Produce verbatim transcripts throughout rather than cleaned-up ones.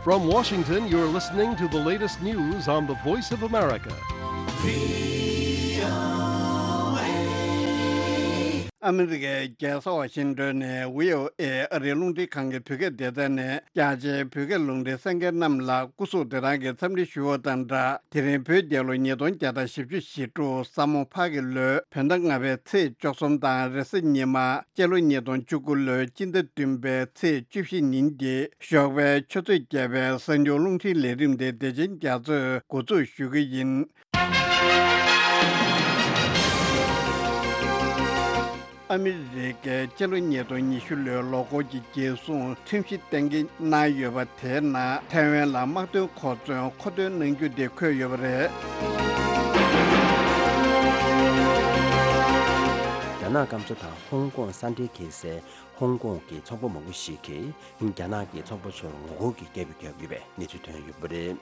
From Washington, you're listening to the latest news on the Voice of America. ཨ་མི་རི་ཀའི་རྒྱལ་ས་ཝ་ཤིང་ཏོན་ནས་བྷི་ཨོ་ཨེ་ཨ་རིའི་རླུང་འཕྲིན་ཁང་གི་བོད་སྐད་སྡེ་ཚན་ནས། རྒྱ་ཆེའི་བོད་སྐད་རླུང་འཕྲིན་གསན་མཁན་རྣམས་ལ་སྐུ་གཟུགས་བདེ་ཐང་གི་འཚམས་འདྲི་ཞུ་བ་དང་སྦྲགས། དེ་རིང་བོད་རྒྱལ་ལོ་ཉིས་སྟོང་བརྒྱ་དང་བཞི་བཅུ་ཞེ་དྲུག་ས་མོ་ཕག་གི་ལོའི་བོད་ཟླ་ལྔ་པའི་ཚེས་བཅུ་གསུམ་དང་། རེས་གཟའ་ཉི་མ་སྤྱི་ལོ་ཉིས་སྟོང་བཅུ་དགུ་ལོའི་སྤྱི་ཟླ་བདུན་པའི་ཚེས་བཅུ་བཞི་ཉིན་གྱི་ཞོགས་པའི་ཆུ་ཚོད་བརྒྱད་པའི་གསར་འགྱུར་རླུང་འཕྲིན་ལས་རིམ་དེ་བདེ་ཆེན་རྒྱ་མཚོས་འགོ་འཛུགས་ཞུ་གི་ཡིན། ཨ་མི་རི་ཀས་སྤྱི་ལོ་ཉིས་སྟོང་ཉི་ཤུ་ལོའི་ལོ་འཁོར་གྱི་རྒྱལ་སྲུང་ཁྲིམས་གཞི་གཏན་འཁེལ་གནང་ཡོད་པ་དེའི་ནང་ཐའེ་ཝན་ལ་དམག་དོན་གོ་མཚོན་མཁོ་འདོན་གནང་རྒྱུ་དེ་འཁོད་ཡོད་པ་རེད། རྒྱ་ནག་སྐམ་ས་དང་ཧོང་ཀོང་ས་འབྲེལ་འཁེལ་སའི་ཧོང་ཀོང་གི་ཚོགས་པ་མང་པོ་ཞིག་གིས་རྒྱ་ནག་གི་ཚོགས་པ་ཚོར་ངོ་རྒོལ་གྱི་སྐད་འབོད་བརྒྱབ་ཡོད་པའི་གནས་ཚུལ་ཐོན་ཡོད་པ་རེད།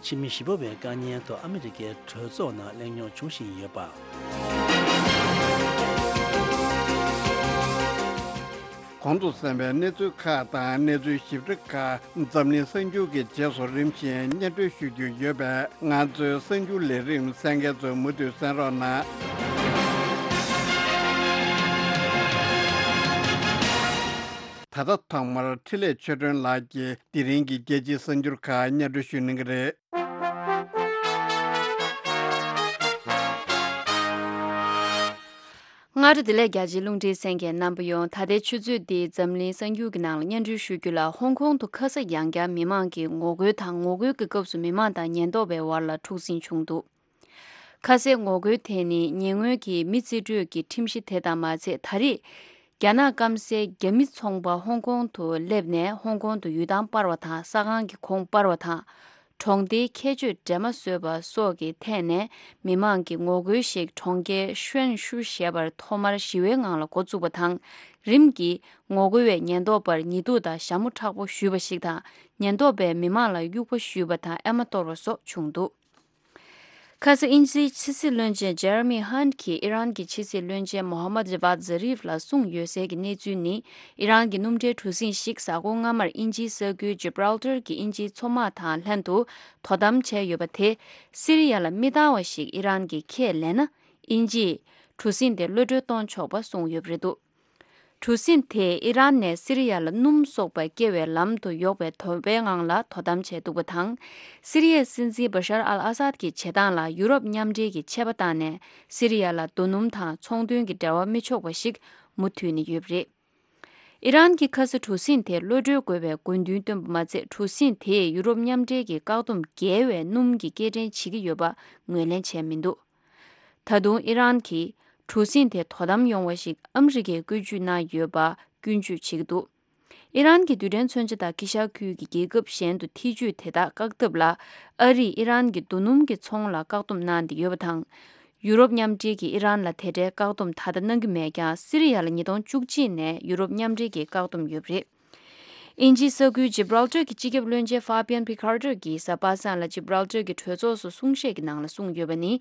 ཕྱི་མི་བཞི་པ་བའི་དཀའ་ཉེན་ཐོག་ཨ་མི་རི་ཀའི་གྲོས་ཚོགས་ནང་གླེང་སློང་བྱུང་བཞིན་ཡོད་པ། གོང་དུ་གསན་པའི་གནས་ཚུལ་ཁག་དང་གནས་ཚུལ་ཞིབ་ཕྲ་ཁག་འཛམ་གླིང་གསར་འགྱུར་གྱི་རྗེས་སུ་རིམ་བཞིན་སྙན་སྒྲོན་ཞུ་རྒྱུ་ཡོད་པས། ང་ཚོའི་གསར་འགྱུར་ལས་རིམ་གསན་མཁན་ཚོས་མུ་མཐུད་གསན་རོགས་གནང་། ད་ལྟ་ཐོག་མར་འཕྲིན་ལས་ཆོས་སྒྲོན་ལགས་ཀྱིས་དེ་རིང་གི་རྒྱལ་སྤྱིའི་གསར་འགྱུར་ཁག་སྙན་སྒྲོན་ཞུ་གནང་གི་རེད། སྔ་དྲོ་བདེ་ལེགས། རྒྱ་ཆེའི་རླུང་འཕྲིན་གསན་མཁན་རྣམ་པ་ཡོངས། ད་ལྟའི་ཆུ་ཚོད་འདིའི་འཛམ་གླིང་གསར་འགྱུར་གྱི་ནང་ལ་སྙན་སྒྲོན་ཞུ་རྒྱུ་ལ། ཧོང་ཀོང་དུ་ཁ་ས་ཡང་བསྐྱར་མི་མང་གིས་ངོ་རྒོལ་དང་། ངོ་རྒོལ་གྱི་སྐབས་སུ་མི་མང་དང་ཉེན་རྟོག་པའི་བར་ལ་འཁྲུག་ཟིང་བྱུང་འདུག་ཁ་སའི་ངོ་རྒོལ་དེ་ནི་ཉེ་སྔོན་གྱི་མི་རྩིས་སྤྲོད་ཀྱི་ཁྲིམས་གཞི་དེ་དང་མ་ཚད། ད་རེས་རྒྱ་ནག་སྐམ་སའི་རྒྱ་མི་ཚོང་པ་ཧོང་ཀོང་དུ་སླེབས་ནས་ཧོང་ཀོང་དུ་ཡུལ་ཐང་སྤར་བ་དང་། ས་ཁང་གི་གོང་སྤར་བ་དང་། གྲོང་སྡེའི་ཁྱད་ཆོས་འདྲེས་མ་བཟོས་པ་སོགས་ཀྱི་ཐད་ནས་མི་མང་གི་ངོ་རྒོལ་ཞིག་གྲོང་ཁྱེར་ཤུན་ཤུ་ཞེས་པར་ཐོག་མར་ཞི་བའི་ངང་ལ་འགོ་བཙུགས་པ་དང་། རིམ་གྱིས་ངོ་རྒོལ་བས་ཉེན་རྟོག་པར་ཉེས་འཛུགས་དང་ཞྭ་མོ་མཁྲེགས་པོ་གཞུས་པ་ཞིག་དང་། ཉེན་རྟོག་པས་མི་མང་ལ་དབྱུག་པ་གཞུས་པ་དང་། ཨེ་མ་གཏོར་བ་སོགས་བྱུང་འདུག་ཁ་ས་དབྱིན་ཇིའི་ཕྱི་སྲིད་བློན་ཆེན་ཇེ་རེ་མི་ཧན་གྱིས་ཨི་རན་གྱི་ཕྱི་སྲིད་བློན་ཆེན་མོ་ཧམ་མད་ཇ་ཝཱད་ཛ་རིབ་ལ་གསུངས་ཡོད་གསལ་གྱི་གནས་ཚུལ་ནི། ཨི་རན་གྱི་སྣུམ་འདྲེན་གྲུ་གཟིངས་ཤིག་གཟའ་འཁོར་སྔ་མར་དབྱིན་ཇིའི་ས་ཁུལ་ཇི་བྷ་རལ་ཏར་གྱི་དབྱིན་ཇིའི་མཚོ་དམག་དང་ལྷན་དུ་དོ་དམ་བྱས་ཡོད་པ་དེ། སི་རི་ཡ་ལ་མི་འདང་བ་ཞིག་ཨི་རན་གྱིས་ཁས་ལེན་ན། དབྱིན་ཇིས་གྲུ་གཟིངས་དེ་གློད་གྲོལ་གཏོང་ཆོག་པ་གསུངས་ཡོད་པ་རེད་འདུག་གྲུ་གཟིངས་དེས་ཨི་རན་ནས་སི་རི་ཡ་ལ་སྣུམ་གསོག་པར་སྐྱེལ་བའི་ལམ་དུ་ཡོག་པའི་དོ་པའི་ངང་ལ་དོ་དམ་བྱས་འདུག་པ་དང་། སི་རི་ཡའི་སྲིད་འཛིན་བ་ཤར་ཨལ་ཨ་སཱད་ཀྱི་བྱེད་སྟངས་ལ་ཡུ་རོབ་མཉམ་འབྲེལ་གྱིས་ཆད་པ་བཏང་ནས། སི་རི་ཡ་ལ་རྡོ་སྣུམ་དང་ཚོང་དོན་གྱི་འབྲེལ་བ་མི་ཆོག་པ་ཞིག་མུ་མཐུད་ནས་ཡོད་པ་རེད། ཨི་རན་གྱིས་ཁ་ས་གྲུ་གཟིངས་དེ་གློད་གྲོལ་དགོས་པའི་དགོས་འདུན་བཏོན་པ་མ་ཚད། གྲུ་གཟིངས་དེས་ཡུ་རོབ་མཉམ་འབྲེལ་གྱི་བཀག་སྡོམ་བརྒལ་བའི་སྣུམ་གྱི་སྐྱེལ་འདྲེན་བྱེད་ཀྱི་ཡོད་པ་ངོས་ལེན་བྱས་མི་འདུག་ད་དུང་ཨི་རན་གྱིས་གྲུ་གཟིངས་དེ་དོ་དམ་ཡོང་བ་ཞིག་ཨ་མི་རི་ཀས་བཀོད་ཇུས་གནང་ཡོད་པ་སྐྱོན་བརྗོད་བྱེད་ཀྱི་འདུག་ཨི་རན་གྱི་རྡུལ་ཕྲན་མཚོན་ཆ་དང་དཀྱིལ་ཤར་ཁུལ་གྱི་རྒྱལ་ཁབ་གཞན་དུ་ཐེ་ཇུས་དེ་དག་བཀག་ཐབས་ལ། ཨ་རིས་ཨི་རན་གྱི་རྡོ་སྣུམ་གྱི་ཚོང་ལ་བཀག་སྡོམ་གནང་སྟེ་ཡོད་པ་དང་། ཡུ་རོབ་མཉམ་འབྲེལ་གྱིས་ཨི་རན་ལ་དེ་འདྲའི་བཀག་སྡོམ་ད་ལྟ་གནང་གི་མེད་ཀྱང་། སི་རི་ཡ་ལ་ཉིས་སྟོང་བཅུ་གཅིག་ནས་ཡུ་རོབ་མཉམ་འབྲེལ་གྱིས་བཀག་སྡོམ་ཡོད་པ་རེད། དབྱིན་ཇིའི་ས་ཁུལ་ཇི་བྷ་རལ་ཏར་གྱི་སྤྱི་ཁྱབ་བློན་ཆེན་ཧྥ་པི་ཡན་ཕི་ཁར་ཏར་གྱིས་གཟའ་པ་སངས་ལ་ཇི་བྷ་རལ་ཏར་གྱི་གྲོས་ཚོགས་སུ་གསུང་བཤད་ཀྱི་ནང་ལ་གསུངས་ཡོད་པ་ནི།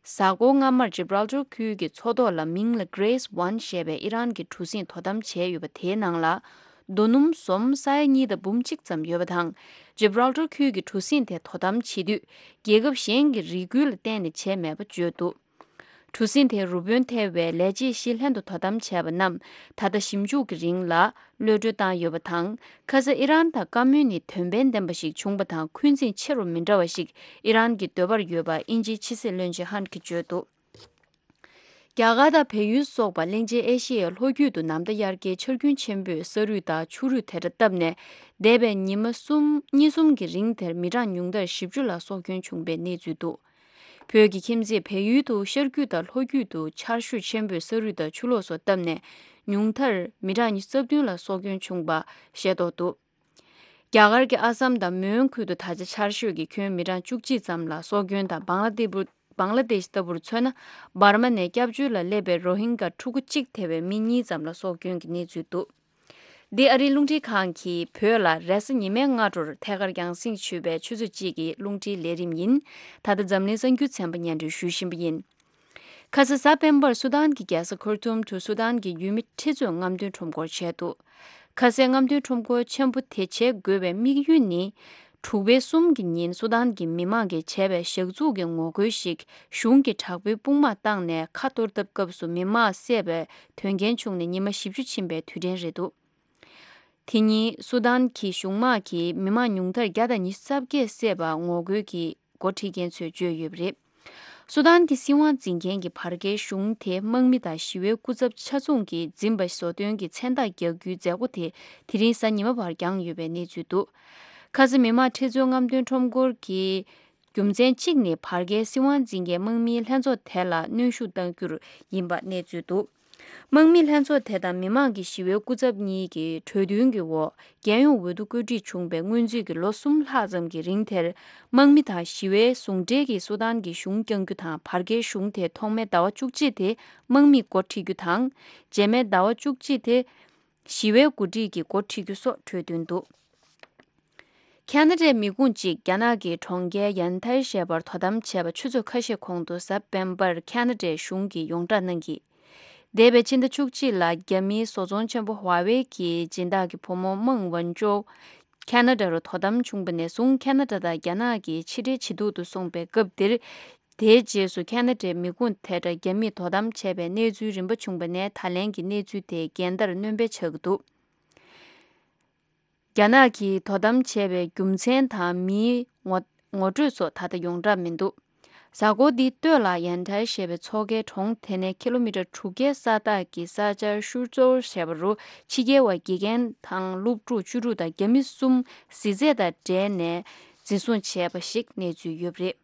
གཟའ་འཁོར་སྔ་མར་ཇི་བྷ་རལ་ཏར་ཁུལ་གྱི་མཚོ་ཐོག་ལ་མིང་ལ་Grace One་ཞེས་པའི་ཨི་རན་གྱི་གྲུ་གཟིངས་དོ་དམ་བྱས་ཡོད་པ་དེའི་ནང་ལ། རྡོ་སྣུམ་ཟོམ་ས་ཡ་གཉིས་དང་འབུམ་གཅིག་ཙམ་ཡོད་པ་དང་། ཇི་བྷ་རལ་ཏར་ཁུལ་གྱི་གྲུ་གཟིངས་དེ་དོ་དམ་བྱེད་དུས། རྒྱལ་ཁབ་གཞན་གྱི་རེ་སྐུལ་ལ་བརྟེན་ནས་བྱས་མེད་པ་བརྗོད་འདུག་གྲུ་གཟིངས་དེའི་རུ་དཔོན་ཐེ་བའི་ལས་བྱེད་བཞི་ལྷན་དུ་དོ་དམ་བྱས་པ་རྣམས་ད་ལྟ་ཞིབ་འཇུག་གི་རིང་ལ་གློད་གྲོལ་བཏང་ཡོད་པ་དང་། ཁ་ས་ཨི་རན་དང་བཀའ་མོལ་ནི་དོན་ཕན་ལྡན་པ་ཞིག་བྱུང་པ་དང་། འཁོན་འཛིན་ཆེ་རུ་མི་འགྲོ་བ་ཞིག་ཨི་རན་གྱི་འདོད་པར་ཡོད་པ་དབྱིན་ཇིའི་ཕྱི་སྲིད་བློན་ཆེན་ཧན་གྱིས་བརྗོད་འདུག་རྒྱ་གར་དང་བལ་ཡུལ་སོགས་པ་གླིང་ཆེན་ཨེ་ཤི་ཡའི་ལྷོ་རྒྱུད་དུ་ནམ་ཟླ་དབྱར་ཁའི་ཆར་རྒྱུན་ཆེན་པོས་ས་རུད་དང་ཆུ་རུད་དེ་འདྲ་བཏབ་ནས། འདས་པའི་ཉི་མ་གསུམ་གཉིས་གསུམ་གྱི་རིང་དེར་མི་གྲངས་ཉུང་མཐར་བཞི་བཅུ་ལ་སྲོག་སྐྱོན་བྱུང་པའི་གནས་ཚུལ་འདུག་བོད་ཀྱི་ཁྱིམ་མཚེས་བལ་ཡུལ་དུ་ཤར་རྒྱུད་དང་ལྷོ་རྒྱུད་དུ་ཆར་ཤུགས་ཆེན་པོས་ས་རུད་དང་ཆུ་ལོག་སོགས་བཏབ་ནས། ཉུང་མཐར་མི་གྲངས་ཉི་ཤུ་རྩ་བདུན་ལ་སྲོག་སྐྱོན་བྱུང་པ་ཤེས་རྟོགས་འདུག་རྒྱ་གར་གྱི་ཨ་སམ་དང་མོན་ཁུལ་དུ་ད་ཆ་ཆར་ཤུགས་ཀྱིས་ཁྱོན་མི་གྲངས་བཅུ་གཅིག་ཙམ་ལ་སྲོག་སྐྱོན་དང་། བང་ལ་དེ་བུ་བང་ལ་དེཤ་ལྟ་བུར་མཚོན་ན། འབར་མ་ནས་སྐྱབས་བཅོལ་ལ་སླེབས་པའི་རོ་ཧིན་གྷ་ཕྲུ་གུ་གཅིག་ཐེ་བའི་མི་གཉིས་ཙམ་ལ་སྲོག་སྐྱོན་གྱི་གནས་ཚུལ་འདུག་འདི་ཨ་རིའི་རླུང་འཕྲིན་ཁང་གིས་བོད་ལ་རེས་གཟའ་ཉི་མའི་སྔ་དྲོར་ཐད་ཀར་རྒྱང་སྲིང་ཞུས་པའི་ཆུ་ཚོད་གཅིག་གི་རླུང་འཕྲིན་ལས་རིམ་ཡིན། ད་ལྟ་འཛམ་གླིང་གསར་འགྱུར་ཚན་པ་སྙན་སྒྲོན་ཞུ་བཞིན་པ་ཡིན། ཁ་སང་གཟའ་སྤེན་པར་སུ་དཱན་གྱི་རྒྱལ་ས་ཁར་ཏུམ་དུ་སུ་དཱན་གྱི་ཡུལ་མི་ཁྲི་ཚོས་རྔམ་སྟོན་ཁྲོམ་སྐོར་བྱས་འདུག་ཁ་སའི་རྔམ་སྟོན་ཁྲོམ་སྐོར་ཆེན་པོ་དེ་བྱེད་དགོས་པའི་དམིགས་ཡུལ་ནི། དྲུག་པའི་གསུམ་གྱི་ཉིན་སུ་དཱན་གྱི་མི་མང་གིས་བྱས་པའི་ཞག་ཚུགས་ཀྱི་ངོ་རྒོལ་ཞིག་གཞུང་གིས་དྲག་པོའི་དཔུང་དམག་བཏང་ནས་ཁ་གཏོར་ཐབས་སྐབས་སུ་མི་མང་བསད་པའི་དོན་རྐྱེན་བྱུང་ནས་ཉི་མ་བཞི་བཅུ་ཕྱིན་པའི་དུས་དྲན་རེད་འདུག་དེ་ཉིན་སུ་དཱན་གྱི་གཞུང་དམག་གིས་མི་མང་ཉུང་མཐར་བརྒྱ་དང་ཉི་ཤུ་རྩ་བརྒྱད་བསད་པ་ངོ་རྒོལ་གྱི་འགོ་ཁྲིད་མཁན་ཚོས་བརྗོད་ཡོད་པ་རེད། སུ་དཱན་གྱི་སྲིད་དབང་འཛིན་མཁན་གྱི་བར་བརྒལ་གཞུང་དེ་དམག་མི་དང་ཞི་བའི་སྐུ་ཚབ་ཆ་ཚང་གིས་འཛིན་པ་བཟོ་སྟོན་གྱི་མཚན་རྟགས་རྒྱག་རྒྱུའི་མཛད་སྒོ་དེ་དེ་རིང་གཟའ་ཉི་མ་བར་བསྐྱངས་ཡོད་པའི་གནས་ཚུལ་འདུག་ཁ་སང་མི་མང་ཁྲི་ཚོའི་རྔམ་སྟོན་ཁྲོམ་སྐོར་གྱི་རྒྱུ་མཚན་གཅིག་ནི་བར་བརྒལ་སྲིད་དབང་འཛིན་མཁན་དམག་མིའི་ལྷན་ཚོགས་དེ་ལ་གནོན་ཤུགས་གཏང་རྒྱུར་ཡིན་པ་གནས་ཚུལ་འདུག་དམག་མི་ལྷན་ཚོགས་དེ་དང་མི་མང་གི་ཞི་བའི་སྐུ་ཚབ་གཉིས་ཀྱི་གྲོས་མཐུན་གྱི་འོག་རྒྱལ་ཡོངས་འོས་བསྡུ་བཀོད་སྒྲིག་བྱུང་བའི་སྔོན་རྩིས་ཀྱི་ལོ་གསུམ་ལྷག་ཙམ་གྱི་རིང་དེར། དམག་མི་དང་ཞི་བའི་ཟུང་འབྲེལ་གྱིས་སུ་དཱན་གྱི་གཞུང་བསྐྱང་རྒྱུ་དང་བར་བརྒལ་གཞུང་དེ་ཐོག་མའི་ཟླ་བ་བཅུ་གཅིག་དེ་དམག་མིས་འགོ་ཁྲིད་རྒྱུ་དང་། རྗེས་མའི་ཟླ་བ་བཅུ་གཅིག་དེ་ཞི་བའི་འགོ་ཁྲིད་ཀྱིས་འགོ་ཁྲིད་རྒྱུ་སོགས་གྲོས་མཐུན་འདུག་ཁ་ན་ཌའི་མི་ཁུངས་གཅིག་རྒྱ་ནག་གི་གྲོང་ཁྱེར་ཡན་ཐའི་ཞེས་པར་དོ་དམ་བྱས་པ་ཆུ་ཚོད་ཁ་ཤས་གོང་དུ་གཟའ་སྤེན་པར་ཁ་ན་ཌའི་གཞུང་གིས་ཡོངས་བསྒྲགས་གནང་གིས། འདས་པའི་ཕྱི་ཟླ་བཅུ་གཅིག་ལ་རྒྱ་མིའི་བཟོ་ཚོང་ཆེན་པོ་ཧྭ་ཝེ་གི་སྦྱིན་བདག་གི་བུ་མོ་མེང་ཝུན་ཅོའུ་ཁ་ན་ཌ་རུ་དོ་དམ་བྱུང་བ་ནས་བཟུང་ཁ་ན་ཌ་དང་རྒྱ་ནག་གི་ཕྱི་འབྲེལ་ཇེ་སྡུག་ཏུ་སོང་པའི་སྐབས་འདིར། དེའི་རྗེས་སུ་ཁ་ན་ཌའི་མི་ཁུངས་དེ་འདྲ་རྒྱ་མིས་དོ་དམ་བྱས་པའི་གནས་ཚུལ་རིམ་པ་བྱུང་བ་ནས་ད་ལན་གྱི་གནས་ཚུལ་དེ་འགལ་ཟླར་སྣོན་པ་ཆགས་ཀྱི་འདུག་རྒྱ་ནག་གིས་དོ་དམ་བྱས་པའི་རྒྱུ་མཚན་དང་མིའི་ངོ་ངོ་སྤྲོད་སོགས་ད་ལྟ་ཡོངས་གྲགས་མི་འདུག་གཟའ་འཁོར་འདིའི་སྟོད་ལ་ཡན་ཐའི་ཞེས་པའི་མཚོ་ཁའི་གྲོང་དེ་ནས་ཀི་ལོ་མི་ཊར་དྲུག་བརྒྱའི་ས་ཐག་གི་ས་ཆར་ཤུར་ཙོར་ཞེས་པ་རུ་ཕྱི་རྒྱལ་བ་དགེ་རྒན་དང་སློབ་ཕྲུག་བཅུ་དྲུག་དང་རྒྱ་མི་གསུམ་གཟི་རྫས་དང་འབྲེལ་ནས་འཛིན་བཟུང་བྱས་པ་ཞིག་གནས་ཚུལ་ཡོད་པ་རེད།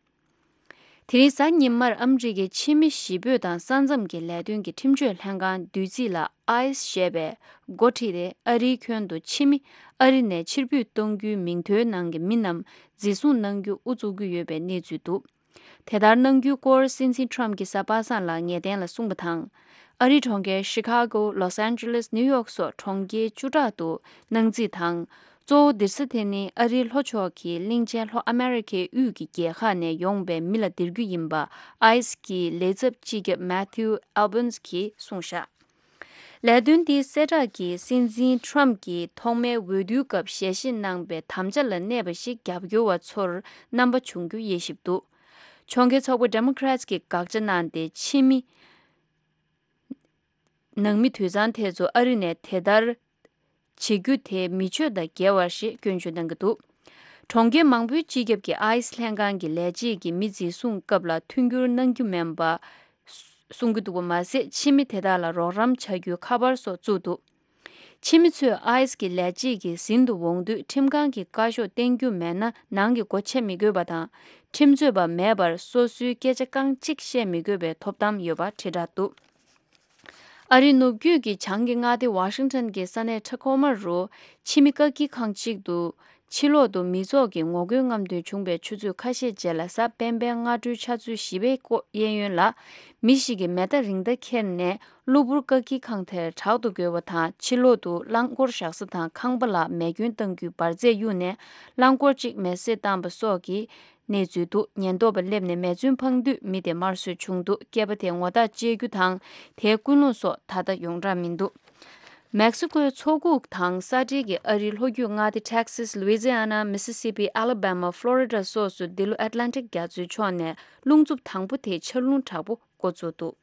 དེ་རིང་གཟའ་ཉི་མར་ཨ་མི་རི་ཀའི་ཕྱི་མི་གཞིས་སྤོས་དང་ས་མཚམས་ཀྱི་ལས་དོན་གྱི་ཁྲིམས་གཅོད་ལྷན་ཁང་བདུད་རྩི་ལ་ཨའི་སི་ཞེས་པས་འགོ་ཁྲིད་དེ་ཨ་རིའི་ཁྱོན་དུ་ཕྱི་མི་ཨ་རི་ནས་ཕྱིར་འབུད་གཏོང་རྒྱུའི་མིང་ཐོའི་ནང་གི་མི་རྣམས་འཛིན་བཟུང་གནང་རྒྱུ་དབུ་བཙུགས་ཀྱི་ཡོད་པའི་གནས་ཚུལ་འདུག་དེ་ལྟར་གནང་རྒྱུའི་སྐོར་སྲིད་འཛིན་ཊམ་གྱིས་གཟའ་པ་སངས་ལ་ངེས་གཏན་ལ་གསུངས་པ་དང་། ཨ་རིའི་གྲོང་ཁྱེར་ཤི་ཁ་གོ། ལོས་ཨན་ཇེ་ལེས། ནིའུ་ཡོག་སོགས་གྲོང་ཁྱེར་བཅུ་ཕྲག་ཏུ་གནང་རྩིས་དང་། གཙོ་བོ་འདིར་ས་དེ་ནི་ཨ་རིའི་ལྷོ་ཕྱོགས་ཀྱི་གླིང་ཆེན་ལྷོ་ཨ་མེ་རི་ཁའི་དབུས་ཀྱི་རྒྱལ་ཁག་ནས་ཡོང་པའི་མི་ལ་འདིར་རྒྱུ་ཡིན་པ་ཨའི་སི་གི་ལས་ཚབ་སྤྱི་ཁྱབ་མེ་ཐིའུ་ཨལ་བན་སི་གིས་གསུངས་བཞག་ལས་དོན་འདིའི་གསལ་བསྒྲགས་ཀྱིས་སྲིད་འཛིན་ཊམ་གྱིས་ཐོག་མའི་འོས་བསྡུའི་སྐབས་ཞལ་བཞེས་གནང་པའི་དམ་བཅའ་ལ་གནས་པ་ཞིག་རྒྱབ་སྐྱོར་བ་ཚོར་རྣམ་པ་བྱུང་རྒྱུ་དབྱེ་ཞིབ་འདུག་ཕྱོགས་འགལ་ཚོགས་པ་ཌེ་མོ་ཀ་རེ་ཊི་གིས་དགག་བྱ་གནང་སྟེ་ཕྱི་མི། ནང་མི་དུད་ཚང་དེ་ཚོ་ཨ་རི་ནས་དེ་ལྟར་བྱེད་རྒྱུ་དེ་མི་ཆོས་དང་འགལ་བ་ཞེས་སྐྱོན་བརྗོད་གནང་གི་འདུག་གྲོང་ཁྱེར་མང་པོའི་སྤྱི་ཁྱབ་ཀྱིས་ཨའི་སི་ལྷན་ཁང་གི་ལས་བྱེད་ཀྱིས་མི་འཛིན་བཟུང་སྐབས་ལ་མཐུན་འགྱུར་གནང་རྒྱུ་མིན་པ་གསུང་གི་འདུག་པ་མ་ཟད། ཕྱི་མི་དེ་དག་ལ་རོགས་རམ་བྱ་རྒྱུའི་ཁ་པར་སོགས་བཙུགས་འདུག་ཕྱི་མི་ཚོས་ཨའི་སི་གི་ལས་བྱེད་ཀྱིས་ཟིན་དུ་འོང་དུས་ཁྲིམས་ཁང་གི་བཀའ་ཤོག་བསྟན་རྒྱུ་མེད་ན་ནང་གི་སྒོ་ཕྱེ་མི་དགོས་པ་དང་། ཁྲིམས་རྩོད་པ་མེད་པར་སོ་སོའི་སྐད་ཆ་རྐང་གཅིག་བཤད་མི་དགོས་པའི་ཐོབ་ཐང་ཡོད་པ་དྲིལ་བསྒྲགས་འདུག་ཨ་རིའི་ནུབ་རྒྱུད་ཀྱི་བྱང་གི་མངའ་སྡེ་ཝ་ཤིང་ཊོན་གྱི་ས་གནས་ཁྲ་ཁོ་མ་རུ་ཕྱི་མི་བཀག་སྐྱིལ་ཁང་གཅིག་ཏུ་ཕྱི་ལོག་ཏུ་མི་ཚོགས་ཀྱི་ངོ་རྒོལ་རྔམ་སྟོན་བྱུང་བའི་ཆུ་ཚོད་ཁ་ཤས་རྗེས་ལ་གཟའ་སྤེན་པའི་སྔ་དྲོའི་ཆུ་ཚོད་བཞི་པའི་སྐོར་གཡས་གཡོན་ལ་མི་ཞིག་གིས་མེ་མདའ་རིང་མདའ་ཁྱེར་ནས་གློ་བུར་བཀག་སྐྱིལ་ཁང་དེར་དྲག་ཏུ་རྒོལ་བ་དང་ཕྱི་ལོག་ཏུ་རླངས་འཁོར་བཞག་ས་དང་ཁང་པ་ལ་མེ་སྐྱོན་གཏང་རྒྱུའི་འབར་རྫས་གཡུགས་ནས་རླངས་འཁོར་གཅིག་མེ་བསྲེགས་བཏང་པ་སོགས་ཀྱི་གནས་ཚུལ་འདུག་ཉེན་རྟོག་པ་སླེབས་ནས་མེ་མཚོན་འཕངས་དུས་མི་དེ་དམར་གསོད་བྱུང་འདུག་སྐྱེས་པ་དེ་ངོ་རྟགས་བཅད་རྒྱུ་དང་དེའི་ཀུན་སློང་སོགས་ད་ལྟ་ཡོངས་གྲགས་མི་འདུག་མེག་སི་ཀོའི་མཚོ་ཁུག་དང་ས་འབྲེལ་གྱི་ཨ་རིའི་ལྷོ་རྒྱུད་མངའ་སྡེ་ཊེག་སིས། ལུའི་ཛི་ཨ་ན། མི་སི་སི་པི། ཨ་ལ་བྷ་མ། ཕློ་རི་ཌ་སོགས་སུ་འདི་ལོ་ཨེཊ་ལན་ཊིག་རྒྱ་མཚོའི་ཕྱོགས་ནས་རླུང་འཚུབ་དང་པོ་དེའི་ཆར་རླུང་དྲག་པོ་འགོ་བཙུགས་འདུག་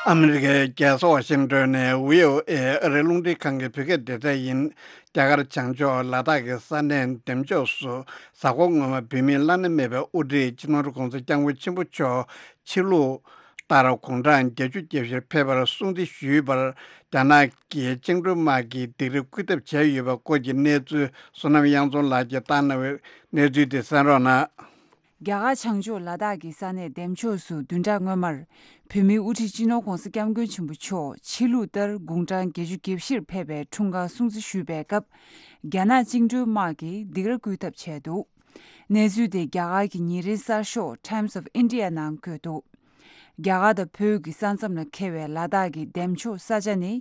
ཨ་མི་རི་ཀའི་རྒྱལ་ས་ཝ་ཤིང་ཏོན་ནས་བྷི་ཨོ་ཨེ་ཨ་རིའི་རླུང་འཕྲིན་ཁང་གི་བོད་སྐད་སྡེ་ཚན་ཡིན། རྒྱ་གར་བྱང་ཕྱོགས་ལ་དྭགས་ཀྱི་ས་གནས་འདེམས་ཕྱོགས་སུ་གཟའ་འཁོར་སྔོན་མ་བོད་མིའི་བླ་ན་མེད་པའི་དབུ་ཁྲིད་སྤྱི་ནོར་༸གོང་ས་༸སྐྱབས་མགོན་ཆེན་པོ་མཆོག་ཕྱི་ལུགས་ལྟར་དགུང་གྲངས་བརྒྱད་ཅུ་གྱ་བཞིར་ཕེབས་པར་སྲུང་བརྩི་ཞུས་པར་རྒྱ་ནག་གི་བཅིངས་འགྲོལ་དམག་གིས་སྡིགས་ར་བསྐུལ་ཐབས་བྱས་ཡོད་པའི་སྐོར་གྱི་གནས་ཚུལ་བསོད་ནམས་དབྱངས་འཛོམས་ལགས་ཀྱིས་བཏང་གནང་བའི་གནས་ཚུལ་དེ་གསན་རོགས་གནང་། རྒྱ་གར་བྱང་ཕྱོགས་ལ་དྭགས་ཀྱི་ས་གནས་འདེམས་ཕྱོགས་སུ་བདུན་ཕྲག་སྔོན་མར་བོད་མིའི་དབུ་ཁྲིད་སྤྱི་ནོར་༸གོང་ས་༸སྐྱབས་མགོན་ཆེན་པོ་མཆོག་ཕྱི་ལུགས་ལྟར་དགུང་གྲངས་བརྒྱད་ཅུ་གྱ་བཞིར་ཕེབས་པའི་འཁྲུངས་སྐར་སྲུང་བརྩི་ཞུས་པའི་སྐབས། རྒྱ་ནག་བཅིངས་འགྲོལ་དམག་གིས་སྡིགས་ར་བསྐུལ་ཐབས་བྱས་འདུག་གནས་ཚུལ་དེ་རྒྱ་གར་གྱི་ཉིན་རེའི་གསར་ཤོག་Times of India ནང་བཀོད་འདུག་རྒྱ་གར་དང་བོད་ཀྱི་ས་མཚམས་ལ་འཁེལ་བའི་ལ་དྭགས་ཀྱི་འདེམས་ཕྱོགས་ས་ཆ་ནི།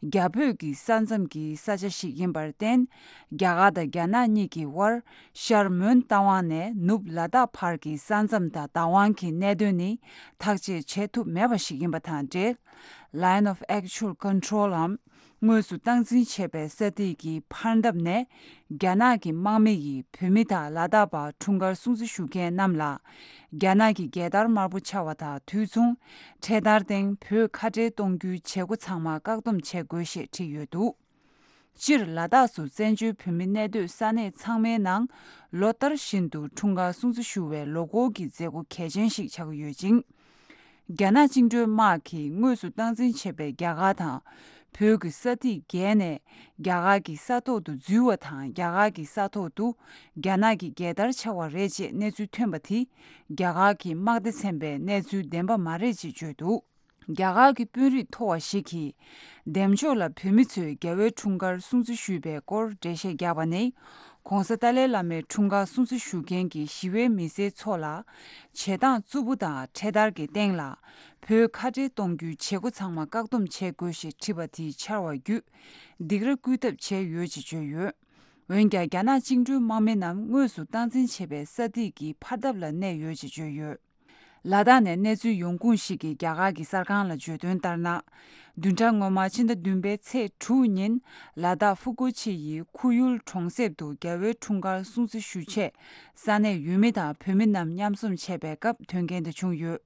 རྒྱ་བོད་ཀྱི་ས་མཚམས་ཀྱི་ས་ཆ་ཞིག་ཡིན་པར་བརྟེན། རྒྱ་གར་དང་རྒྱ་ནག་གཉིས་ཀྱི་དབར་ཤར་མོན་རྟ་དབང་ནས་ནུབ་ལ་དྭགས་བར་གྱི་ས་མཚམས་དང་བདག་དབང་གི་གནད་དོན་ནི་ཐག་གཅོད་བྱེད་ཐུབ་མེད་པ་ཞིག་ཡིན་པ་དང་འབྲེལ། Line of Actual Control འམ་དངོས་སུ་སྟངས་འཛིན་བྱེད་པའི་ས་ཐིག་གི་ཕར་འདབས་ནས་རྒྱ་ནག་གི་དམག་མི་ཡིས་བོད་མི་དང་ལ་དྭགས་པ་འཁྲུངས་སྐར་སྲུང་བརྩི་ཞུ་མཁན་རྣམས་ལ། རྒྱ་ནག་གི་རྒྱལ་དར་དམར་པོ་འཕྱར་བ་དང་དུས་མཚུངས་འཕྲེད་དར་སྟེང་བོད་ཁ་བྲལ་གཏོང་རྒྱུའི་བྱེད་སྒོ་ཚང་མ་བཀག་སྡོམ་བྱེད་དགོས་ཞེས་བྲིས་ཡོད་འདུག་སྤྱིར་ལ་དྭགས་སུ་བཙན་བྱོལ་བོད་མི་གནས་སྡོད་ས་གནས་ཚང་མའི་ནང་ལོ་ལྟར་བཞིན་དུ་འཁྲུངས་སྐར་སྲུང་བརྩི་ཞུ་བའི་ལོ་འཁོར་གྱི་མཛད་སྒོ་གལ་ཆེན་ཞིག་ཆགས་ཀྱི་ཡོད་ཅིང་། རྒྱ་ནག་བཅིངས་འགྲོལ་དམག་གིས་དངོས་སུ་སྟངས་འཛིན་བྱེད་པའི་རྒྱ་གར་དང་། བོད་ཀྱི་ས་ཐིག་བརྒལ་ནས་རྒྱ་གར་གྱི་ས་ཐོག་ཏུ་འཛུལ་བ་དང་རྒྱ་གར་གྱི་ས་ཐོག་ཏུ་རྒྱ་ནག་གི་རྒྱལ་དར་འཕྱར་བ་རེད་ཅེས་གནས་ཚུལ་ཐོན་པ་དེ་རྒྱ་གར་གྱི་དམག་སྡེ་ཚན་པའི་གནས་ཚུལ་བདེན་པ་མ་རེད་ཅེས་བརྗོད་འདུག་རྒྱ་གར་གྱི་དཔོན་རིགས་མཐོ་བ་ཞིག་གིས་འདེམས་ཕྱོགས་ལ་བོད་མི་ཚོས་རྒྱལ་བའི་འཁྲུངས་སྐར་སྲུང་བརྩི་ཞུས་པའི་སྐོར་འགྲེལ་བཤད་བརྒྱབ་པ་ནི། ྋགོང་ས་ཏཱ་ལའི་བླ་མའི་འཁྲུངས་སྐར་སྲུང་བརྩི་ཞུ་མཁན་གྱི་ཞི་བའི་མི་སེར་ཚོ་ལ་བྱེད་སྟངས་རྩུབ་པོ་དང་འཕྲེད་དར་གྱི་སྟེང་ལ་བོད་ཁ་བྲལ་གཏོང་རྒྱུའི་བྱེད་སྒོ་ཚང་མ་བཀག་སྡོམ་བྱེད་དགོས་ཞེས་བྲིས་པ་དེ་འཕྱར་བ་བརྒྱུད་སྡིགས་ར་སྐུལ་ཐབས་བྱས་ཡོད་ཅེས་བརྗོད་ཡོད། འོན་ཀྱང་རྒྱ་ནག་བཅིངས་འགྲོལ་དམག་མི་རྣམས་དངོས་སུ་སྟངས་འཛིན་བྱེད་པའི་ས་ཐིག་གི་ཕར་འདབས་ལ་གནས་ཡོད་ཅེས་བརྗོད་ཡོད། ལ་དྭགས་ནས་གནས་ཚུལ་ཡོང་ཁུངས་ཤིག་གིས་རྒྱ་གར་གྱི་གསར་ཁང་ལ་བརྗོད་དོན་ལྟར་ན། བདུན་ཕྲག་སྔོན་མ་ཕྱི་ཟླ་བདུན་པའི་ཚེས་དྲུག་ཉིན་ལ་དྭགས་ཧྥུ་ཀོ་ཆི་ཡི་ཁུ་ཡུལ་གྲོང་གསེབ་ཏུ་རྒྱལ་བའི་འཁྲུངས་སྐར་སྲུང་བརྩི་ཞུ་ཆེད་ས་གནས་ཡུལ་མི་དང་བོད་མི་རྣམས་མཉམ་འཛོམས་བྱས་པའི་སྐབས་དོན་རྐྱེན་དེ་བྱུང་ཡོད།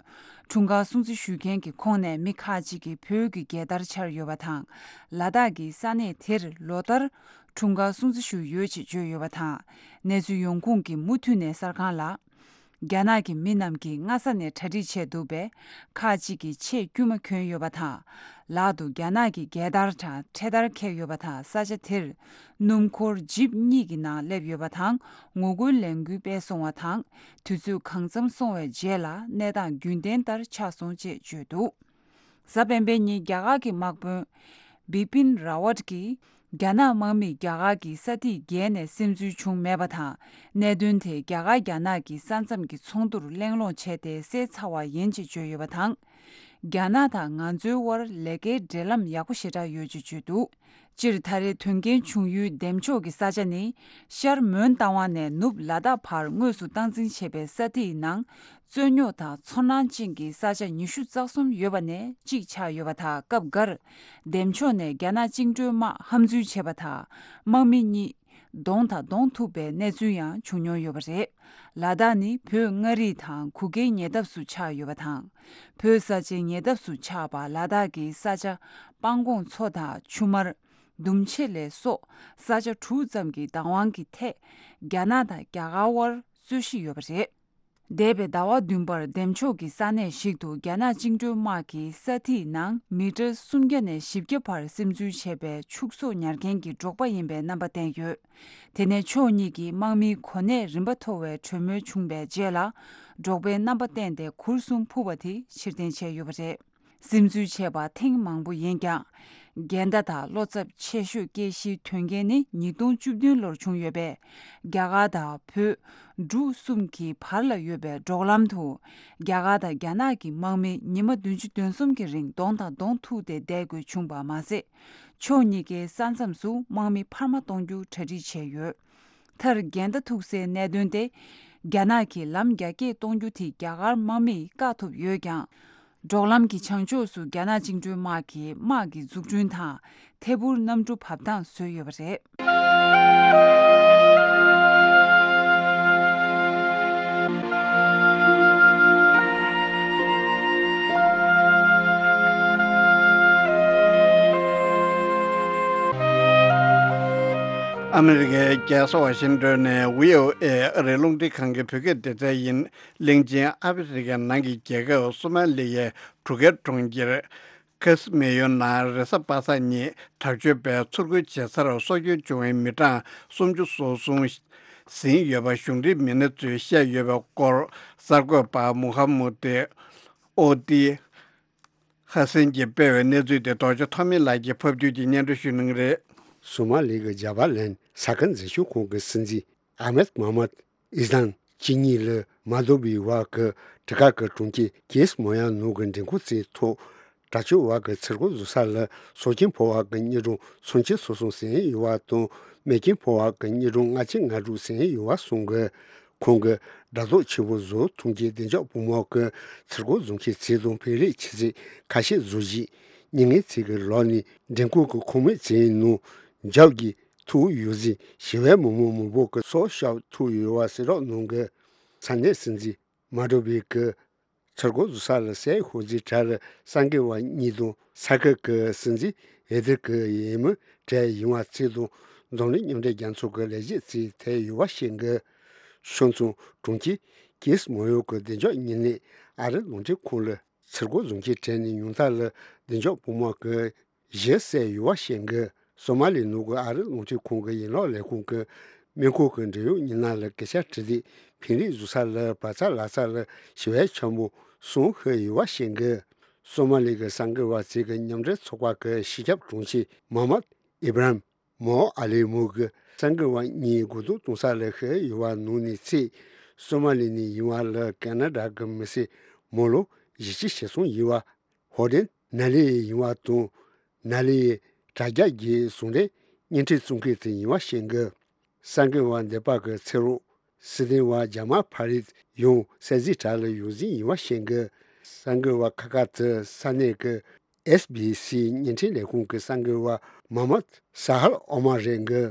འཁྲུངས་སྐར་སྲུང་བརྩི་ཞུ་མཁན་གྱི་ཁོངས་ནས་མི་ཁག་ཅིག་གིས་བོད་ཀྱི་རྒྱལ་དར་འཕྱར་ཡོད་པ་དང་། ལ་དྭགས་ཀྱི་ས་གནས་དེར་ལོ་ལྟར་འཁྲུངས་སྐར་སྲུང་བརྩི་ཞུ་ཡོད་ཅེས་བརྗོད་ཡོད་པ་དང་། གནས་ཚུལ་ཡོང་ཁུངས་ཀྱིས་མུ་མཐུད་ནས་གསར་ཁང་ལ། རྒྱ་ནག་གི་མི་རྣམས་ཀྱིས་སྔ་ས་ནས་གྲ་སྒྲིག་བྱས་འདུག་པས། ཁག་ཅིག་གིས་ཆེས་དཀྱུས་མ་གྱོན་ཡོད་པ་དང་། ལག་ཏུ་རྒྱ་ནག་གི་རྒྱལ་དར་དང་འཕྲེད་དར་འཁྱེར་ཡོད་པ་དང་། ས་ཆ་དེར་སྣུམ་འཁོར་ཇིབ་གཉིས་ཀྱི་ནང་སླེབས་ཡོད་པ་དང་། ངོ་རྒོལ་ལས་འགུལ་སྤེལ་སོང་བ་དང་། དུས་ཚོད་གང་འཚམ་སོང་བའི་རྗེས་ལ་གནས་སྟངས་རྒྱུན་ལྡན་ལྟར་ཆགས་སོང་ཅེས་བརྗོད་འདུག་གཟའ་སྤེན་པའི་ཉིན་རྒྱ་གར་གྱི་དམག་དཔོན་བི་པིན་ར་ཝཊ་ཀྱིས། རྒྱ་ནག་དམག་མིས་རྒྱ་གར་གྱི་ས་ཐིག་བརྒལ་ནས་སིམ་འཛུལ་བྱུང་མེད་པ་དང་། གནད་དོན་དེ་རྒྱ་གར་རྒྱ་ནག་གི་ས་མཚམས་ཀྱི་ཚོགས་འདུར་གླེང་སློང་བྱས་ཏེ་སེལ་ཚར་བ་ཡིན་ཅེས་བརྗོད་ཡོད་པ་དང་། རྒྱ་ནག་དང་ང་ཚོའི་དབར་ལས་ཀའི་འབྲེལ་ལམ་ཡག་པོ་ཞེ་དྲག་ཡོད་ཅེས་བརྗོད་འདུག་སྤྱིར་ད་རེས་དོན་རྐྱེན་བྱུང་ཡུལ་འདེམས་ཕྱོགས་ཀྱི་ས་ཆ་ནི། ཤར་མོན་རྟ་དབང་ནས་ནུབ་ལ་དྭགས་བར་དངོས་སུ་སྟངས་འཛིན་བྱེད་པའི་ས་ཐིག་ནང་། རྩོད་རྙོག་དང་ཚོར་སྣང་ཅན་གྱི་ས་ཆ་ཉི་ཤུ་རྩ་གསུམ་ཡོད་པ་ནས་གཅིག་ཆགས་ཡོད་པ་དང་། སྐབས་འགར་འདེམས་ཕྱོགས་ནས་རྒྱ་ནག་བཅིངས་འགྲོལ་དམག་ཧམ་འཛུལ་བྱས་པ་དང་། དམག་མི་གཉིས་གདོང་དང་གདོང་ཐུག་པའི་གནས་ཚུལ་ཡང་བྱུང་མྱོང་ཡོད་པ་རེད། ལ་དྭགས་ནི་བོད་མངའ་རིས་དང་གུ་གེའི་ཉེ་འདབས་སུ་ཆགས་ཡོད་པ་དང་། བོད་ས་ཆའི་ཉེ་འདབས་སུ་ཆགས་པ་ལ་དྭགས་ཀྱི་ས་ཆ་སྤང་གོང་མཚོ་དང་ཆུ་དམར། ལྡུམ་ཆེ་ལས་སོགས་ས་ཆ་དྲུག་ཙམ་གྱི་བདག་དབང་གི་ཐད་རྒྱ་ནག་དང་རྒྱ་གར་དབར་རྩོད་གཞི་ཡོད་པ་རེད། འདས་པའི་ཟླ་བ་བདུན་པར་འདེམས་ཕྱོགས་ཀྱི་ས་གནས་ཤིག་ཏུ་རྒྱ་ནག་བཅིངས་འགྲོལ་དམག་གིས་ས་ཐིག་ནང་མི་ཊར་སུམ་བརྒྱ་ནས་བཞི་བརྒྱ་བར་སིམ་འཛུལ་བྱས་པའི་ཕྱུགས་ཟོག་ཉར་མཁན་གྱི་འབྲོག་པ་ཡིན་པའི་རྣམ་པ་བསྟན་ཡོད། དེ་ནས་ཕྱོགས་གཉིས་ཀྱི་དམག་མིའི་གོ་གནས་རིམ་པ་མཐོ་བའི་གྲོས་མོལ་བྱུང་བའི་རྗེས་ལ། འབྲོག་པའི་རྣམ་པ་བསྟན་ཏེ་གུར་གསུམ་ཕུབ་པ་དེ་ཕྱིར་འཐེན་བྱས་ཡོད་པ་རེད། སིམ་འཛུལ་བྱས་པ་ཐེངས་མང་པོ་ཡིན་ཀྱང་། འགལ་ཟླ་དང་བློ་འཚབ་ཆེ་ཤོས་སྐྱེ་གཞིའི་དོན་རྐྱེན་ནི་ཉིས་སྟོང་བཅུ་བདུན་ལོར་བྱུང་ཡོད་པས། རྒྱ་གར་དང་བོད། འབྲུག་གསུམ་གྱི་བར་ལ་ཡོད་པའི་འབྲོག་ལམ་དུ། རྒྱ་གར་དང་རྒྱ་ནག་གི་དམག་མི་ཉི་མ་བདུན་ཅུ་དོན་གསུམ་གྱི་རིང་གདོང་དང་གདོང་ཐུག་སྟེ་བསྡད་དགོས་བྱུང་བ་མ་ཟད། ཕྱོགས་གཉིས་ཀའི་ས་མཚམས་སུ་དམག་མི་འཕར་མ་གཏོང་རྒྱུ་གྲ་སྒྲིག་བྱས་ཡོད། མཐར་འགལ་ཟླ་ཐུག་སའི་གནད་དོན་དེ། རྒྱ་ནག་གིས་ལམ་རྒྱ་སྐྱེད་གཏོང་རྒྱུ་དེ་རྒྱ་གར་དམག་མིས་བཀག་ཐུབ་ཡོད་ཀྱང་། འབྲོག་ལམ་གྱི་བྱང་ཕྱོགས་སུ་རྒྱ་ནག་བཅིངས་འགྲོལ་དམག་གིས་དམག་གི་འཛུགས་སྐྲུན་དང་ཐད་འཕུར་གནམ་གྲུ་བབས་ཐང་བཟོས་ཡོད་པ་རེད། ཨ་མི་རི་ཀའི་རྒྱལ་ས་ཝ་ཤིང་ཏོན་ནས་བྷི་ཨོ་ཨེ་ཨ་རིའི་རླུང་འཕྲིན་ཁང་གི་བོད་སྐད་སྡེ་ཚན་ཡིན། གླིང་ཆེན་ཨ་ཧྥེ་རི་ཁའི་ནང་གི་རྒྱལ་ཁབ་སོ་མ་ལི་ཡའི་གྲུ་ཁའི་གྲོང་ཁྱེར་ཁ་སི་མེ་ཡོ་ནང་རེས་གཟའ་པ་སངས་ཉིན་དྲག་སྤྱོད་པས་ཚུར་རྒོལ་བྱས་ཚར་སྲོག་སྐྱོན་བྱུང་བའི་མི་གྲངས་སུམ་ཅུ་སོ་གསུམ་ཟིན་ཡོད་པ་གཞུང་འབྲེལ་མི་སྣ་ཚོས་བཤད་ཡོད་པའི་སྐོར། གསར་འགོད་པ་མུ་ཧམ་མུ་ཏི་ཨོ་ཏི་ཧ་སན་གྱིས་སྤེལ་བའི་གནས་ཚུལ་དེ་རྡོ་རྗེ་ཐོགས་མེད་ལགས་ཀྱིས་ཕབ་སྒྱུར་གྱིས་སྙན་སྒྲོན་ཞུ་གནང་གི་རེད། སོ་མ་ལི་གི་ཇ་བ་ལན་ས་ཁུལ་འཛིན་སྐྱོང་ཁང་གི་སྲིད་འཛིན་ཨ་མེད་མ་མད་ཨི་ཟན་གཅིག་གཉིས་ལ་མ་དོ་བའི་བར་གྱི་ཊི་ཀ་གི་གྲོང་ཁྱེར་ཀེ་སི་མོ་ཡ་ནོ་གི་མགྲོན་ཁང་གསར་ཐོག་ དྲག་སྤྱོད་བ་གི་ཚུར་རྒོལ་བཟོ་ས་ལ་སྲོག་སྐྱོན་ཕོག་པ་གི་དངོས་སྒྲུང་སུམ་ཅུ་སོ་གསུམ་ཟིན་ཡོད་པ་དང་རྨས་སྐྱོན་ཕོག་པ་གི་དངོས་སྒྲུང་ལྔ་བཅུ་ང་དྲུག་ཟིན་ཡོད་པ་གསུངས་གི། ཁོང་གིས་དྲ་ཐོག་ཆེན་པོ་བཟོ་ཐུབ་མཁན་བདེ་འཇགས་བུ་མོ་གི་ཚུར་རྒོལ་བཟོ་མཁན་ཚོ་དང་བོད་རིགས་ཆུ་ཚོད་ཁ་ཤས་བཟོ་རྗེས་མྱ་ངན་ཚོ་གི་ལོག་ནས་མགྲོན་ཁང་གི་ཁང་མིག་ཚོའི་ནང་འཇབ་རྒྱས་ཐུག་ཡོད་ཟིན་ཞི་བའི་མི་མང་མང་པོ་གི་སྲོག་སྐྱོབ་ཐུབ་ཡོད་པ་གསལ་བསྒྲགས་གནང་གི། ས་གནས་སྲིད་འཛིན་མ་ཌོ་བྷི་གི་ཚུར་རྒོལ་བཟོ་ས་ལ་སའི་ཤོག་རྫིའི་གྲས་ལ་གསར་འགོད་པ་གཉིས་དང་ས་ཁུལ་གྱི་སྲིད་འཛིན་འོས་བསྡུ་གི་འོས་མི་གྲས་ཡིན་པ་ཚོ་དང་འཛམ་གླིང་མཉམ་འབྲེལ་རྒྱལ་ཚོགས་ཀྱི་ལས་བྱེད་ཚོས་ཐད་ཡོད་པ་ཤེས་གི། ཤང་ཙུང་གྲོང་ཁྱེར་ཀིས་མོ་ཡོ་གི་བདེ་འཇགས་ཉེ་གནས་ཨ་རི་རླུང་འཕྲིན་ཁང་ལ་ཚུར་རྒོལ་བཟོ་མཁན་གྲས་ནས་ཉུང་མཐའ་ལ་བདེ་འཇགས་བུ་མོ་གི་གཞི་བསད་ཡོད་པ་ཤེས་གི། སོ་མ་ལི་ནང་གི་ཨ་རི་རླུང་འཕྲིན་ཁང་གི་ཡན་ལག་ལས་ཁུངས་ཀྱི་སྨན་ཁང་གི་འབྲེལ་ཡོད་མི་སྣ་ལ་སྐད་ཆ་དྲིས་དུས་ཕན་རེས་བཟོ་ས་ལ་བག་ཚ་ལག་ཚ་ལ་ཞི་བའི་ཆེན་པོ་གསུམ་ཤི་ཡོད་པ་ཤེས་གི། སོ་མ་ལི་གི་གསར་འགོད་པ་ཚོ་གི་མཉམ་འབྲེལ་ཚོགས་པ་གི་སྤྱི་ཁྱབ་དྲུང་ཆེ་མོ་ཧམ་མད་ཨི་བྷ་རམ་མོ་ཨ་ལི་མོ་གི་གསར་འགོད་པ་གཉིས་སྒོ་རྡུང་གཏོང་ས་ལ་ཤི་ཡོད་པ་ནང་ནས་ཚེ་སོ་མ་ལི་ནས་ཡིན་པ་ལ་ཀ་ན་ཌ་གི་མི་སེར་མི་ལོ་བཞི་བཅུ་ཞེ་གསུམ་ཡིན་པ། ཧོ་ཌེན་ན་ལི་ཡི་ཡིན་པ་དང་ན་ལི་ཡི་དྲ་རྒྱ་བརྒྱུད་ཟུང་འབྲེལ་བརྙན་འཕྲིན་བཙུགས་མཁན་དེ་ཡིན་པ་ཤེས་གི། གསར་འགོད་པ་འདས་པ་གི་ཚེ་རོགས་སྲིད་དོན་བ་ཇ་མ་ཕ་རིད་ཡང་སའི་གཟིགས་གྲྭ་ལ་ཡོང་ཟིན་ཡིན་པ་ཤེས་གི། གསར་འགོད་པ་ཁག་ཁག་དེ་ས་གནས་ཀྱི་ཨེས་བི་སི་བརྙན་འཕྲིན་ལས་ཁུངས་ཀྱི་གསར་འགོད་པ་མ་མད་ས་ཧར་ཨོ་མ་རེད་གི།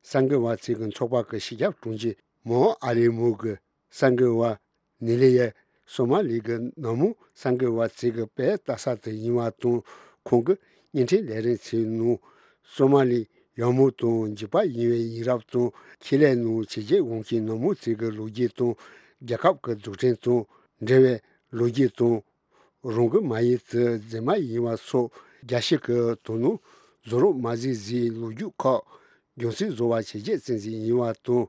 གསར་འགོད་པ་ཚོ་གི་ཚོགས་པ་གི་སྤྱི་ཁྱབ་དྲུང་ཆེ་མོ་ཨ་ལི་མོ་གི་གསར་འགོད་པ་ནི་ལི་ཡ་སོ་མ་ལི་གི་ནང་མི་གསར་འགོད་པ་ཚོ་གི་དཔེ་ལྟ་ས་དེ་ཡིན་པ་དང་ཁོང་གི་བརྙན་འཕྲིན་ལས་རིམ་ཚོའི་ནང་སོ་མ་ལི་ཡག་མོ་དང་འཇིགས་པ་ཡིན་པའི་ཡིན་རབས་དང་ཁེ་ལས་ནང་བྱས་རྗེས་འོང་མཁན་ནང་མི་ཚོ་གི་ལོ་རྒྱུས་དང་རྒྱལ་ཁབ་ཀྱི་འཛུགས་སྐྲུན་དང་འབྲེལ་བའི་ལོ་རྒྱུས་དང་། རང་གི་མ་ཡིན་ཚེ་མཛེས་མ་ཡིན་པ་སོགས་རྒྱལ་སྤྱི་གི་དོ་སྣང་བཟོ་རོགས་མ་བཟོས་ཟིན་ལོ་རྒྱུས་ཁག་རྒྱུན་སྲིང་བཟོ་བ་བྱས་རྗེས་བཙན་འཛུལ་ཡིན་པ་དང་།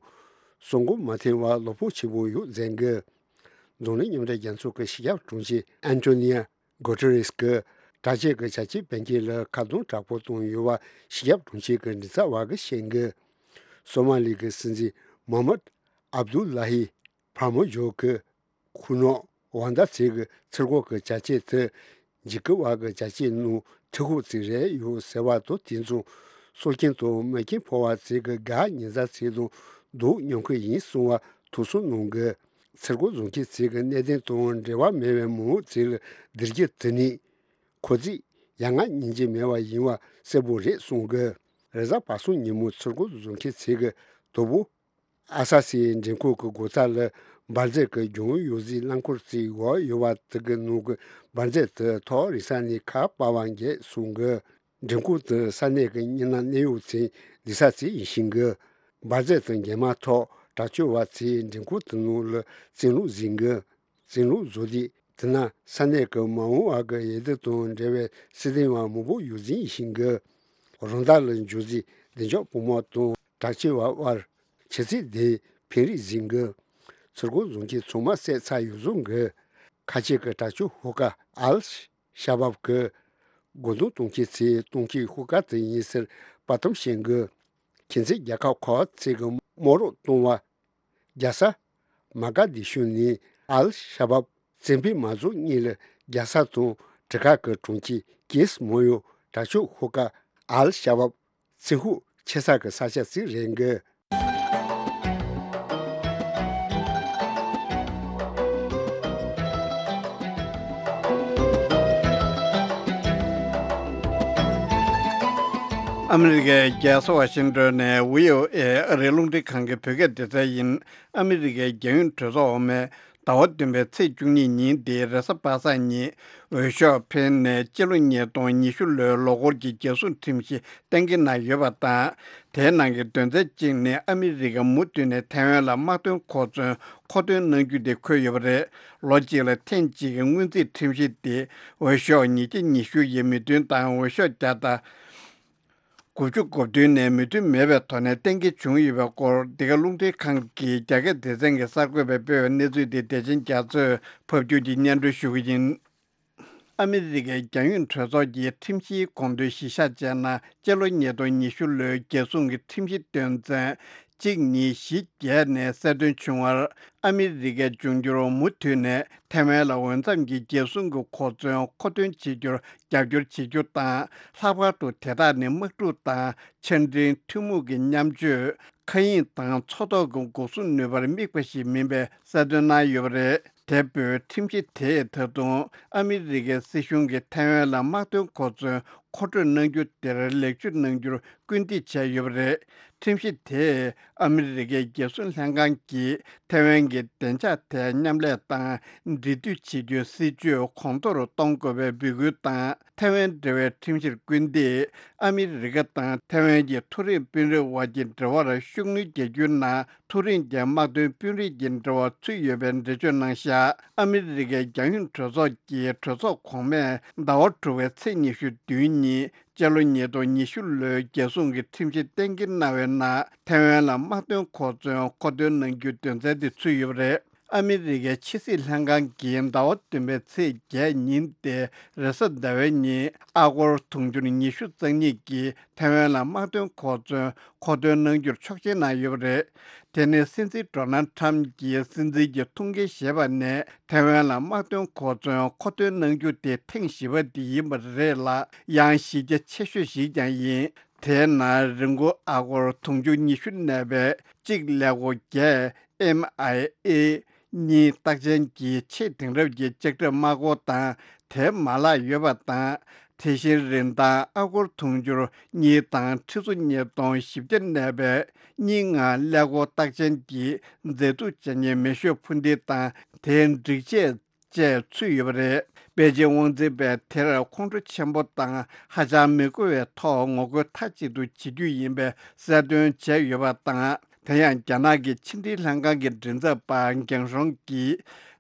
སྲུང་འགོ་མ་འཐེན་པར་བློ་ཕམ་ཆེན་པོ་ཡོད་ཟེར་གི། འཛམ་གླིང་མཉམ་འབྲེལ་རྒྱལ་ཚོགས་ཀྱི་སྤྱི་ཁྱབ་དྲུང་ཆེ་ཨན་ཏོ་ནི་ཡ་གོ་ཏེ་རེས་ཀྱིས་དྲག་ཆས་ཀྱི་བྱ་སྤྱོད་སྤེལ་མཁན་ལ་ཁ་རྡུང་དྲག་པོ་བཏང་ཡོད་པ་སྤྱི་ཁྱབ་དྲུང་ཆེ་གི་མགྲིན་ཚབ་པ་གིས་བཤད་གི། སོ་མ་ལི་གི་སྲིད་འཛིན་མོ་ཧམ་མད་ཨབ་དུ་ལ་ཧི་ཕར་མོ་ཇོ་གི་ཁུ་ནོ་ཝང་ད་ཚེ་གི་ཚུར་རྒོལ་གི་བྱ་སྤྱོད་དེ་འཇིགས་སྐུལ་བ་གི་བྱ་སྤྱོད་ནང་ཐེ་ཁུག་ཅིག་རེད་ཡོད་ཟེར་བ་དང་དེ་མཚུངས་སྲོག་སྐྱོན་དང་རྨས་སྐྱོན་ཕོག་པ་ཚོ་གི་དགའ་ཉེ་མཛའ་ཚོ་དང་སྡུག་མྱོང་གི་ཡིན་གསུང་བ་ཐུགས་གསོ་གནང་གི། ཚུར་རྒོལ་བཟོ་མཁན་ཚོ་གི་གནད་དོན་དང་འབྲེལ་བ་མེད་པའི་མི་མང་ཚོ་ལ་བསྡུར་རྒྱུ་དེ་ནི་ཁོ་ཚོས་ཡ་ང་སྙིང་རྗེ་མེད་པ་ཡིན་པ་གསལ་པོ་རེད་གསུང་གི། རེས་གཟའ་པ་སངས་ཉིན་མོ་ཚུར་རྒོལ་བཟོ་མཁན་ཚོ་གི་དོ་པོ། ཨ་ས་སི་མགྲོན་ཁང་གི་སྒོ་རྩ་ལ་འབར་རྫས་ཀྱི་རྒྱུན་ཡོད་སའི་རླངས་འཁོར་གཅིག་བབས་ཡོད་པ་དེ་གི་ནང་གི་འབར་རྫས་དེ་ཐག་རིང་ས་ནས་ཁ་སྤར་བ་འགས་གསུང་གི། མགྲོན་ཁང་དེ་ས་གནས་ཀྱི་མི་སྣ་གནད་ཡོད་ཚོའི་སྡོད་ས་ཅིག་ཡིན་ཤེས་གི། འབར་རྫས་དེ་འགེལ་མ་ཐག་དྲག་སྤྱོད་པ་ཚོས་མགྲོན་ཁང་དེ་ནང་ལ་བཙན་ལུགས་ཟིན་གི། བཙན་ལུགས་བཟོ་དུས་དེ་ན་ས་གནས་ཀྱི་མ་འོངས་པ་གི་འོས་བསྡུ་དང་འབྲེལ་བའི་སྲིད་དོན་པ་མང་པོ་ཡོད་ཟིན་ཤེས་གི། རང་ཟླ་ལ་འབྱོར་རྗེས་བདེ་འཇགས་བུ་མོ་དང་དྲག་སྤྱོད་པ་དབར་ཆུ་ཚོད་བདུན་ཕན་རེས་ཟིན་གི། ཚུར་རྒོལ་བཟོ་མཁན་ཚང་མ་བསད་ཚར་ཡོད་བཟོ་གི། ཁ་ཆེ་གི་དྲག་སྤྱོད་ཤོག་ཁག་ཨལ་ཤ་བབ་ཀྱི་སྒོ་རྡུང་གཏོང་མཁན་ཚོའི་གཏོང་མཁན་ཤོག་ཁག་དེ་ཡིན་ཟེར་དཔའ་གཏམ་བཤད་གི། ཁྱིམ་མཚེས་རྒྱལ་ཁབ་ཁག་ཚོས་གི་དམག་རོགས་གཏོང་བ། རྒྱལ་ས་མ་ག་དི་ཤུ་ནས་ཨལ་ཤ་བབ་བཙན་ཕུད་མ་རྫོང་གཉིས་ལ་རྒྱལ་ས་དང་གྲུ་ཁ་གི་གྲོང་ཁྱེར་ཀེས་མོ་ཡོ་དྲག་སྤྱོད་ཤོག་ཁག་ཨལ་ཤ་བབ་བཙན་ཤུགས་ཆེ་ས་གི་ས་ཆ་ཞིག་རེད་གི། ཨ་མི་རི་ཀའི་རྒྱལ་ས་ཝ་ཤིང་ཏོན་ནས་བྷི་ཨོ་ཨེ་ཨ་རིའི་རླུང་འཕྲིན་ཁང་གི་བོད་སྐད་སྡེ་ཚན་ཡིན། ཨ་མི་རི་ཀའི་རྒྱལ་ཡོངས་གྲོས་ཚོགས་འོག་མའི་ཟླ་བ་བདུན་པའི་ཚེས་བཅུ་གཉིས་ཉིན་འདིའི་རེས་གཟའ་པ་སངས་ཉིན་འོས་ཤོག་འཕེན་ནས་སྤྱི་ལོ་ཉིས་སྟོང་ཉི་ཤུ་ལོའི་ལོ་འཁོར་གྱི་རྒྱལ་སྲུང་ཁྲིམས་གཞི་གཏན་འཁེལ་གནང་ཡོད་པ་དང་། དེའི་ནང་གི་དོན་ཚན་གཅིག་ནི་ཨ་མི་རི་ཀ་མུ་མཐུད་ནས་ཐའེ་ཝན་ལ་དམག་དོན་མཁོ་མཚོན་མཁོ་འདོན་གནང་རྒྱུ་དེ་འཁོད་ཡོད་པ་རེད། ལོ་གཅིག་ལ་ཐེངས་གཅིག་གི་སྔོན་རྩིས་ཁྲིམས་གཞི་དེ་འོས་ཤོག་ཉིས་བརྒྱ་ཉི་ཤུ་ཡི་མོས་མཐུན་དང་འོས་ཤོག་བརྒྱ་དང་དགུ་བཅུ་གོ་བདུན་ནས་མོས་མཐུན་མེད་པའི་ཐོག་ནས་གཏན་འཁེལ་བྱུང་ཡོད་པའི་སྐོར་འདི་ག་རླུང་འཕྲིན་ཁང་གི་རྒྱ་སྐད་སྡེ་ཚན་གྱི་གསར་འགོད་པས་སྤེལ་བའི་གནས་ཚུལ་དེ་བདེ་ཆེན་རྒྱ་མཚོས་ཕབ་སྒྱུར་གྱིས་སྙན་སྒྲོན་ཞུ་གི་ཡིན། ཨ་མི་རི་ཀའི་རྒྱལ་ཡོངས་གྲོས་ཚོགས་ཀྱི་ཁྲིམས་གཞིའི་དགོངས་དོན་གཞིར་བཞག་བྱས་ན། སྤྱི་ལོ་ཉིས་སྟོང་ཉི་ཤུ་ལོའི་རྒྱལ་སྲུང་གི་ཁྲིམས་གཞི་དོན་ཚན་ གཅིག་གཉིས་བཞི་བརྒྱད་ནས་གསལ་སྟོན་བྱུང་བར། ཨ་མི་རི་ཀའི་འབྱུང་འགྱུར་མུ་མཐུད་ནས་ཐའེ་ཝན་ལ་འོས་འཚམ་གྱི་རྒྱལ་སྲུང་གི་གོ་མཚོན་མཁོ་འདོན་བྱེད་རྒྱུར་རྒྱབ་སྐྱོར་བྱེད་རྒྱུ་དང་། ལྷག་པར་དུ་དེ་དག་ནི་དམག་འཁྲུག་དང་ཆ་འཕྲིན་ཐུན་མོང་གི་མཉམ་སྤྱོད། མཁའ་དབྱིངས་དང་མཚོ་ཐོག་གི་འགོག་སྲུང་ནུས་པར་དམིགས་པ་ཞིག་མིན་པའི་གསལ་སྟོན་གནང་ཡོད་པ་རེད། དེ་འབོད་ཁྲིམས་གཞི་དེས་ད་དུང་ཨ་མི་རི་ཀའི་སྲིད་གཞུང་གིས་ཐའེ་ཝན་ལ་དམག་དོན་གོ་མཚོན་མཁོ་སྤྲོད་གནང་རྒྱུ་དེར་ལེགས་བཅོས་གནང་རྒྱུར་སྐུལ་འདེད་བྱས་ཡོད་པ་རེད། ཁྲིམས་གཞི་དེས་ཨ་མི་རི་ཀའི་རྒྱལ་སྲུང་ལྷན་ཁང་གིས་ཐའེ་ཝན་གྱི་བདེ་འཇགས་ཐད་མཉམ་ལས་དང་འབྲེལ་མཐུད་བྱེད་རྒྱུའི་སྲིད་ཇུས་གོང་མཐོར་གཏོང་དགོས་པའི་འབོད་སྐུལ་དང་། ཐའེ་ཝན་འབྲེལ་བའི་ཁྲིམས་གཞིར་སྐུལ་འདེད། ཨ་མི་རི་ཀ་དང་ཐའེ་ཝན་གྱི་མཐོ་རིམ་དཔོན་རིགས་དབར་གྱི་འབྲེལ་བར་ཤུགས་སྣོན་རྒྱག་རྒྱུའི་ནང་མཐོ་རིམ་གྱི་དམག་དོན་དཔོན་རིགས་ཀྱི་འབྲེལ་བ་ཚུད་ཡོད་པའི་འགྲེལ་བརྗོད་གནང་བཞག་ཨ་མི་རི་ཀའི་རྒྱལ་ཡོངས་གྲོས་ཚོགས་ཀྱི་གྲོས་ཚོགས་གོང་མས་ཟླ་བ་དྲུག་པའི་ཚེས་ཉི་ཤུ་བདུན་ཉིན། སྤྱི་ལོ་ཉིས་སྟོང་ཉི་ཤུ་ལོའི་རྒྱལ་སྲུང་གི་ཁྲིམས་གཞི་གཏན་འཁེལ་གནང་བའི་ནང་། ཐའེ་ཝན་ལ་དམག་དོན་གོ་མཚོན་མཁོ་འདོན་གནང་རྒྱུའི་དོན་ཚན་དེ་ཚུད་ཡོད་པ་རེད། ཨ་མི་རི་ཀའི་ཕྱི་སྲིད་ལྷན་ཁང་གིས་ཟླ་བ་བདུན་པའི་ཚེས་བརྒྱད་ཉིན་ཏེ་རེས་གཟའ་ཟླ་བའི་ཉིན་ཨ་སྒོར་དུང་ཕྱུར་ཉི་ཤུ་རྩ་གཉིས་ཀྱིས་ཐའེ་ཝན་ལ་དམག་དོན་གོ་མཚོན་མཁོ་འདོན་གནང་རྒྱུར་ཆོག་མཆན་གནང་ཡོད་པ་རེད། དེ་ནི་སྲིད་འཛིན་ཌོ་ནལ་ཁྲམ་གྱིས་སྲིད་འཛིན་གྱི་ཐུགས་འགན་བཞེས་པ་ནས་ཐའེ་ཝན་ལ་དམག་དོན་གོ་མཚོན་མཁོ་འདོན་གནང་རྒྱུ་དེ་ཐེངས་བཞི་པ་དེ་ཡིན་པ་རེད་ལ། ཡང་གཞི་རྒྱ་ཆེ་ཤོས་ཤིག་ཀྱང་ཡིན། དེའི་ནང་རིན་གོང་ཨ་སྒོར་དུང་ཕྱུར་ཉི་ཤུ་གནས་པའི་གཅིག་ཀླད་ཀོར་བརྒྱད། ཨེམ་ཨའི་ཨེ་གཉིས་རྟགས་ཅན་གྱི་ཆེས་དེང་རབས་ཀྱི་ལྕགས་ཁྲབ་དམག་སྒོ་དང་དེའི་མ་ལག་ཡོད་པ་དང་། དེ་བཞིན་རིན་ཐང་ཨ་སྒོར་དུང་ཕྱུར་གཉིས་དང་ཁྲི་ཚོ་ཉིས་སྟོང་བཞི་བརྒྱ་གནས་པའི་གཉིས་ལྔ་ཀླད་ཀོར་རྟགས་ཅན་གྱི་མཛེས་སྡུག་ཅན་གྱི་མེ་ཤོག་འཕུར་མདེལ་དང་དེའི་སྒྲིག་ཆས་བཅས་ཚུད་ཡོད་པ་རེད། པེ་ཅིང་དབང་འཛིན་པས་དེར་ཁོང་ཁྲོ་ཆེན་པོ་དང་ཧ་ཅང་མི་དགའ་བའི་ཐོག་ངོ་རྒོལ་མཐའ་གཅིག་ཏུ་བྱེད་རྒྱུ་ཡིན་པའི་གསལ་སྟོན་བྱས་ཡོད་པ་དང་། དེ་ཡང་རྒྱ་ནག་གི་ཕྱི་འབྲེལ་ལྷན་ཁང་གི་མགྲིན་ཚབ་པ་རྒན་ཧྲོང་གིས་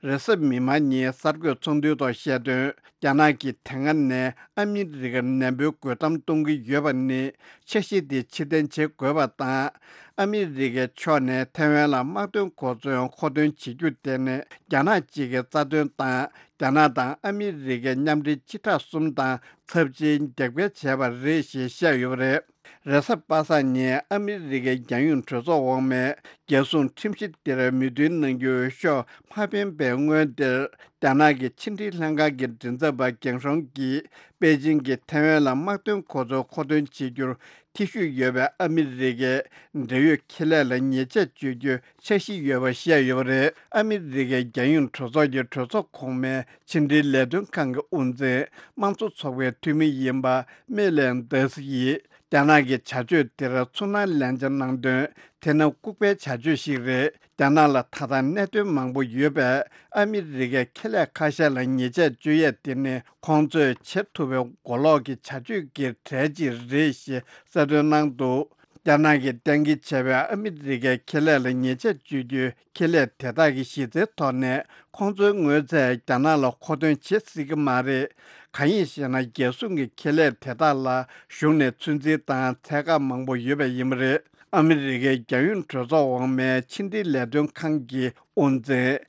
རེས་གཟའ་མིག་དམར་ཉིན་གསར་འགོད་ཚོགས་འདུའི་ཐོག་བཤད་དོན། རྒྱ་ནག་གིས་དེ་སྔ་ནས་ཨ་མི་རི་ཀར་ནན་པོའི་རྒོལ་གཏམ་གཏོང་གི་ཡོད་པ་ནི་འཆར་གཞི་དེ་ཕྱིར་འཐེན་བྱེད་དགོས་པ་དང་། ཨ་མི་རི་ཀའི་ཕྱོགས་ནས་ཐའེ་ཝན་ལ་དམག་དོན་གོ་མཚོན་མཁོ་འདོན་བྱེད་རྒྱུ་དེ་ནི་རྒྱ་ནག་གཅིག་གི་རྩ་དོན་དང་། རྒྱ་ནག་དང་ཨ་མི་རི་ཀའི་མཉམ་འབྲེལ་སྤྱི་ཁྲག་གསུམ་དང་ཚབས་ཆེའི་རྒྱབ་འགལ་བྱས་པ་རེད་ཞེས་བཤད་ཡོད་པ་རེད། རེས་གཟའ་པ་སངས་ཉིན་ཨ་མི་རི་ཀའི་རྒྱལ་ཡོངས་གྲོས་ཚོགས་འོག་མས་རྒྱལ་སྲུང་ཁྲིམས་གཞི་དེར་མོས་མཐུན་གནང་རྒྱུའི་ཤོག་མ་ཕེབས་པའི་སྔོན་དེར། རྒྱ་ནག་གི་ཕྱི་འབྲེལ་ལྷན་ཁང་གི་མགྲིན་ཚབ་པ་རྒན་ཧྲོང་གིས་པེ་ཅིང་གིས་ཐའེ་ཝན་ལ་དམག་དོན་གོ་མཚོན་མཁོ་འདོན་བྱེད་རྒྱུར་ཐེ་ཞུགས་ཡོད་པའི་ཨ་མི་རི་ཀའི་འབྲེལ་ཡོད་ཁེ་ལས་ལ་ཉེས་ཆད་གཅོད་རྒྱུའི་འཆར་གཞི་ཡོད་པ་བཤད་ཡོད་པ་རེད། ཨ་མི་རི་ཀའི་རྒྱལ་ཡོངས་གྲོས་ཚོགས་ཀྱི་གྲོས་ཚོགས་གོང་མའི་ཕྱི་འབྲེལ་ལས་དོན་ཁང་གི་དབུ་འཛིན། དམངས་གཙོ་ཚོགས་པའི་འཐུས་མི་ཡིན་པ་མེ་ལན་དཱས་ཡིས། རྒྱ་ནག་གི་བྱ་སྤྱོད་དེར་ཚུར་སྣང་ལན་ཆ་གནང་དོན། དེ་ནི་ལྐུགས་པའི་བྱ་སྤྱོད་ཞིག་རེད། རྒྱ་ནག་ལ་ད་ལྟ་གནད་དོན་མང་པོ་ཡོད་པས། ཨ་མི་རི་ཀའི་ཁེ་ལས་ཁ་ཤས་ལ་ཉེས་ཆད་གཅོད་ཡས་དེ་ནི་ཁོང་ཚོས་བྱེད་ཐུབ་པའི་མགོ་ལོག་གི་བྱ་སྤྱོད་ཀྱི་གྲས་གཅིག་རེད་ཞེས་གསལ་སྟོན་གནང་འདུག་རྒྱ་ནག་གིས་གཏན་འཁེལ་བྱས་པའི་ཨ་མི་རི་ཀའི་ཁེ་ལས་ལ་ཉེས་ཆད་གཅོད་རྒྱུའི་ཁེ་ལས་དེ་དག་གི་གཞི་རྩའི་ཐོག་ནས། ཁོང་ཚོའི་དངོས་རྫས་རྒྱ་ནག་ལ་མཁོ་འདོན་བྱེད་སྲིད་ཀྱི་མ་རེད། གང་ཡིན་ཞེ་ན། རྒྱལ་སྲུང་གི་ཁེ་ལས་དེ་དག་ལ་གཞུང་ནས་ཚོད་འཛིན་དང་ཚད་བཀག་མང་པོ་ཡོད་པ་ཡིན་པ་རེད། ཨ་མི་རི་ཀའི་རྒྱལ་ཡོངས་གྲོས་ཚོགས་འོག་མའི་ཕྱི་འབྲེལ་ལས་དོན་ཁང་གི་དབུ་འཛིན་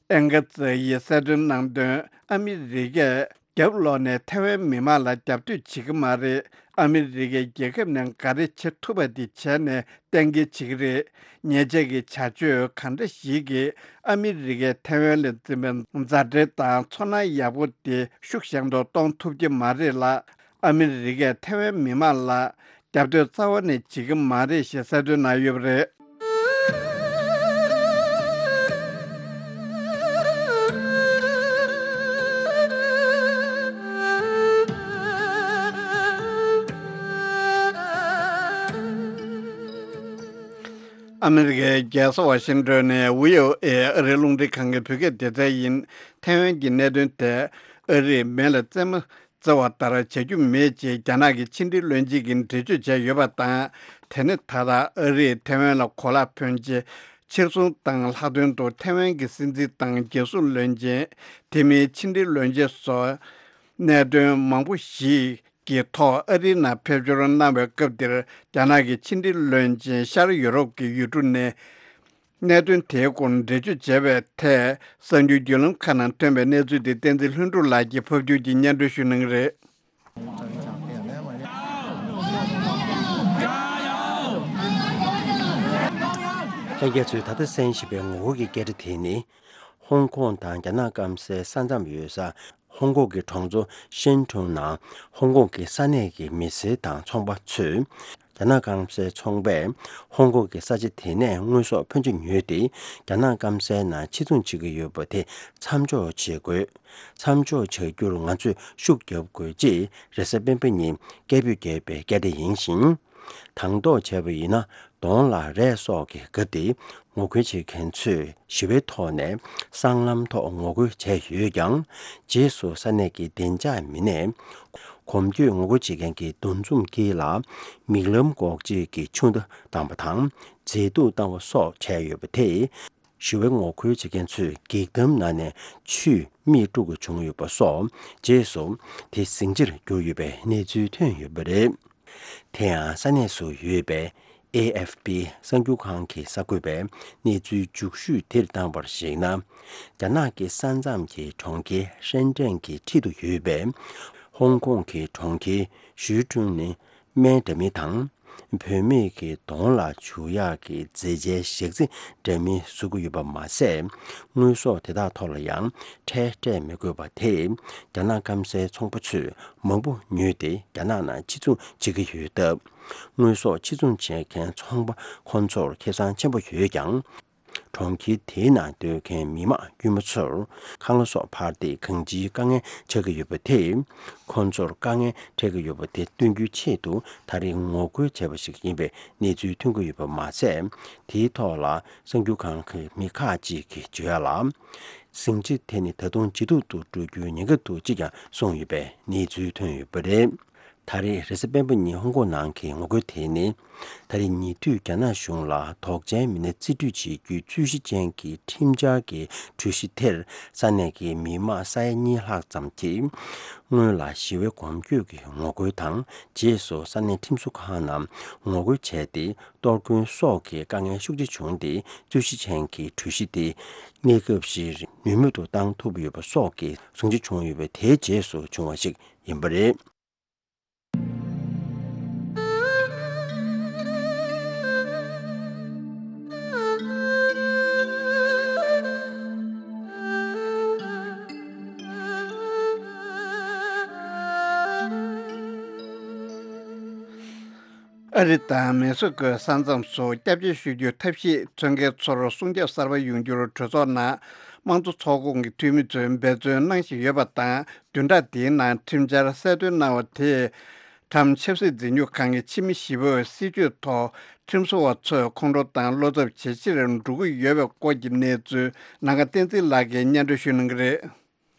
ཨེང་ག་ཙེ་ཡིས་གསལ་སྟོན་གནང་དོན། ཨ་མི་རི་ཀས་རྒྱབ་ལོགས་ནས་ཐའེ་ཝན་མི་མང་ལ་རྒྱབ་གཏོད་བྱེད་ཀྱི་མ་རེད། ཨ་མི་རི་ཀའི་རྒྱལ་ཁབ་ནས་ག་རེ་བྱེད་ཐུབ་པ་དེ་བྱས་ནས་གཏན་འཁེལ་བྱེད་ཀྱི་རེད། ཉེས་ཆད་ཀྱི་བྱ་སྤྱོད་གང་འདྲ་ཞིག་གིས་ཨ་མི་རི་ཀས་ཐའེ་ཝན་ལ་འཛིན་པའི་མཛའ་འབྲེལ་དང་ཚོར་སྣང་ཡག་པོ་དེ་ཤུགས་ཞན་དུ་གཏོང་ཐུབ་ཀྱི་མ་རེད་ལ། ཨ་མི་རི་ཀས་ཐའེ་ཝན་མི་མང་ལ་རྒྱབ་གཏོད་རྩ་བ་ནས་བྱེད་ཀྱི་མ་རེད་ཞེས་གསལ་སྟོན་གནང་ཡོད་པ་རེད། ཨ་མི་རི་ཀའི་རྒྱལ་ས་ཝ་ཤིང་ཏོན་ནས་བྷི་ཨོ་ཨེ་ཨ་རིའི་རླུང་འཕྲིན་ཁང་གི་བོད་སྐད་སྡེ་ཚན་ཡིན། ཐའེ་ཝན་གྱི་གནད་དོན་ཐད་ཨ་རིས་མེ་ལ་རྩེད་མོ་རྩེ་བ་ལྟར་བྱ་རྒྱུ་མེད་ཅེས་རྒྱ་ནག་གི་ཕྱི་འབྲེལ་བློན་ཆེན་གྱིས་འགྲེལ་བརྗོད་བྱས་ཡོད་པ་དང་། དེ་ནི་ད་ལྟ་ཨ་རིས་ཐའེ་ཝན་ལ་གོ་ལག་ཕོན་ཆེ་ཕྱིར་ཚོང་བཏང་ལྷག་དོན་དུ་ཐའེ་ཝན་གྱི་སྲིད་འཛིན་དང་རྒྱལ་སྲུང་བློན་ཆེན། དེ་མིན་ཕྱི་འབྲེལ་བློན་ཆེན་སོགས་གནད་དོན་མང་པོ་ཞིག་གི་ཐོག་ཨ་རིའི་ནང་ཕེབས་འབྱོར་གནང་བའི་སྐབས་འདིར། རྒྱ་ནག་གི་ཕྱི་འབྲེལ་བློན་ཆེན་ཤར་ཡུ་རོབ་ཀྱི་ཡུལ་གྲུ་ནས་གནད་དོན་དེའི་སྐོར་འགྲེལ་བརྗོད་བྱས་པའི་ཐད། གསར་འགྱུར་བརྒྱུད་ལམ་ཁག་ནང་ཐོན་པའི་གནས་ཚུལ་དེ་བསྟན་འཛིན་ལྷུན་གྲུབ་ལགས་ཀྱིས་ཕབ་སྒྱུར་གྱིས་སྙན་སྒྲོན་ཞུ་གནང་གི་རེད། ལྷན་རྒྱས་ཚོས་ད་ལྟ་གསན་བཞིན་པའི་ངོ་རྒོལ་གྱི་སྐད་སྒྲ་དེ་ནི། ཧོང་ཀོང་དང་རྒྱ་ནག་སྐམ་སའི་ས་མཚམས་ཡོད་ས་ཧོང་ཀོང་གི་གྲོང་ཚོ་ཤན་ཀྲུང་ནང་ཧོང་ཀོང་གི་ས་གནས་ཀྱི་མི་སེར་དང་ཚོང་པ་ཚོས། རྒྱ་ནག་སྐམ་སའི་ཚོང་པས་ཧོང་ཀོང་གི་ས་ཆ་དེ་ནས་དངོས་ཟོག་ཕོན་ཆེ་ཉོས་ཏེ། རྒྱ་ནག་སྐམ་སའི་ནང་ཕྱིར་ཚོང་བྱེད་ཀྱི་ཡོད་པ་དེ་མཚམས་འཇོག་བྱེད་དགོས། མཚམས་འཇོག་བྱ་རྒྱུར་ང་ཚོས་ཤུགས་རྒྱབ་དགོས། ཅེས་རེས་གཟའ་སྤེན་པ་ཉིན་སྐད་འབོད་བརྒྱབ་པའི་སྐད་སྒྲ་ཡིན་ཞིང་། དང་ཐོག་བྱས་པ་ཡིན་ན། གདོང་ལ་རས་སོགས་ཀྱི་སྐབས་དེ། ངོ་རྒོལ་བྱེད་མཁན་ཚོས་ཞི་བའི་ཐོག་ནས་སྲང་ལམ་ཐོག་ངོ་རྒོལ་བྱས་ཡོད་ཀྱང་། རྗེས་སུ་ས་གནས་ཀྱི་བདེ་འཇགས་མི་སྣས། གོམ་བགྲོད་ངོ་རྒོལ་བྱེད་མཁན་གྱི་འདུ་འཛོམས་དཀྱིལ་ལ། མིག་ལམ་འགོག་བྱེད་ཀྱི་ཆུ་མདའ་བཏང་བ་དང་། མཛེས་སྡུག་བཏང་བ་སོགས་བྱས་ཡོད་པ་དེས། ཞི་བའི་ངོ་རྒོལ་བྱེད་མཁན་ཚོས་འགྱིག་དམ་ནང་ནས་ཆུས་མིག་དཀྲུག་དགོས་བྱུང་ཡོད་པ་སོགས། རྗེས་སུ་དེ་ཟིང་ཆར་གྱུར་ཡོད་པའི་གནས་ཚུལ་ཐོན་ཡོད་པ་རེད། དེ་ཡང་ས་གནས་སུ་ཡོད་པའི་ཨེ་ཨེཕ་པི་གསར་འགྱུར་ཁང་གི་གསར་འགོད་པས་གནས་ཚུལ་མཇུག་ཤོས་དེར་བཏང་བར་གཞིགས་ན། རྒྱ་ནག་གི་ས་མཚམས་ཀྱི་གྲོང་ཁྱེར་ཧྲེན་ཀྲེན་གྱི་འཁྲིས་དུ་ཡོད་པའི་ཧོང་ཀོང་གི་གྲོང་ཁྱེར་ཞུས་ཀྲུང་ནི། སྨན་འདྲ་མིན་དང་། བུད་མེད་ཀྱི་གདོང་ལ་བྱུག་ཡག་གི་མཛེས་ཆའི་ཞག་རྩི་འདྲ་མིན་བཟོ་གི་ཡོད་པ་མ་ཟད། དངོས་ཟོག་དེ་དག་ཐོག་ལ་ཡང་ཁྲལ་སྤྲད་མི་དགོས་པ་དེས། རྒྱ་ནག་སྐམ་སའི་ཚོང་པ་ཚོས་མང་པོ་ཉོས་ཏེ་རྒྱ་ནག་ནང་ཕྱིར་ཚོང་བྱེད་ཀྱི་ཡོད་སྟབས། དངོས་ཟོག་ཕྱིར་ཚོང་བྱེད་མཁན་ཚོང་པ་ཁོ་ཚོར་ཁེ་བཟང་ཆེན་པོ་ཡོད་ཀྱང་། གྲོང་ཁྱེར་དེའི་ནང་སྡོད་མཁན་མི་མང་དཀྱུས་མ་ཚོར་ཁང་གླ་སོགས་འཕར་ཏེ་གང་ཅིའི་དཀའ་ངལ་ཆགས་ཀྱི་ཡོད་པ་དེས། ཁོང་ཚོར་དཀའ་ངལ་འཕྲད་ཀྱི་ཡོད་པ་དེ་སྟོན་རྒྱུའི་ཆེད་དུ་ད་རེས་ངོ་རྒོལ་བྱས་པ་ཞིག་ཡིན་པའི་གནས་ཚུལ་ཐོན་གྱི་ཡོད་པ་མ་ཟད། དེའི་ཐོག་ལ་གསར་འགྱུར་ཁང་གི་མི་ཁག་ཅིག་གིས་བརྗོད་ཡག་ལ། ཟིང་ཆ་དེ་ནི་ད་དུང་ཇེ་སྡུག་ཏུ་འགྲོ་རྒྱུའི་ཉེན་ཁ་འདུག་ཅེས་ཀྱང་གསུངས་ཡོད་པའི་གནས་ཚུལ་ཐོན་ཡོད་པ་རེད། ད་རེས་རེས་གཟའ་སྤེན་པ་ཉིན་ཧོང་ཀོང་ནང་གི་ངོ་རྒོལ་དེ་ནི། ད་རེས་ཉེ་དུས་རྒྱ་ནག་གཞུང་ལ་དོགས་ཅན་མི་སྣ་རྩིས་སྤྲོད་བྱེད་རྒྱུའི་རྩོད་གཞི་ཅན་གྱི་ཁྲིམས་འཆར་གྱི་གྲོས་གཞི་དེར་ས་གནས་ཀྱི་མི་མང་ས་ཡ་གཉིས་ལྷག་ཙམ་གྱིས། སྔོན་ལ་ཞི་བའི་གོམ་བགྲོད་ཀྱི་ངོ་རྒོལ་དང་རྗེས་སུ་ས་གནས་ཁྲིམས་བཟོ་ཁང་ནང་ངོ་རྒོལ་བྱས་ཏེ། གཏོར་སྐྱོན་སོགས་ཀྱི་དཀའ་ངལ་ཤུགས་ཆེ་བྱུང་སྟེ། རྩོད་གཞི་ཅན་གྱི་གྲོས་གཞི་དེ་གནས་སྐབས་ཤིག་ནུས་མེད་དུ་བཏང་ཐུབ་ཡོད་པ་སོགས་ཀྱི་ཟིང་ཆ་བྱུང་ཡོད་པའི་དེའི་རྗེས་སུ་བྱུང་བ་ཞིག་ཡིན་པ་རེད། ཨ་རི་དང་མེག་སི་ཀོའི་ས་མཚམས་སུ་སྐྱབས་བཅོལ་ཞུ་རྒྱུའི་ཐབས་ཤེས་འཚོལ་མཁན་ཚོར་སྲུང་སྐྱོབ་གསར་པ་ཡོང་རྒྱུར་གྲོས་ཚོགས་ནང་དམངས་གཙོ་ཚོགས་ཁོངས་ཀྱི་འཐུས་མི་ཚོས་འབད་བརྩོན་གནང་བཞིན་ཡོད་པ་དང་། བདུན་ཕྲག་འདིའི་ནང་ཁྲིམས་འཆར་གསལ་སྟོན་གནང་བ་དེས། ཊམ་ཆབ་སྲིད་འཛིན་སྐྱོང་ཁང་གི་ཕྱི་མི་བཞི་པོས་སྲིད་བྱུས་ཐོག་ཁྲིམས་བཟོ་བ་ཚོས་ཁོང་ཁྲོ་དང་བློ་འཚབ་ཇེ་ཆེར་འགྲོ་གི་ཡོད་པའི་སྐོར་གྱི་གནས་ཚུལ་ནམ་མཁའ་བསྟན་འཛིན་ལགས་ཀྱིས་སྙན་སྒྲོན་ཞུ་གནང་གི་རེད།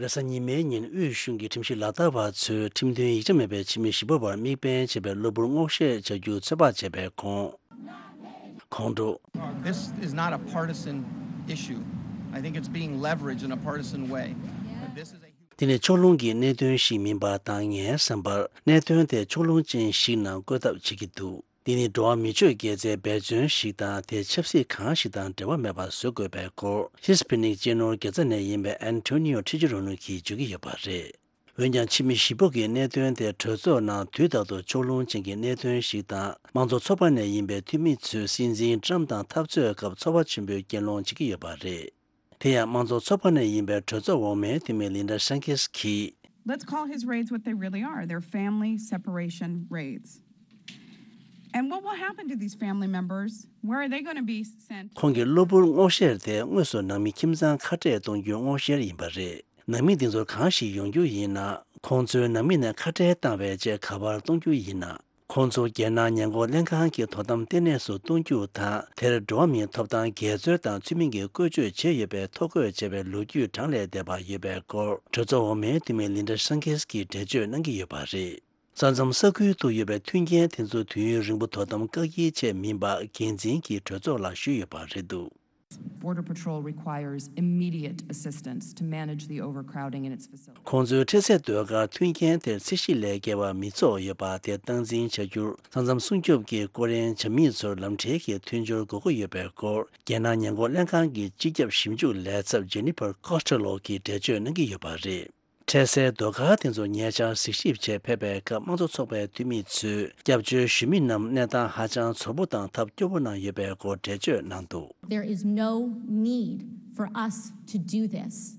རེས་གཟའ་ཉི་མའི་ཉིན་དབུས་གཞུང་གི་ཁྲིམས་ཞིབ་ལག་བསྟར་བ་ཚོས་ཁྲིམས་མཐུན་ཡིག་ཆ་མེད་པའི་ཕྱི་མི་བཞི་པོ་བར་དམིགས་འབེན་བྱས་པའི་གློ་བུར་སྔོག་བཤེར་བྱ་རྒྱུ་ཚོད་དཔག་བྱས་པའི་ཁོང་ཁོང་ཁྲོ། This is not a partisan issue. I think it's being leveraged in a partisan way. But this is a huge འདི་ནི་ཕྱོགས་ལྷུང་གི་གནད་དོན་ཞིག་མིན་པ་དང་། ངའི་བསམ་པར་གནད་དོན་དེ་ཕྱོགས་ལྷུང་ཅན་ཞིག་ནང་བཀོད་ཐབས་བྱེད་ཀྱི་འདུག་འདི་ནི་འགྲོ་བ་མི་ཆོས་དགེ་རྩའི་འབད་བརྩོན་ཞིག་དང་། དེ་ཆབ་སྲིད་གང་ཞིག་དང་འབྲེལ་བ་མེད་པ་བཟོ་དགོས་པའི་སྐོར། ཧི་སི་པི་ནིག་གཅེས་ནོར་དགེ་རྩ་ནས་ཡིན་པའི་ཨན་ཐོ་ནི་ཡོ་ཁྲི་ཆི་རོ་ནུ་གིས་བརྗོད་ཀྱི་ཡོད་པ་རེད། འོན་ཀྱང་ཕྱི་མི་བཞི་པོ་གིས་གནད་དོན་དེ་གྲོས་ཚོགས་ནང་དུས་རྟག་ཏུ་ཕྱོགས་ལྷུང་ཅན་གྱི་གནད་དོན་ཞིག་དང་། དམངས་གཙོ་ཚོགས་པ་ནས་ཡིན་པའི་འཐུས་མི་ཚོས་སྲིད་འཛིན་ཊམ་དང་འཐབ་རྩོད་སྐབས་ཚོར་བ་ཆེན་པོས་རྐྱེན་སློང་བྱེད་ཀྱི་ཡོད་པ་རེད། དེ་ཡང་དམངས་གཙོ་ཚོགས་པ་ནས་ཡིན་པའི་གྲོས་ཚོགས་འོག་མའི་འཐུས་མི་ལིན་ཌ་ཤན་ཁེས་ཀྱིས། Let's call his raids what they really are. They're family separation raids. And what will happen to these family members? Where are they going to be sent? ཁོང་གི་གློ་བུར་སྔོག་བཤེར་དེ་དངོས་སུ་ནང་མི་ཁྱིམ་ཚང་ཁ་བྲལ་གཏོང་རྒྱུའི་སྔོག་བཤེར་ཡིན་པ་རེད། ནང་མི་འདི་ཚོར་གང་ཞིག་ཡོང་རྒྱུ་ཡིན་ན། ཁོང་ཚོའི་ནང་མི་ནས་ཁ་བྲལ་བཏང་བའི་རྗེས་ག་པར་གཏོང་རྒྱུ་ཡིན་ན། ཁོང་ཚོ་རྒྱལ་ནང་ཉེན་འགོག་ལྷན་ཁང་གི་དོ་དམ་ལྟེ་གནས་སུ་གཏོང་རྒྱུ་དང་། དེར་འགྲོ་བ་མིའི་ཐོབ་ཐང་འགལ་འཛོལ་དང་ཚུལ་མིན་གྱི་བཀོལ་སྤྱོད་བྱས་ཡོད་པའི་ཐོ་འགོད་བྱས་པའི་ལོ་རྒྱུས་གྲངས་ལས་འདས་པ་ཡོད་པའི་སྐོར། གྲོས་ཚོགས་འོག་མའི་འཐུས་མི་ལིན་ཌ་ཤན་ཁེས་ཀྱིས་འགྲེལ་བརྗོད་གནང་གི་ཡོད་པ་རེད། ས་མཚམས་ས་ཁུལ་དུ་ཡོད་པའི་མཐུན་རྐྱེན་དེ་ཚོ་དུས་ཡུན་རིང་པོ་དོ་དམ་བཀག་ཡིག་ཆད་མིན་པ་འགན་འཛིན་གྱིས་གྲོས་ཚོགས་ལ་ཞུས་ཡོད་པ་རེད་འདུག Border Patrol requires immediate assistance to manage the overcrowding in its facility. ཁོང་ཚོའི་འཕྲལ་སེལ་ཟློས་གར་མཐུན་རྐྱེན་དེར་ཚད་གཞི་ལས་བརྒལ་བ་མི་ཚོགས་ཡོད་པ་དེ་སྟངས་འཛིན་བྱ་རྒྱུར། ས་མཚམས་སྲུང་སྐྱོབ་ཀྱི་སྐོར་གཡེང་བྱ་མི་ཚོར་ལམ་ཁྲལ་གྱི་མཐུན་སྦྱོར་དགོས་མཁོ་ཡོད་པའི་སྐོར། རྒྱལ་ནང་ཉེན་འགོག་ལྷན་ཁང་གི་སྤྱི་ཁྱབ་ཞིབ་འཇུག་ལས་ཚབ་ཇེ་ནི་ཕར་ཀོ་སི་ཊེ་ལོ་གིས་འགྲེལ་བརྗོད་གནང་གི་ཡོད་པ་རེད། འཕྲལ་སེལ་ཟློས་གར་དེ་ཚོ་ཉེ་ཆར་གཟིགས་ཞིབ་ཆེད་ཕེབས་པའི་སྐབས། དམངས་གཙོ་ཚོགས་པའི་འཐུས་མི་ཚོས་སྐྱབས་བཅོལ་ཞུ་མི་རྣམས་གནས་སྟངས་ཧ་ཅང་ཚོར་པོ་དང་ཐབས་སྐྱོ་པོ་ནང་ཡོད་པའི་སྐོར་འགྲེལ་བརྗོད་གནང་འདུག There is no need for us to do this.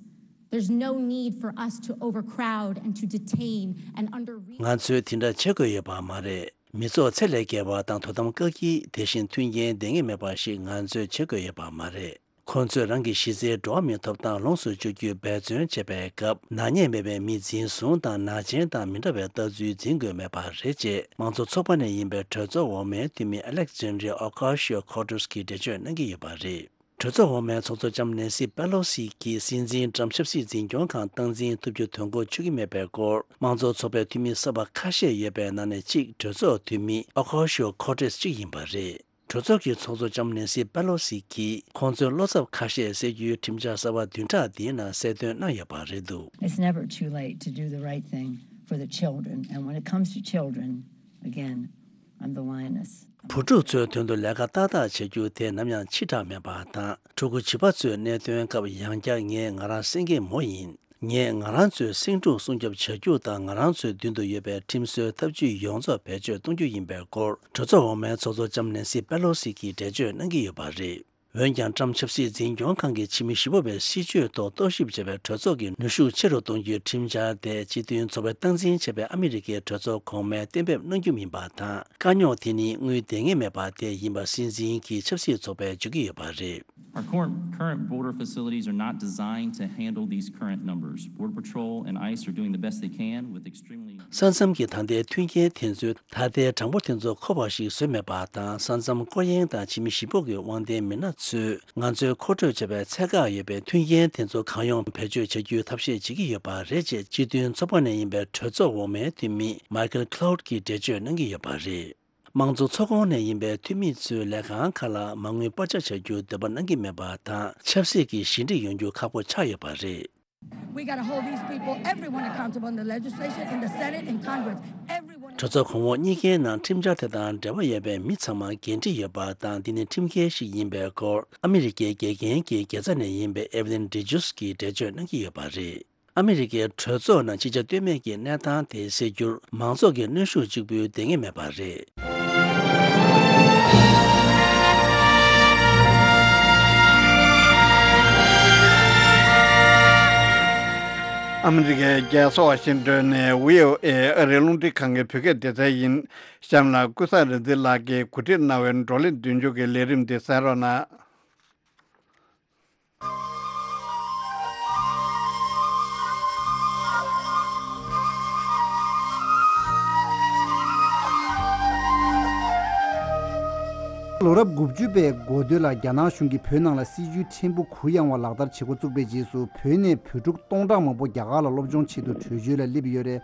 There's no need for us to overcrowd and to detain and under. ང་ཚོས་དེ་འདྲ་བྱེད་དགོས་ཡོད་པ་མ་རེད། མི་ཚོགས་ཚད་ལས་བརྒལ་བ་དང་དོ་དམ་བཀག་སྐྱིལ། དེ་བཞིན་མཐུན་རྐྱེན་ལྡན་ངེས་མེད་པ་ཞིག་ང་ཚོས་བྱེད་དགོས་ཡོད་པ་མ་རེད། ཁོང་ཚོས་རང་གི་གཞི་རྩའི་འགྲོ་བ་མིའི་ཐོབ་ཐང་ལོངས་སུ་སྤྱོད་རྒྱུའི་འབད་བརྩོན་བྱེད་པའི་སྐབས། ནག་ཉེས་མེད་པའི་མི་འཛིན་བཟུང་དང་ནག་ཅན་དང་མི་འདྲ་བའི་ལྟ་ཚུལ་འཛིན་དགོས་མེད་པ་རེད་ཅེས། དམངས་གཙོ་ཚོགས་པ་ནས་ཡིན་པའི་གྲོས་ཚོགས་འོག་མའི་འཐུས་མི་Alexandria Ocasio-Cortez གྱིས་འགྲེལ་བརྗོད་གནང་གི་ཡོད་པ་རེད། གྲོས་ཚོགས་འོག་མའི་ཚོགས་གཙོ་ལྕམ་ནེན་སི་པེ་ལོ་སི་གྱིས་སྲིད་འཛིན་ཊམ་ཆབ་སྲིད་འཛིན་སྐྱོང་ཁང་སྟངས་འཛིན་ཐུབ་རྒྱུ་དོན་འཁྱོལ་ཆགས་ཀྱི་མེད་པའི་སྐོར། དམངས་གཙོ་ཚོགས་པའི་འཐུས་མི་གསར་པ་ཁ་ཤས་ཡོད་པའི་ནང་ནས་གཅིག་གྲོས་ཚོགས་འཐུས་མི་Ocasio-Cortez གཅིག་ཡིན་པ་རེད། གྲོས་ཚོགས་ཀྱི་ཚོགས་གཙོ་ལྕམ་ནེན་སི་པེ་ལོ་སི་གྱིས་ཁོང་ཚོའི་བློ་འཚབ་ཁ་ཤས་སེལ་རྒྱུའི་ཁྲིམས་འཆར་གསར་པ་བདུན་ཕྲག་འདིའི་ནང་གསལ་སྟོན་གནང་ཡོད་པ་རེད་འདུག It's never too late to do the right thing for the children. And when it comes to children, again, I'm the lioness. བུ་ཕྲུག་ཚོའི་དོན་དུ་ལས་ཀ་ཏག་ཏག་བྱེད་རྒྱུ་དེ་ནམ་ཡང་ཕྱི་དྲགས་མེད་པ་དང་། ཕྲུ་གུ་བྱིས་པ་ཚོའི་གནད་དོན་སྐབས་ཡང་བསྐྱར་ངས་ང་རང་སེང་གེ་མོ་ཡིན། ངས་ང་རང་ཚོའི་སེང་ཕྲུག་སྲུང་སྐྱོབ་བྱ་རྒྱུ་དང་། ང་རང་ཚོའི་མདུན་དུ་ཡོད་པའི་ཁྲིམས་སྲོལ་ཐབས་ཇུས་ཡོངས་རྫོགས་བེད་སྤྱོད་གཏོང་རྒྱུ་ཡིན་པའི་སྐོར། གྲོས་ཚོགས་འོག་མའི་ཚོགས་གཙོ་ལྕམ་ནེན་སི་པེ་ལོ་སི་གིས་འགྲེལ་བརྗོད་གནང་གི་ཡོད་པ་རེད། འོན་ཀྱང་། ཊམ་ཆབ་སྲིད་འཛིན་སྐྱོང་ཁང་གིས་ཕྱི་མི་བཞི་པོ་བའི་སྲིད་བྱུས་ཐོག་རྟོག་ཞིབ་བྱས་པའི་གྲོས་ཚོགས་ཀྱི་ནུས་ཤུགས་ཆེ་རུ་གཏོང་རྒྱུའི་ཁྲིམས་འཆར་དེ། སྤྱི་མཐུན་ཚོགས་པའི་སྟངས་འཛིན་བྱས་པའི་ཨ་མི་རི་ཀའི་གྲོས་ཚོགས་གོང་མས་གཏན་འབེབས་གནང་རྒྱུ་མིན་པ་དང་། དཀའ་རྙོག་དེ་ནི་དངུལ་ལྡང་ངེས་མེད་པ་དེ་ཡིན་པ་སྲིད་འཛིན་གྱི་ཆབ་སྲིད་ཚོགས་པས་བརྗོད་ཀྱི་ཡོད་པ་རེད། Our cor- current border facilities are not designed to handle these current numbers. Border Patrol and ice are doing the best they can with extremely. ས་མཚམས་ཀྱི་ད་ལྟའི་མཐུན་རྐྱེན་དེ་ཚོས་ད་ལྟའི་གྲངས་འབོར་དེ་ཚོ་འཁོར་བ་ཞིག་བཟོས་མེད་པ་དང་། ས་མཚམས་སྐོར་གཡེང་དང་ཕྱི་མི་ཞིག་པོ་གི་དབང་ལྡན་མི་སྣ་ཚོས་ང་ཚོའི་མཁོ་སྤྲོད་བྱས་པའི་ཚད་བཀག་ཡོད་པའི་མཐུན་རྐྱེན་དེ་ཚོ་གང་ཡོང་བེད་སྤྱོད་བྱ་རྒྱུའི་ཐབས་ཤེས་བྱེད་ཀྱི་ཡོད་པ་རེད་ཅེས་སྤྱི་མཐུན་ཚོགས་པ་ནས་ཡིན་པའི་གྲོས་ཚོགས་འོག་མའི་འཐུས་མི་Michael Clout གིས་འགྲེལ་བརྗོད་གནང་གི་ཡོད་པ་རེད། དམངས་གཙོ་ཚོགས་ཁོངས་ནས་ཡིན་པའི་འཐུས་མི་ཚོས་ལས་ཁང་ཁག་ལ་མ་དངུལ་སྤར་ཆ་བྱ་རྒྱུ་འདོད་པ་གནང་གི་མེད་པ་དང་། ཆབ་སྲིད་ཀྱི་ཞི་འགྲིག་ཡོང་རྒྱུ་ཁག་པོ་ཆགས་ཡོད་པ་རེད། We gotta hold these people, everyone accountable in the legislature, in the Senate, in Congress. Everyone. གྲོས་ཚོགས་གོང་འོག་གཉིས་ཀའི་ནང་ཁྲིམས་འཆར་དེ་དང་འབྲེལ་བ་ཡོད་པའི་མི་ཚང་མ་འགན་འཁྲི་ཡོད་པ་དང་། འདི་ནི་ཁྲིམས་འགལ་ཞིག་ཡིན་པའི་སྐོར་ཨ་མི་རི་ཀའི་དགེ་རྒན་གྱི་དགེ་རྩ་ནས་ཡིན་པའི་Evelyn de Geus གིས་འགྲེལ་བརྗོད་གནང་གི་ཡོད་པ་རེད། ཨ་མི་རི་ཀའི་གྲོས་ཚོགས་ནང་ཅི་བྱ་གཏོལ་མེད་ཀྱི་གནས་སྟངས་དེ་སེལ་རྒྱུར་མང་ཚོགས་ཀྱི་གནོན་ཤུགས་གཅིག་པུས་ལྡང་ངེས་མེད་པ་རེད། ཨ་མི་རི་ཀའི་རྒྱལ་ས་ཝ་ཤིང་ཏོན་ནས་བྷི་ཨོ་ཨེ་ཨ་རིའི་རླུང་འཕྲིན་ཁང་གི་བོད་སྐད་སྡེ་ཚན་ཡིན། གཤམ་ལ་ཀུན་བཟང་རིག་འཛིན་ལགས་ཀྱིས་གོ་སྒྲིག་གནང་བའི་བགྲོ་གླེང་མདུན་སྐྱོད་ཀྱི་ལས་རིམ་འདི་གསན་རོགས་གནང་། ལོ་རབས་དགུ་བཅུ་པའི་འགོ་སྟོད་ལ་རྒྱ་ནག་གཞུང་གིས་བོད་ནང་ལ་སྲིད་བྱུས་ཕྲན་བུ་གུ་ཡངས་པ་ལག་བསྟར་བྱེད་འགོ་བཙུགས་པའི་རྗེས་སུ། བོད་ནས་བོད་ཕྲུག་སྟོང་ཕྲག་མང་པོ་རྒྱ་གར་ལ་སློབ་སྦྱོང་ཆེད་དུ་བྲོས་བྱོལ་ལ་སླེབས་ཡོད་རེད།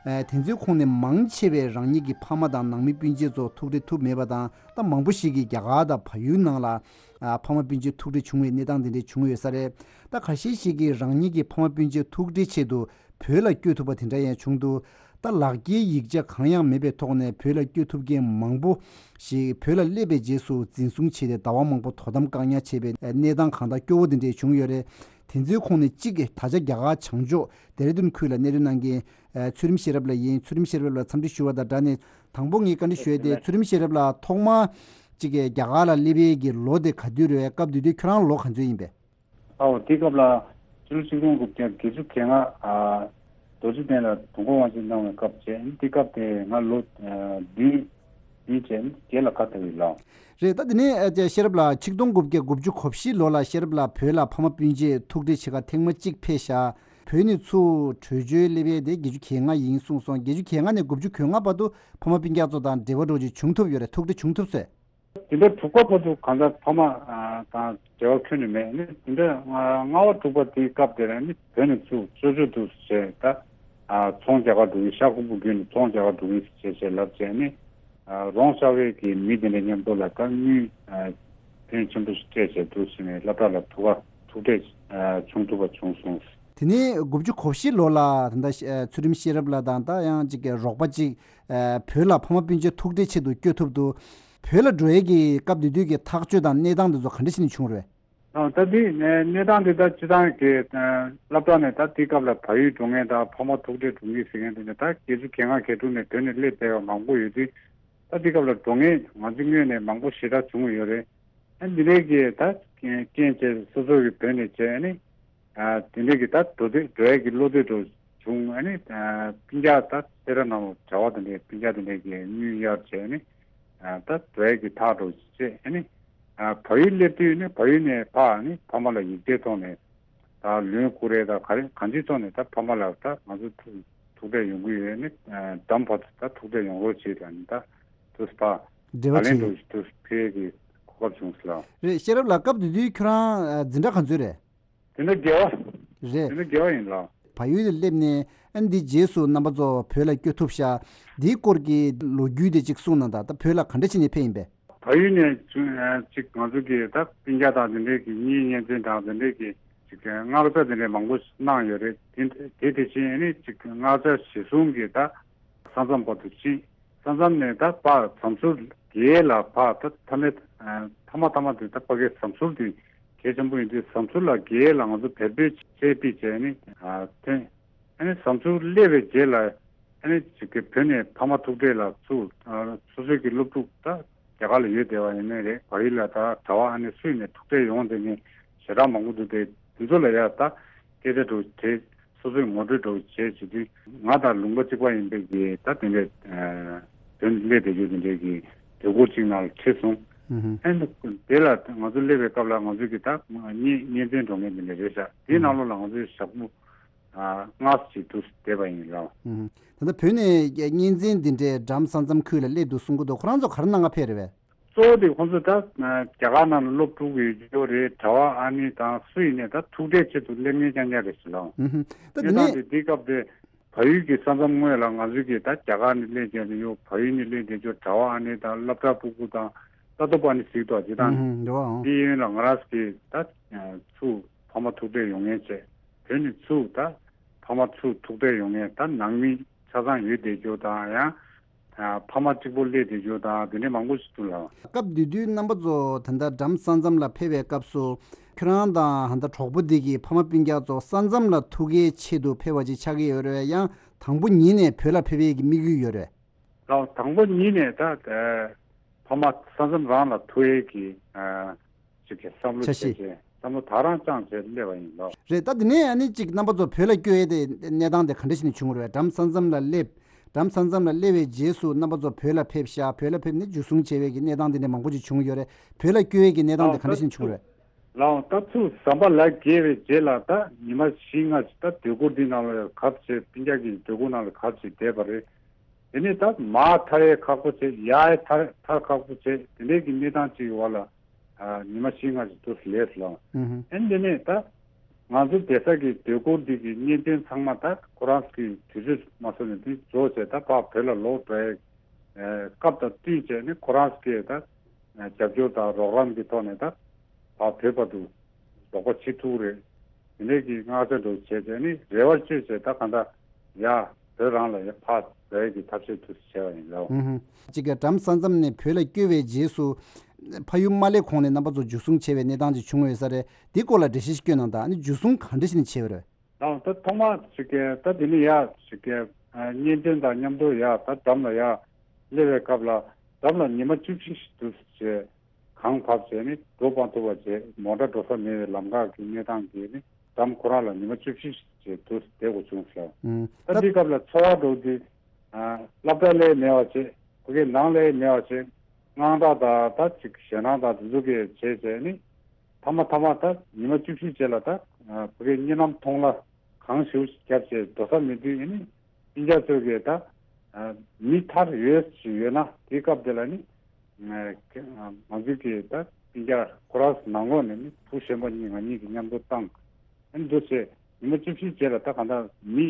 ཨ། དེ་ཚོའི་ཁོངས་ནས་མང་ཆེ་བས་རང་ཉིད་ཀྱི་ཕ་མ་དང་ནང་མི་སྤུན་མཆེད་ཚོ་ཐུག་འཕྲད་ཐུབ་མེད་པ་དང་། ད་མང་པོ་ཞིག་གིས་རྒྱ་གར་དང་བལ་ཡུལ་ནང་ལ། ཨ། ཕ་མ་སྤུན་མཆེད་ཐུག་འཕྲད་བྱུང་བའི་གནས་སྟངས་དེ་འདྲ་བྱུང་ཡོད་ས་རེད། ད་ཁ་ཤས་ཤིག་གིས་རང་ཉིད་ཀྱི་ཕ་མ་སྤུན་མཆེད་ཐུག་འཕྲད་ཆེད་དུ་བོད་ལ་བསྐྱོད་ཐུབ་པ་དེ་འདྲ་ཡང་བྱུང་འདུག་ད་ལག་འཁྱེར་ཡིག་ཆ་གང་ཡང་མེད་པའི་ཐོག་ནས་བོད་ལ་བསྐྱོད་ཐུབ་མཁན་མང་པོ་ཞིག་བོད་ལ་སླེབས་པའི་རྗེས་སུ་འཛིན་བཟུང་བྱས་ཏེ་ཟླ་བ་མང་པོ་དོ་དམ་བཀག་ཉར་བྱས་པའི་གནས་སྟངས་གང་དག་སྐྱོ་བོ་དེ་འདྲ་བྱུང་ཡོད་རེད། དེ་ཚོའི་ཁོངས་ནས་གཅིག་གིས་ད་ཆ་རྒྱ་གར་བྱང་ཕྱོགས་ལྡེ་ར་ལྡུན་ཁུལ་ལ་གནས་སྡོད་གནང་མཁན། ཨ། ཚུལ་ཁྲིམས་ཤེས་རབ་ལགས་ཡིན། ཚུལ་ཁྲིམས་ཤེས་རབ་ལགས་འཚམས་འདྲི་ཞུ་བ་དང་སྦྲགས་ནས། དང་པོ་ངས་བཀའ་འདྲི་ཞུ་ཡས་དེ། ཚུལ་ཁྲིམས་ཤེས་རབ་ལགས་ཐོག་མར་གཅིག་གིས་རྒྱ་གར་ལ་སླེབས་པའི་གི་ལོ་དེ་ག་དུས་རེད། སྐབས་དེ་དུས་ཁྱོད་རང་ལོ་ག་ཚོད་ཡིན་པས། ཨའོ། དེ་སྐབས་ལ་ཕྱི་ལོ་ཆིག་སྟོང་དགུ་བརྒྱ་བརྒྱད་ཅུ་གྱ་ལྔ། ཨ། རྡོ་རྗེ་གདན་ལ་དུས་འཁོར་དབང་ཆེན་གནང་བའི་སྐབས་བྱས། དེ་སྐབས་དེ་ང་ལོ། ཨ། བདུན། བདུན་བྱས་བརྒྱད་ལ་ཁ་ཐོན་ཡིན་ལགས། རེད། ད་དེ་ནས། ཨ། ཤེས་རབ་ལགས། ཆིག་སྟོང་དགུ་བརྒྱ་དགུ་བཅུ་གོ་བཞི་ལོ་ལ་ཤེས་རབ་ལགས་བོད་ལ་ཕ་མ་སྤུན་མཆེད་ཐུག་འཕྲད་བྱེད་གར་ཐེངས་མ་གཅིག་ཕེབས་ཤག་བོད་ནས་ཚུར་བྲོས་བྱོལ་སླེབས་ཡས་དེ་བརྒྱད་ཅུ་གྱ་ལྔ་ཡིན་གསུངས་སོང་། བརྒྱད་ཅུ་གྱ་ལྔ་ནས་དགུ་བཅུ་གོ་ལྔ་བར་དུ་ཕ་མ་སྤུན་ཀྱག་ཚོ་དང་འབྲེལ་བ་འདྲ་བོ་ཅིག་བྱུང་ཐུབ་ཡོད་རེད། ཐུག་འཕྲད་བྱུང་ཐུབ་སོང་། དེ་འདྲ་དྲུག་པ་བར་དུ་གང་ལྟར་ཕ་མ། ཨ། དང་འབྲེལ་བ་ཁྱོན་ནས་མེད། ནི་དེ་འདྲ་ལྔ་པ་དྲུག་པ་དེའི་སྐབས་དེ་ལ་ནི་བོད་ནས་ཚུར་བཙོན་བྱོལ་དུ་བྱས། ད། ཨ། ཚོང་རྒྱག་གར་འགྲོ་གི། ཤར་ཁུག་པ་བརྒྱུད་ནས་ཚོང་རྒྱག་གར་འགྲོ་གི་ཟེར་བྱས་ལབ་བྱས་ནས། ཨ། རོང་ཤར་བའི་གི་མི་དེ་འདྲ་མཉམ་དུ་ལ་ད་དངུལ། ཨ། ཕོན་ཆེན་པོ་ཞིག་སྤྲད་བྱས་འདུག་ཟེར་ནས་སློབ་གྲྭ་ལ་ཐུག་པ་ཐུག་འཕྲད། ཨ། བྱུང་ཐུབ་པ་བྱུང་སོང་། དེ་ནས་དགུ་བཅུ་གོ་བཞི་ལོ་ལ་ད་ལྟ་ཚུལ་ཁྲིམས་ཤེས་རབ་ལགས་དང་། ད་ཡང་གཅིག་གི་རོགས་པ་གཅིག་ཨ། བོད་ལ་ཕ་མ་སྤུན་མཆེད་ཐུག་འཕྲད་ཆེད་དུ་བསྐྱོད་ཐུབ་འདུག་བོད་ལ་འགྲོ་ཡས་ཀྱི་སྐབས་དེ་དུས་ཀྱི་ཐག་གཅོད་དང་གནས་སྟངས་དེ་ཚོ་ག་འདྲ་བྱས་ནས་བྱུང་རེད། ཨ་ད་འདི་གནས་གནས་སྟངས་འདི་ད་སྤྱི་བཏང་གི་ཨ་སློབ་གྲྭ་ནས་ད་དེའི་སྐབས་ལ་བལ་ཡུལ་འགྲོ་མཁན་དང་ཕ་མ་ཐུག་འཕྲད་འགྲོ་མཁན་ཟེར་མཁན་དེ་ནས་ད་སྒེར་གྱི་སྒེར་ངག་སྒེར་དྲུང་ནས་བོད་ནས་སླེབས་བསྡད་པ་མང་པོ་ཡོད་དུས། ད་དེའི་སྐབས་ལ་འགྲོ་མཁན་ང་ཚོ་སྔོན་ནས་མང་པོ་ཞེ་དྲག་བྱུང་ཡོད་རེད། ཨ་འདི་འདྲའི་གི་ད་རྐྱེན་བྱས་སོ་སོ་གི་བོད་ནས་བྱས་ཨ་ནི། ཨ་དེ་འདྲའི་གི་ད་འགྲོ་འདོད་འགྲོ་ཡས་ཀྱི་བློ་འདོད་འདྲ་བྱུང་ཨ་ནི། ཨ་སྤུན་ཀྱག་ད་སེ་ར་ནང་ལ་གྲྭ་བ་དེ་འདྲའི་སྤུན་ཀྱག་དེ་འདྲའི་གི་དངུལ་གཡར་བྱས་ཨ་ནི། ཨ་ད་འགྲོ་ཡས་ཀྱི་ཐག་འགྲོ་བྱས་ཨ་ནི། ཨ་བལ་ཡུལ་སླེབས་དུས་ནི་བལ་ཡུལ་ནས་ཕར་ཨ་ནི་ཕ་མ་ལ་ཡིག་ཆའི་ཐོག་ནས་ད་ལོན་བསྐུར་རེད། ད་ག་རེ་གང་ཅིའི་ཐོག་ནས་ད་ཕ་མ་ལ་ད་ང་ཚོ་ཐུག་ཐུག་འཕྲད་ཡོང་གི་ཡོད་ཨ་ནི། ཨ་འགྲམ་བར་དུ་ད་ཐུག་འཕྲད་ཡོང་རོགས་བྱེད་ད་ནི་ད་དུས་ཕར་འབྲེལ་བ་ད་ལན་བྱེད་འགྲོ་དུས་ཕེབས་ཀྱི་གོ་སྐབས་བྱུང་སོང་ལ། རེད། ཤེས་རབ་ལགས། སྐབས་དེ་དུས་ཁྱོད་རང་ཨ་འཛིན་གྲྭ་ག་ཚོད་རེད། དེ་འདྲ་དགེ་བ། རེད། དེ་འདྲ་དགེ་བ་ཡིན་ལ། བལ་ཡུལ་དུ་སླེབས་ནས་ཨ་འདི་རྗེས་སུ་རྣམ་པ་ཚོ་བོད་ལ་བསྐྱོད་ཐུབ་ཤག་འདིའི་སྐོར་གྱི་ལོ་རྒྱུས་དེ་གཅིག་གསུངས་གནང་དང་། ད་བོད་ལ་ག་འདྲ་བྱས་ནས་ཕེབས་ཡིན་པས། བལ་ཡུལ་ནས་ཅིག་ང་ཚོ་གི་ད་སྤུན་ཀྱག་དང་དེ་འདྲས་ཀྱི་གཉེན་གཉེན་ཚན་དང་དེ་འདྲས་ཀྱི་ཅིག་མངགས་བྱ་དེ་འདྲས་མང་པོ་གནང་ཡོད་རེད། དེ་དེ་དེ་བཞིན་ཨ་ནི་ཅིག་མངགས་བྱ་གཞི་བཟུང་གི་ད་ས་མཚམས་བར་དུ་ཕྱིན། ས་མཚམས་ནས་ད་ཕར་ཟམ་ཟུར་བརྒལ་ལ་ཕར་ད་མཐའ་མའི་མཐའ་མ་མཐའ་མ་དེ་ད་ཕ་གའི་ཟམ་ཟུར་དེ་གལ་ཆེན་པོ་ཡིན་དུས་ཟམ་ཟུར་ལ་བརྒལ་ལ་ང་ཚོ་བལ་པོའི་ཆས་པིག་བྱས་ནས་ཐོན། ཨ་ནི་ཟམ་ཟུར་སླེབས་པའི་རྗེས་ལ་ཨ་ནི་ཅིག་གི་བོད་ནས་ཕ་མ་ཐུག་འཕྲད་ལ་ཚུར་སོ་སོའི་གི་སློབ་ཕྲུག་ད་རྒྱ་གར་ལ་ཡོད་བསྡད་པ་ཡིན་ནའི་རེད། བལ་ཡུལ་ལ་ད་གྲྭ་བ་ཨ་ནི་སུ་ཡིན་ནའི་ཐུག་འཕྲད་ཡོང་དེ་ནི་ཞེ་དྲག་མང་པོ་འདུག་དེ་དེ་ཚོ་ལ་ཡ་ད་སྐད་ཆ་འདྲ་བོ་དྲིས། སོ་སོའི་ངོ་སྤྲོད་འདྲ་བོ་བྱས་བྱེད་དུས་ང་དང་ལུང་པ་གཅིག་པ་ཡིན་པའི་གི་ད་དེ་འདྲའི་བོད་ནས་སླེབས་བསྡད་རྒྱུ་དེ་འདྲའི་གི་སྡོད་སྒོ་གཅིག་ནང་ལ་ཁྲིད་སོང་། ཨ་ནི་དེ་ལ་ང་ཚོ་སླེབས་པའི་སྐབས་ལ་ང་ཚོའི་གི་ད་གཉེན་གཉེན་ཚན་འགྲོ་མཁན་དེ་འདྲ་རེད་ཤག་དེའི་ནང་ལོགས་ལ་ང་ཚོའི་ཞག་པོ་ལྔ་ཙམ་ཅིག་འདུག་བསྡད་པ་ཡིན་ལགས། ད་ལྟ་བོད་ནས་གཉེན་ཚན་འདི་འདྲའི་འགྲམ་ས་མཚམས་ཁུལ་ལ་སླེབས་འདུག་གསུང་གི་འདུག་ཁོ་རང་ཚོ་ག་རེ་གནང་ག་ཕེབས་རེད་པས། གཙོ་བོ་དེ་ཁོང་ཚོ་ད་རྒྱ་གར་ནང་ལ་སློབ་ཕྲུག་ཡོད་རྒྱུ་རེད། གྲྭ་བ་ཨ་ནི་དང་སུ་ཡིན་ནའི་ད་ཐུག་འཕྲད་ཆེད་དུ་སླེབས་མཁན་རྐྱང་རྐྱང་རེད་ཟེར་ལགས། ད་དེ་གནས་སྟངས་ནས་དེ་དེའི་སྐབས་དེ་བལ་ཡུལ་གྱི་ས་མཚམས་ངོས་ལ་ང་ཚོའི་གི་ད་རྒྱ་གར་ནས་སླེབས་མཁན་དེ་ཡོད། བལ་ཡུལ་ནས་སླེབས་བསྡད་རྒྱུ་གྲྭ་བ་ཨ་ནི་དང་སློབ་གྲྭ་ཕྲུ་གུ་དང་ལྟ་རྟོག་པ་ཨ་ནི་ཟེར་གྱི་འདུག་ཇི་ལྟར་ཨུམ་ཧུམ་འདྲ་བའང་། དེའི་ཡུན་ལ་ང་རང་གི་ད་ཚུར་ཕ་མ་ཐུག་འཕྲད་ཡོང་མཁན་བྱས། བོད་ནས་ཚུར་ད་ཕ་མ་ཚུར་ཐུག་འཕྲད་ཡོང་མཁན་ད་ནང་མི་ཆ་ཚང་ཡོད་བསྡད་རྒྱུ་དང་ཡང་ཕ་མ་གཅིག་པོ་སླེབས་བསྡད་རྒྱུ་དང་དེ་འདྲའི་མང་པོ་ཞིག་འདུག་ལགས། སྐབས་དེ་དུས་རྣམ་པ་ཚོ་ད་ལྟ་འགྲམ་ས་མཚམས་ལ་ཕེབས་པའི་སྐབས་སུ་ཁྱོད་རང་དང་ད་ལྟ་གྲོགས་པོ་འདི་གི་ཕ་མ་སྤུན་ཀྱག་ཚོ་ས་མཚམས་ལ་ཐུག་གའི་ཆེད་དུ་ཕེབས་པ་ཅིག་ཆགས་ཀྱི་ཡོད་རེད། ཡང་དང་པོ་ཉིད་ནས་བོད་ལ་ཕེབས་ཡས་ཀྱི་དམིགས་ཡུལ་ཡོད་རེད། ལགས། དང་པོ་ཉིད་ནས་ད་ཕ་མ་ས་མཚམས་རང་ལ་ཐུག་ཡས་ཀྱི་ཅིག་གི་བསམ་བློ་འཆར་གཞི། བྱས་བྱས་བསམ་བློ་དང་རང་བཅངས་བྱས་སླེབས་པ་ཡིན་ལགས། རེད། ད་དེ་ནས་ཨ་ནི་ཅིག་རྣམ་པ་ཚོ་བོད་ལ་བསྐྱོད་ཡས་དེ་གནས་སྟངས་དེ་ག་འདྲ་ཞིག་ནས་བྱུང་བ་རེད། འགྲམ་ས་མཚམས་ལ་སླེབས། འགྲམ་ས་མཚམས་ལ་སླེབས་པའི་རྗེས་སུ་རྣམ་པ་ཚོ་བོད་ལ་ཕེབས་ཤག་བོད་ལ་ཕེབས་ནས་འཇུ་བཟུང་བྱས་པའི་གི་གནས་སྟངས་དེ་འདྲ་མང་པོ་ཅིག་བྱུང་ཡོད་རེད། བོད་ལ་བསྐྱོད་ཡས་ཀྱི་གནས་སྟངས་དེ་ག་འདྲ་ཞིག་ནས་བྱུང་བ་རེད། ལགས། ད་ཚུར་ཟམ་པ་ལ་བརྒལ་བའི་རྗེས་ལ་ད་ཉི་མ་བཞི་ལྔ་ཞིག་ད་སྡོད་གུར་འདི་ནང་ལ་གབ་བྱས་སྤུན་ཀྱག་གི་སྡོད་གུར་ནང་ལ་གབ་བྱས་བསྡད་པ་རེད། དེ་ནས་ད་མར་ཐར་ཡས་ཁག་པོ་བྱས། ཡར་ཡས་ཐར་ཐར་ཁག་པོ་བྱས། དེ་འདྲའི་གི་གནས་སྟངས་ཅིག་གི་འོག་ལ་ཉི་མ་བཞི་ལྔ་ཞིག་འདུག་སེ་ལས་སོང་། ཨུ་ཧུ། ཨ་ནི་དེ་ནས་ད་ང་ཚོ་བསྡད་ས་གི་སྡོད་གུར་འདི་གི་གཉེན་ཚན་ཚང་མ་ད་ཁོ་རང་གི་དུས་ཚོད་མ་སོང་ནས་དེ་རྫོགས་བྱས་ད་ཕར་བོད་ལ་ལོག་འགྲོ་ཡས་སྐབས་དང་བསྟུན་བྱས་ནས་ཁོ་རང་གི་ད་རྒྱབ་སྐྱོར་དང་རོགས་རམ་གྱི་ཐོག་ནས་ད་ཕར་བོད་བར་དུ་རོགས་པ་བྱེད་ཐུབ་རེད། དེ་འདྲའི་གི་མངགས་ཆ་འདྲ་བོ་བྱས་བྱས་ནས་རེ་བ་བཅོལ་བྱས་ད་གང་ལྟར་ཡ་བོད་རང་ལ་ཡ་ཕར་འགྲོ་ཡས་ཀྱི་ཐབས་ཤེས་དུ་བྱས་པ་ཡིན་ལགས། ཨུ་ཧུ། གཅིག་གི་འགྲམ་ས་མཚམས་ནས་བོད་ལ་བསྐྱོད་པའི་རྗེས་སུ་ཕ་ཡུལ་མ་སླེབས་གོང་ནས་རྣམ་པ་ཚོ་འཇུ་བཟུང་བྱས་པའི་གནས་སྟངས་ཅིག་བྱུང་ཡོད་ས་རེད། འདི་སྐོར་ལ་འགྲེལ་བཤད་ཞིག་སྐྱོན་གནང་དང་། ཨ་ནི་འཇུ་བཟུང་ག་འདྲ་ཞིག་ནས་བྱས་པ་རེད། ལགས། ད་ཐོག་མར་ཅིག་གི་ད་དེ་ནས་ཡ་ཅིག་གི་གཉེན་ཚན་དང་མཉམ་དུ་ཡ་ད་འགྲམ་ལ་ཡ་སླེབས་པའི་སྐབས་ལ་འགྲམ་ལ་ཉི་མ་བཅུ་བཞི་ཞིག་འདུག་སེ་བྱས། གངས་བབས་བྱས་ནས་འགྲོ་སྤང་ཐུབ་པ་བྱས། མོ་ཊ་འགྲོ་ས་མེད་པའི་ལམ་ཁ་གི་གནས་སྟངས་ཀྱིས་ནི་འགྲམ་ཁོ་རང་ལ་ཉི་མ་བཅུ་བཞི་ཞིག་བྱས་འདུག་སེ་བསྡད་དགོས་བྱུང་ཟེར། ཨུམ། ད་འདི་སྐབས་ལ་འཚོ་བ་འགྲོ་དུས་ཨ་སློབ་གྲྭ་སླེབས་མེད་པ་བྱས། ཕ་གིའི་ནང་སླེབས་མེད་པ་བྱས། དངངས་སྐྲག་དང་ད་ཅིག་ཞེད་སྣང་དང་དེ་ཚོ་གི་བྱས་བྱས་ནི་མཐའ་མ་མཐའ་མ་ད་ཉི་མ་བཅུ་བཞི་རྗེས་ལ་ད་ཨ་ཕ་གིའི་གཉིད་ལམ་མཐོང་ལ་གངས་ཞེ་པོ་ཞིག་བརྒྱབ་བྱས་འགྲོ་ས་མེད་དུས་ཨ་ནི་སྤུན་ཀྱག་ཚོས་གི་ད་ཨ་མི་ཐར་ཡོད་ཞིག་ཡོད་ན་དེའི་སྐབས་དེ་ལ་ནི་ང་ང་ཚོའི་གི་ད་སྤུན་ཀྱག་ཁོ་རང་ནང་ལོགས་ནས་ནི་བུ་གཞོན་པ་གཉིས་ང་གཉིས་ཀྱིས་མཉམ་དུ་བཏང་། ཨ་ནི་འདུག་སེ་ཉི་མ་བཅུ་བཞི་རྗེས་ལ་ད་གང་ལྟར་མི་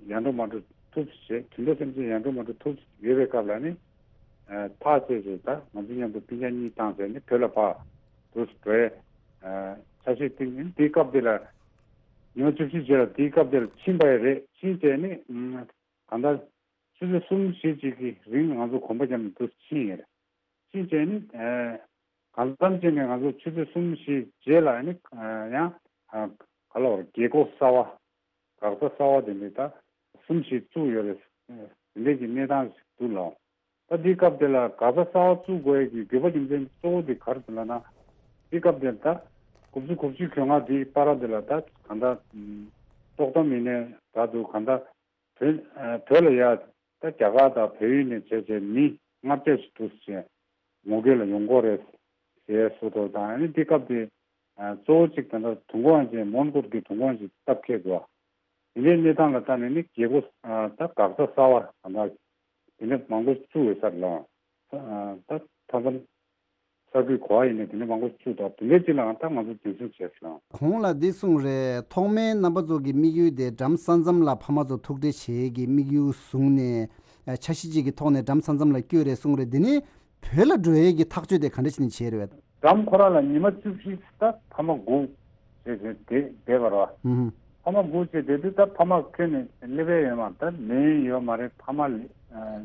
ཡར་འགྲོ་མར་འགྲོ་ཐུབ་ཟེར། དུད་འགྲོ་སེམས་ཅན་ཡར་འགྲོ་མར་འགྲོ་ཐུབ་ཡོད་པའི་སྐབས་ལ་ནི་ཨ་ཐག་བཅད་བྱས་ད་ང་ཚོ་མཉམ་དུ་སྤུན་ཀྱག་གཉིས་བཏང་བྱས་ནི་བོད་ལ་ཕར་འདུག་སེ་འགྲོ་ཡས་ཨ་འཆར་གཞི་བཏིང་། ཨ་ནི་དེའི་སྐབས་དེ་ལ་ཉི་མ་བཅུ་བཞི་རྗེས་ལ་དེའི་སྐབས་དེ་ལ་ཕྱིན་པ་ཡང་རེད། ཕྱིན་བྱས་ནི་ཨ་གང་ལྟར་ཆུ་ཚོད་གསུམ་བཞི་ཅིག་གི་རིང་ང་ཚོ་གོམ་པ་བརྒྱབ་ནས་འདུག་སེ་ཕྱིན་ཡོད་རེད། ཕྱིན་བྱས་ནི་ཨ་ གང་འཚམ་བྱས་ནས་ང་ཚོ་ཆུ་ཚོད་གསུམ་བཞི་རྗེས་ལ་ཨ་ནི་ཡང་ག་ལ་བར་རྒྱལ་སྒོ་གསར་བ། འགག་རྩ་གསར་བ་དེ་འདྲའི་ད་གསུམ་བཞི་བཙུགས་ཡོད་རེད། དེ་འདྲའི་གི་གནས་སྟངས་ཤིག་འདུག་ལགས། ད་འདིའི་སྐབས་དེ་ལ་འགག་རྩ་གསར་བ་བཙུགས་དགོས་ཡས་ཀྱི་དགོས་པ་རྒྱུ་མཚན་གཙོ་བོ་དེ་ག་རེ་རེད་ལབ་ན། འདིའི་སྐབས་དེ་ད་དགུ་བཅུ་གོ་གཅིག་གྱོང་ཁ་འདིའི་བར་དེ་ལ་ད་གང་ལྟར་ཏོག་ཙམ་ཡིན་ནའི་ད་དུ་གང་ལྟར་བོད་བོད་ལ་ཡ་ད་རྒྱ་གར་དང་བལ་ཡུལ་ནས་བྱས་བྱས་མི་ལྔ་བརྒྱ་ཞིག་འདུག་ཟེར་ངོ་རྒོལ་ལ་ཡོང་གི་ཡོད་རེད་ཟེར་སོ་ཐོ་དང་ཨ་ནི་འདིའི་སྐབས་དེ་གཙོ་བོ་གཅིག་ད་ལྟ་དུས་འཁོར་ཅན་མོན་གྷོ་གི་དུས་འཁོར་ཅན་སྟབས་ཁེལ་འདུག་དེ་འདྲའི་གནས་སྟངས་ལ་ལྟ་ནས་ནི་རྒྱལ་སྒོ་ད་འགག་རྩ་གསར་བ་ད་ལྟ་དེ་འདྲ་མང་པོ་བཙུགས་ཡོད་ས་རེད་ལགས། ད་མཐའ་མཚམས་གསར་འགོད་གོ་བ་ཡིན་ནའི་དེ་འདྲ་མང་པོ་བཙུགས་འདུག་དེ་འདྲའི་སྤྱི་ལའང་ད་ང་ཚོ་འཛིན་བཟུང་བྱས་སོང་། གོང་ལ་འདི་གསུངས་རེད། ཐོག་མའི་རྣམ་པ་ཚོ་གི་དམིགས་ཡུལ་དེ་འགྲམ་ས་མཚམས་ལ་ཕ་མ་ཚོ་ཐུག་འཕྲད་བྱེད་ཀྱི་དམིགས་ཡུལ་བཟུང་ནས་འཆར་གཞི་གཅིག་གི་ཐོག་ནས་འགྲམ་ས་མཚམས་ལ་བསྐྱོད་རེད་གསུངས་རེད། འདི་ནི་བོད་ལ་འགྲོ་ཡས་ཀྱི་ཐག་གཅོད་དེ་ག་འདྲ་བྱས་ནས་བྱས་རེད་བས། འགྲམ་ཁོ་རང་ལ་ཉི་མ་བཅུ་བཞི་ད་ཕ་མ་སྒུག་བྱས་བྱས་བསྡད་བསྡད་པ་རེད་བ། ཨུ་ཧུ། ཕ་མ་སྒུག་བྱས་བསྡད་དུས་ད་ཕ་མ་ཁྱོན་ནས་སླེབས་ཡས་ཡོད་མ་རེད། ད་ལན་ཡོད་མ་རེད། ཕ་མ་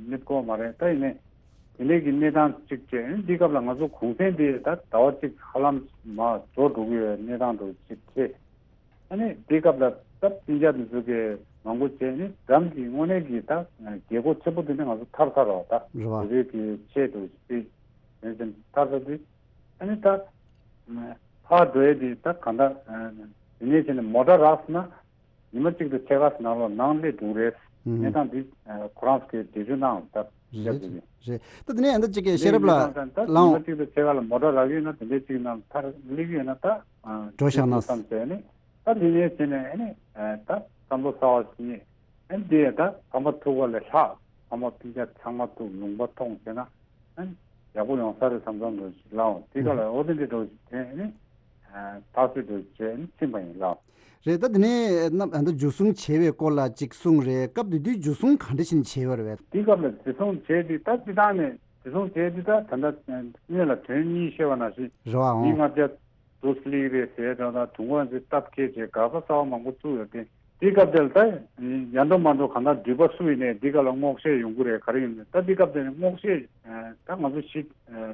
སླེབས་ཀྱི་ཡོད་མ་རེད། ད་ཡིན་ནའི་དེ་འདྲའི་གི་གནས་སྟངས་གཅིག་བྱས། འདི་སྐབས་ལ་ང་ཚོ་གུང་སེང་དེ་ད་ཟླ་བ་གཅིག་ཧ་ལམ་མར་རྫོགས་འགྲོ་གི་ཡོད་གནས་སྟངས་འདྲ་གཅིག་བྱས། ཨ་ནི་དེའི་སྐབས་ལ་ད་སྤུན་ཀྱག་དེ་ཚོ་གིས་མང་པོ་བྱས་ནས་འགྲམ་གྱི་དངོས་གནས་ཀྱི་ད་རྒྱལ་སྒོ་ཆེན་པོ་དེ་ནས་ང་ཚོ་ཐར་ཚར་བ་ད། རེད་བ། བོད་རིགས་ཀྱི་ཆེད་དུ་སྤེལ་ཡོད་ཙང་ཐར་ཚར་དུས་ཨ་ནི་ད་ཕར་འགྲོ་ཡས་དེ་ད་གང་ལྟར་དེ་ནས་བྱས་ནས་མོ་ཊ་རག་སོང་ན་ཉི་མ་གཅིག་དང་ཕྱེད་ཀ་ནང་ལོགས་ནང་སླེབས་འགྲོ་གི་རེད། ཨུ་ཧུ། གནས་སྟངས་འདི་ཁོ་རང་ཚོ་གིས་འགྲེལ་བརྗོད་གནང་ད་རེད་བྱས་ཙང་། རེད། ད་དེ་ནས་ཨ་ད་གཅིག་གི་ཤེས་རབ་ལགས་ད་ལའང་ཉི་མ་གཅིག་དང་ཕྱེད་ཀ་ལ་མོ་ཊ་རག་གི་ཡོད་ན་དེ་འདྲའི་གཅིག་ནང་ཐར་སླེབས་ཀྱི་ཡོད་ན་ད་འགྲོ་བཞག་ན་བསམ་བྱས་ནས། ད་དེ་ནས་བྱས་ནས་ཨ་ནི་ད་བསམ་བློ་གསར་བ་ཞིག་རྙེད། ཨ་ནི་དེ་ཡང་ད་ཕ་མ་ཐུག་པ་ལས་ལྷག་ཕ་མ་སྤུན་ཀྱག་ཚང་མ་ཐུག་ལུང་པ་མཐོང་བྱས་ན་ཨ་ནི་ཡག་པོ་ཡོང་ས་རེད་བསམ་བསམ་འདྲ་ཞིག་ལའང་དེ་ག་ལ་འོ་དེ་འདྲ་འདྲ་ཞིག་དེ་ཨ་ནི་ཐག་གཅོད་འདྲ་ཞིག་བྱས་ཨ་ནི་ཕྱིན་པ་ཡིན་ལགས། རེད། ད་དེ་ནས་རྣམ་ཨ་ད་འཇུ་བཟུང་བྱས་པའི་སྐོར་ལ་ཅིག་གསུངས་རེད། སྐབས་དེ་དུས་འཇུ་བཟུང་ག་འདྲ་ཞིག་བྱས་པ་རེད་བས། དེ་སྐབས་ལ་འཇུ་བཟུང་བྱས་དུས་ད་སྤྱི་བཏང་ནས་འཇུ་བཟུང་བྱས་དུས་ད་ད་ལྟ་སྔོན་ལ་དོན་གཉིས་བཤད་པ་ནང་བཞིན་རེད་བ། མི་ཨང་ལྔ་བརྒྱ་དུ་སླེབས་རེད་ཟེར་དང་ད་དུང་བ་འདི་སྟབས་ཁེལ་བྱས་འགག་པ་གསར་བ་མང་པོ་བཙུགས་ཡོད་དེ། དེའི་སྐབས་དེ་ལ་ད་ཡར་འགྲོ་མར་འགྲོ་གང་ལྟར་འདུས་པ་སུ་ཡིན་ནའི་འདི་ག་ལ་སྔོག་བཤེར་ཡོང་གི་རེད། ག་རེ་ཡིན་ནའི་ད་འདི་སྐབས་དེ་ནས་སྔོག་བཤེར་ད་ང་ཚོ་ཞིག་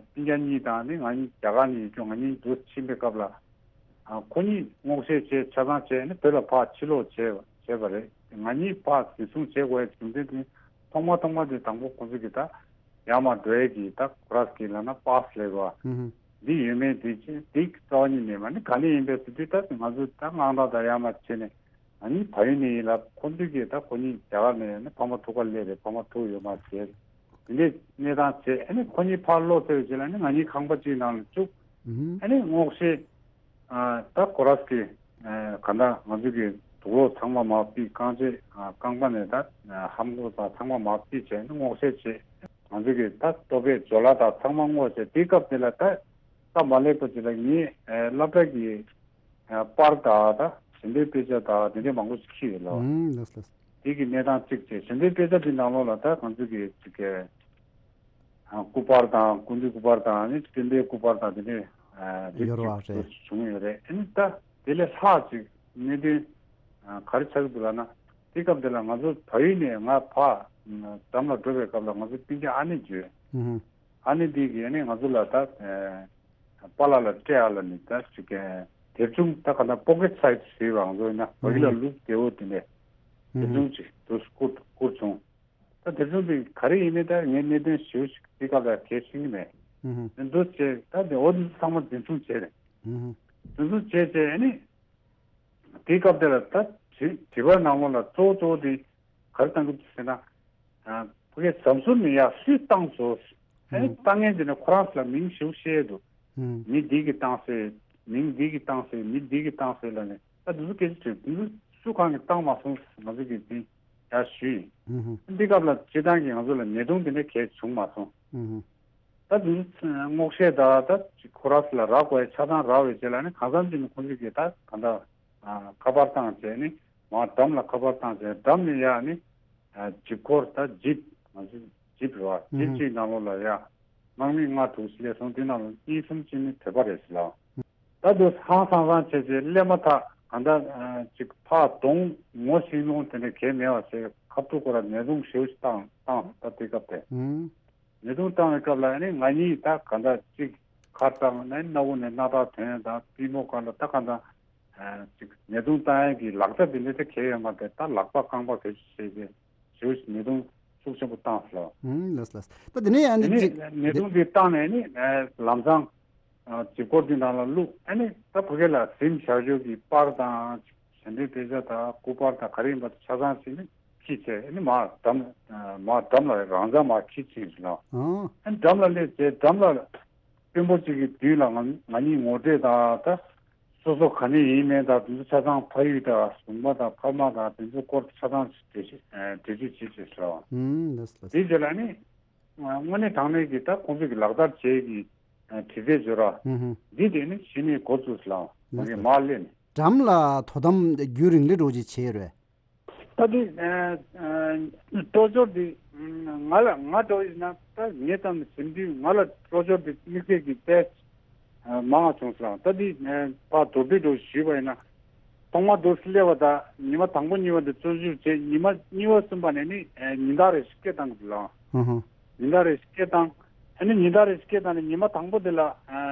སྤུན་ཀྱག་གཉིས་དང་ནི་ང་གཉིས་རྒྱ་གར་ནས་ཡིན་ཀྱང་ང་གཉིས་འདུ་ཕྱིན་པའི་སྐབས་ལ། ཨ་ཁོ་གཉིས་སྔོག་བཤེར་བྱས་ཆ་ཚང་བྱས་ནས་བོད་ལ་ཕར་ཕྱིར་ལོག་བྱས་བྱས་པ་རེད། ང་གཉིས་ཕར་འཛིན་བཟུང་བྱེད་དགོས་ཡ་རྒྱུ་མཚན་དེ་ཐོག་མ་ཐོག་མ་དེ་དང་པོ་ཁོ་ཚོ་གིས་ད་ཡར་མར་འགྲོ་ཡས་ཀྱི་ད་ཁོ་རང་གི་ལབ་ན་པཱ་སི་ལབ་དགོས་ཨུ་ཧུ། འདི་ཡོད་མེད་དེ་ཅི་འདི་རྩ་བ་ཉིད་ནས་མ་ནི་ག་ནས་ཡིན་པའི་ཟེར་དུས་ད་ང་ཚོ་ད་དངངས་སྐྲག་དང་ཡར་མར་བྱས་ནས་ང་གཉིས་ཕ་ཡུལ་ནས་ཡིན་ལབ། ཁོ་ཚོ་གིས་ད་ཁོ་གཉིས་རྒྱ་གར་ནས་ཡིན་ན་ཕ་མ་ཐུག་ག་སླེབས་རེད། ཕ་མ་ཐུག་ཡོད་མ་རེད། དེ་འདྲའི་གནས་སྟངས་བྱས་ཨ་ནི་ཁོ་གཉིས་ཕར་ལོག་ཚར་བའི་རྗེས་ལ་ནི་ང་གཉིས་ཁང་པ་གཅིག་ནང་ལ་བཅུག་ཨ་ནི་སྔོག་བཤེར་ད་ཁོ་རང་གི་ག་ད་ང་ཚོ་གི་དུག་ལོག་ཚང་མ་མར་ཕུད། རྐང་རྗེས་རྐང་པ་ནས་ད་ལྷམ་གོག་དང་ཚང་མ་མར་ཕུད་བྱས་ནི་སྔོག་བཤེར་བྱས། ང་ཚོ་གི་ད་ལྟོ་ཕད་ཇོ་ལ་དང་ཚང་མ་སྔོག་བྱས། དེའི་སྐབས་དེ་ལ་ད་ས་མ་ལེགས་པ་ཅིག་ལ་ངས་སློབ་གྲྭ་གི་པར་དང་ད་ཞལ་འདོན་དཔེ་ཆ་དང་དེ་འདྲའི་མང་པོ་ཞིག་ཁྱེར་ཡོད་ལོ། ཨུམ་ལགས་ལགས། དེ་གི་གནས་སྟངས་གཅིག་བྱས། ཞལ་འདོན་དཔེ་ཆ་དེ་ནང་ལོགས་ལ་ད་ང་ཚོ་གི་གཅིག་གི་སྐུ་པར་དང་སྐུ་མདུན་སྐུ་པར་དང་ནི་སྤྲིན་པའི་སྐུ་པར་དང་དེ་འདྲའི་རིགས་ཡོད་རེད་བ། གཅིག་རེད། བྱུང་ཡོད་རེད། ཨ་ནི་ད་དེ་ལས་ལྷག་ཅིག་གནད་དོན་ག་རེ་ཆགས་ཀྱི་འདུག་ལབ་ན། དེ་སྐབས་དེ་ལ་ང་ཚོ་བལ་ཡུལ་ནས་ང་ཕར་འགྲམ་ལ་འགྲོ་བའི་སྐབས་ལ་ང་ཚོ་སྤུན་ཀྱག་ཨ་ནེ་བརྗོད། ཨུ་ཧུ། ཨ་ནེ་འདི་གིས་ཨ་ནི་ང་ཚོ་ལ་ད་པཱ་ལགས་ལ་སྤྲད་ཨ་ལ་ནི་ད་ཅིག་དེབ་ཆུང་ད་ག་ད་པོ་ཀེ་ཊི་སའིཛ་ཞེས་པ་ང་ཚོ་ཡིན་ན་བ་གི་ལ་ལུག་བདེ་བོ་དེ་ནས་དེབ་ཆུང་ཅིག་འདུག་བསྐུར་བསྐུར་བྱུང་། ད་དེབ་ཆུང་དེ་ག་རེ་ཡིན་མིན་ད་ངས་གནད་དོན་ཞེ་པོ་ཞིག་དེ་སྐབས་ལ་གལ་ཤེས་ཀྱི་མེད། ཨུ་ཧུ། འདུག་བྱས་ད་དེ་འོ་དེ་ཚོ་ཚང་མ་འཛིན་བཟུང་བྱས་རེད། ཨུ་ཧུ། འཛིན་བཟུང་བྱས་བྱས་ཨ་ནི། དེའི་སྐབས་དེ་ལ་ད་དྲི་དྲི་བ་ནང་ལོགས་ལ་གཙོ་བོ་གཙོ་བོ་དེ་ག་རེ་བཏང་གི་འདུག་ཟེར་ན། ཕ་གིའི་ཟམ་ཟུར་ནས་ཡར་སུས་བཏང་སོང་། ཨ་ནི་ཨང་། བཏང་མཁན་དེ་ནས་ཁོ་རང་ཚོ་ལ་མིང་ཞིག་བཤད་འདུག་ཨང་། མི་འདི་གིས་བཏང་ཟེར། མིང་འདི་གིས་བཏང་ཟེར། མི་འདི་གིས་བཏང་ཟེར་ལབ་ནས་ད་འདི་ཚོ་སྐད་ཆ་དྲིས། འདི་ཚོ་སུ་གང་གིས་བཏང་མ་སོང་ང་ཚོ་གིས་འདི་ཡར་ཞུས་ཡིན། ཨང་། འདི་སྐབས་ལ་སྤྱིར་བཏང་གི་ང་ཚོ་ལ་ཉེས་རྡུང་དེ་འདྲ་གས་བྱུང་མ་སོང་། ཨང་། ད་དུང་སྔོག་བཤེར་དང་ད་ཁོ་རང་ཚོ་ལ་རག་དགོས་ཡ་ཆ་ཚང་རག་པའི་རྗེས་ལ་ནི་གང་འཚམ་ཅིག་ནི་ཁོང་ཚོ་གིས་ད་གང་ལྟར་ཁ་པར་བཏང་བྱས་ནི་མར་འགྲམ་ལ་ཁ་པར་བཏང་བྱས་འགྲམ་ནས་ཡར་ནི་ཇིབ་འཁོར་ད་ཇིབ་ང་ཚོ་ཇིབ་རེད་བ། ཇིབ་གཅིག་ནང་ལོགས་ལ་ཡ་དམག་མི་ལྔ་དྲུག་སླེབས་སོང་། དེ་ནང་ལ་གཉིས་གསུམ་ཅིག་ནི་བོད་པ་རེད་ཟེར་ལ། ད་དུང་ཧང་སང་སང་བྱས་བྱས་སླེབས་མ་ཐག་གང་ལྟར་ཅིག་ཕར་གདོང་ངོ་ཤེས་མྱོང་དེ་འདྲ་གས་མེད་པ་བྱས་ཁ་ཐུག་ཁོ་ར་ཉེས་རྡུང་ཞེ་པོ་ཞིག་བཏང་བཏང་ད་དེ་སྐབས་དེ། ཉེས་རྡུང་བཏང་བའི་སྐབས་ལ་ཨ་ནི་ང་གཉིས་ད་ག་འདྲ་ཅིག་ ཁ་བཏང་ནས་སྣ་བུག་ནས་སྣ་ཐག་ཐོན་ཡ་དང་པུས་མོ་སྒང་ལ་ད་གང་ལྟར་ཅིག་ཉེས་རྡུང་བཏང་ཡ་གི་ལག་ཆ་དེ་འདྲ་ད་གང་ཡང་ཡོད་མ་རེད། ད་ལག་པ་རྐང་པ་བེད་སྤྱོད་བྱས་ཏེ་ཞེ་པོ་ཞིག་ཉེས་རྡུང་ཤུགས་ཆེན་པོ་བཏང་སོང་། ཨུམ། ལགས་ལགས། ད་དེ་ནས་ཡང་ནི་ནི་ཅིག་ཉེས་རྡུང་དེ་བཏང་ནས་ནི་ལམ་སང་ཨ་ལྕེབ་སྐོར་དེ་ནང་ལ་བླུགས། ཨ་ནི་ད་ཕ་གི་ལ་གཟིམ་བཞག་ཆོག་གི་པར་དང་ཞལ་འདོན་དཔེ་ཆ་དང་སྐུ་པར་དང་ག་རེ་ཡིན་པ་ཆ་ཚང་ཞིག་ནི་ཁྱེར་བྱས། ཨ་ནི་མར་འགྲམ་མར་འགྲམ་ལ་རང་འཇགས་མར་ཁྱེར་ཕྱིན་སོང་། ཨ་ནི་འགྲམ་ལ་སླེབས་བྱས་འགྲམ་ལ་དཔོན་པོ་གཅིག་གི་མདུན་ལ་ང་ང་གཉིས་ངོ་སྤྲོད་དང་། ད་སོ་སོ་ག་ནས་ཡིན་མིན་དང་དེ་ཚོ་ཆ་ཚང་ཕ་ཡུལ་དང་གཟུགས་པོ་དང་ཕ་མ་དང་དེ་ཚོ་སྐོར་ཆ་ཚང་འགྲེལ་བརྗོད་འགྲེལ་བརྗོད་བྱེད་ཅེས་ཟེར་བ། ཨུམ། ལགས་སོ། ལགས་སོ། དེའི་རྗེས་ལ་ནི་དངོས་གནས་དྲང་གནས་ཀྱི་ད་ཁོང་ཚོས་ཀྱི་ལག་བསྟར་བྱེད་ཀྱི་དྲི་རྩད་བརྗོད་ར། ཨུམ། འདི་དེ་ནི་གཞི་ནས་འགོ་བཙུགས་ལ་ལགས་སོ། མ་སླེབས་ནས། འགྲམ་ལ་དོ་དམ་རྒྱུན་རིང་ལས་འགྲོ་ཅིག་བྱས་ཡོད་རེད། ད་དེ་སྤྲོ་ཕྱོགས་དེ་ང་ལ་ང་འདྲ་བོ་ཡིན་ན་ད་ངའི་ཙམ་ནས་ཟིན་དུས་ང་ལ་སྤྲོ་ཕྱོགས་དེ་དམིགས་བསལ་གྱི་དཔེ་མང་བ་བྱུང་སོང་། ད་དེ་ཕར་མདོར་བསྡུས་འདྲ་བོ་ཞུས་པ་ཡིན་ན། ཐོག་མར་འདུག་སེ་སླེབས་པ་དང་ཉི་མ་དང་པོ་གཉིས་པ་དེ་བཙོན་འཇུག་བྱས། ཉི་མ་གཉིས་པ་གསུམ་པ་ནས་ནི་ཉིན་ལྟར་རེ་བཞིན་སྐད་བཏང་གི་ལ། ཨུ་ཧུ། ཉིན་ལྟར་རེ་བཞིན་སྐད་བཏང་། ཨ་ནི་ཉིན་ལྟར་རེ་བཞིན་སྐད་བཏང་ནས་ཉི་མ་དང་པོ་དེ་ལ་ཨ་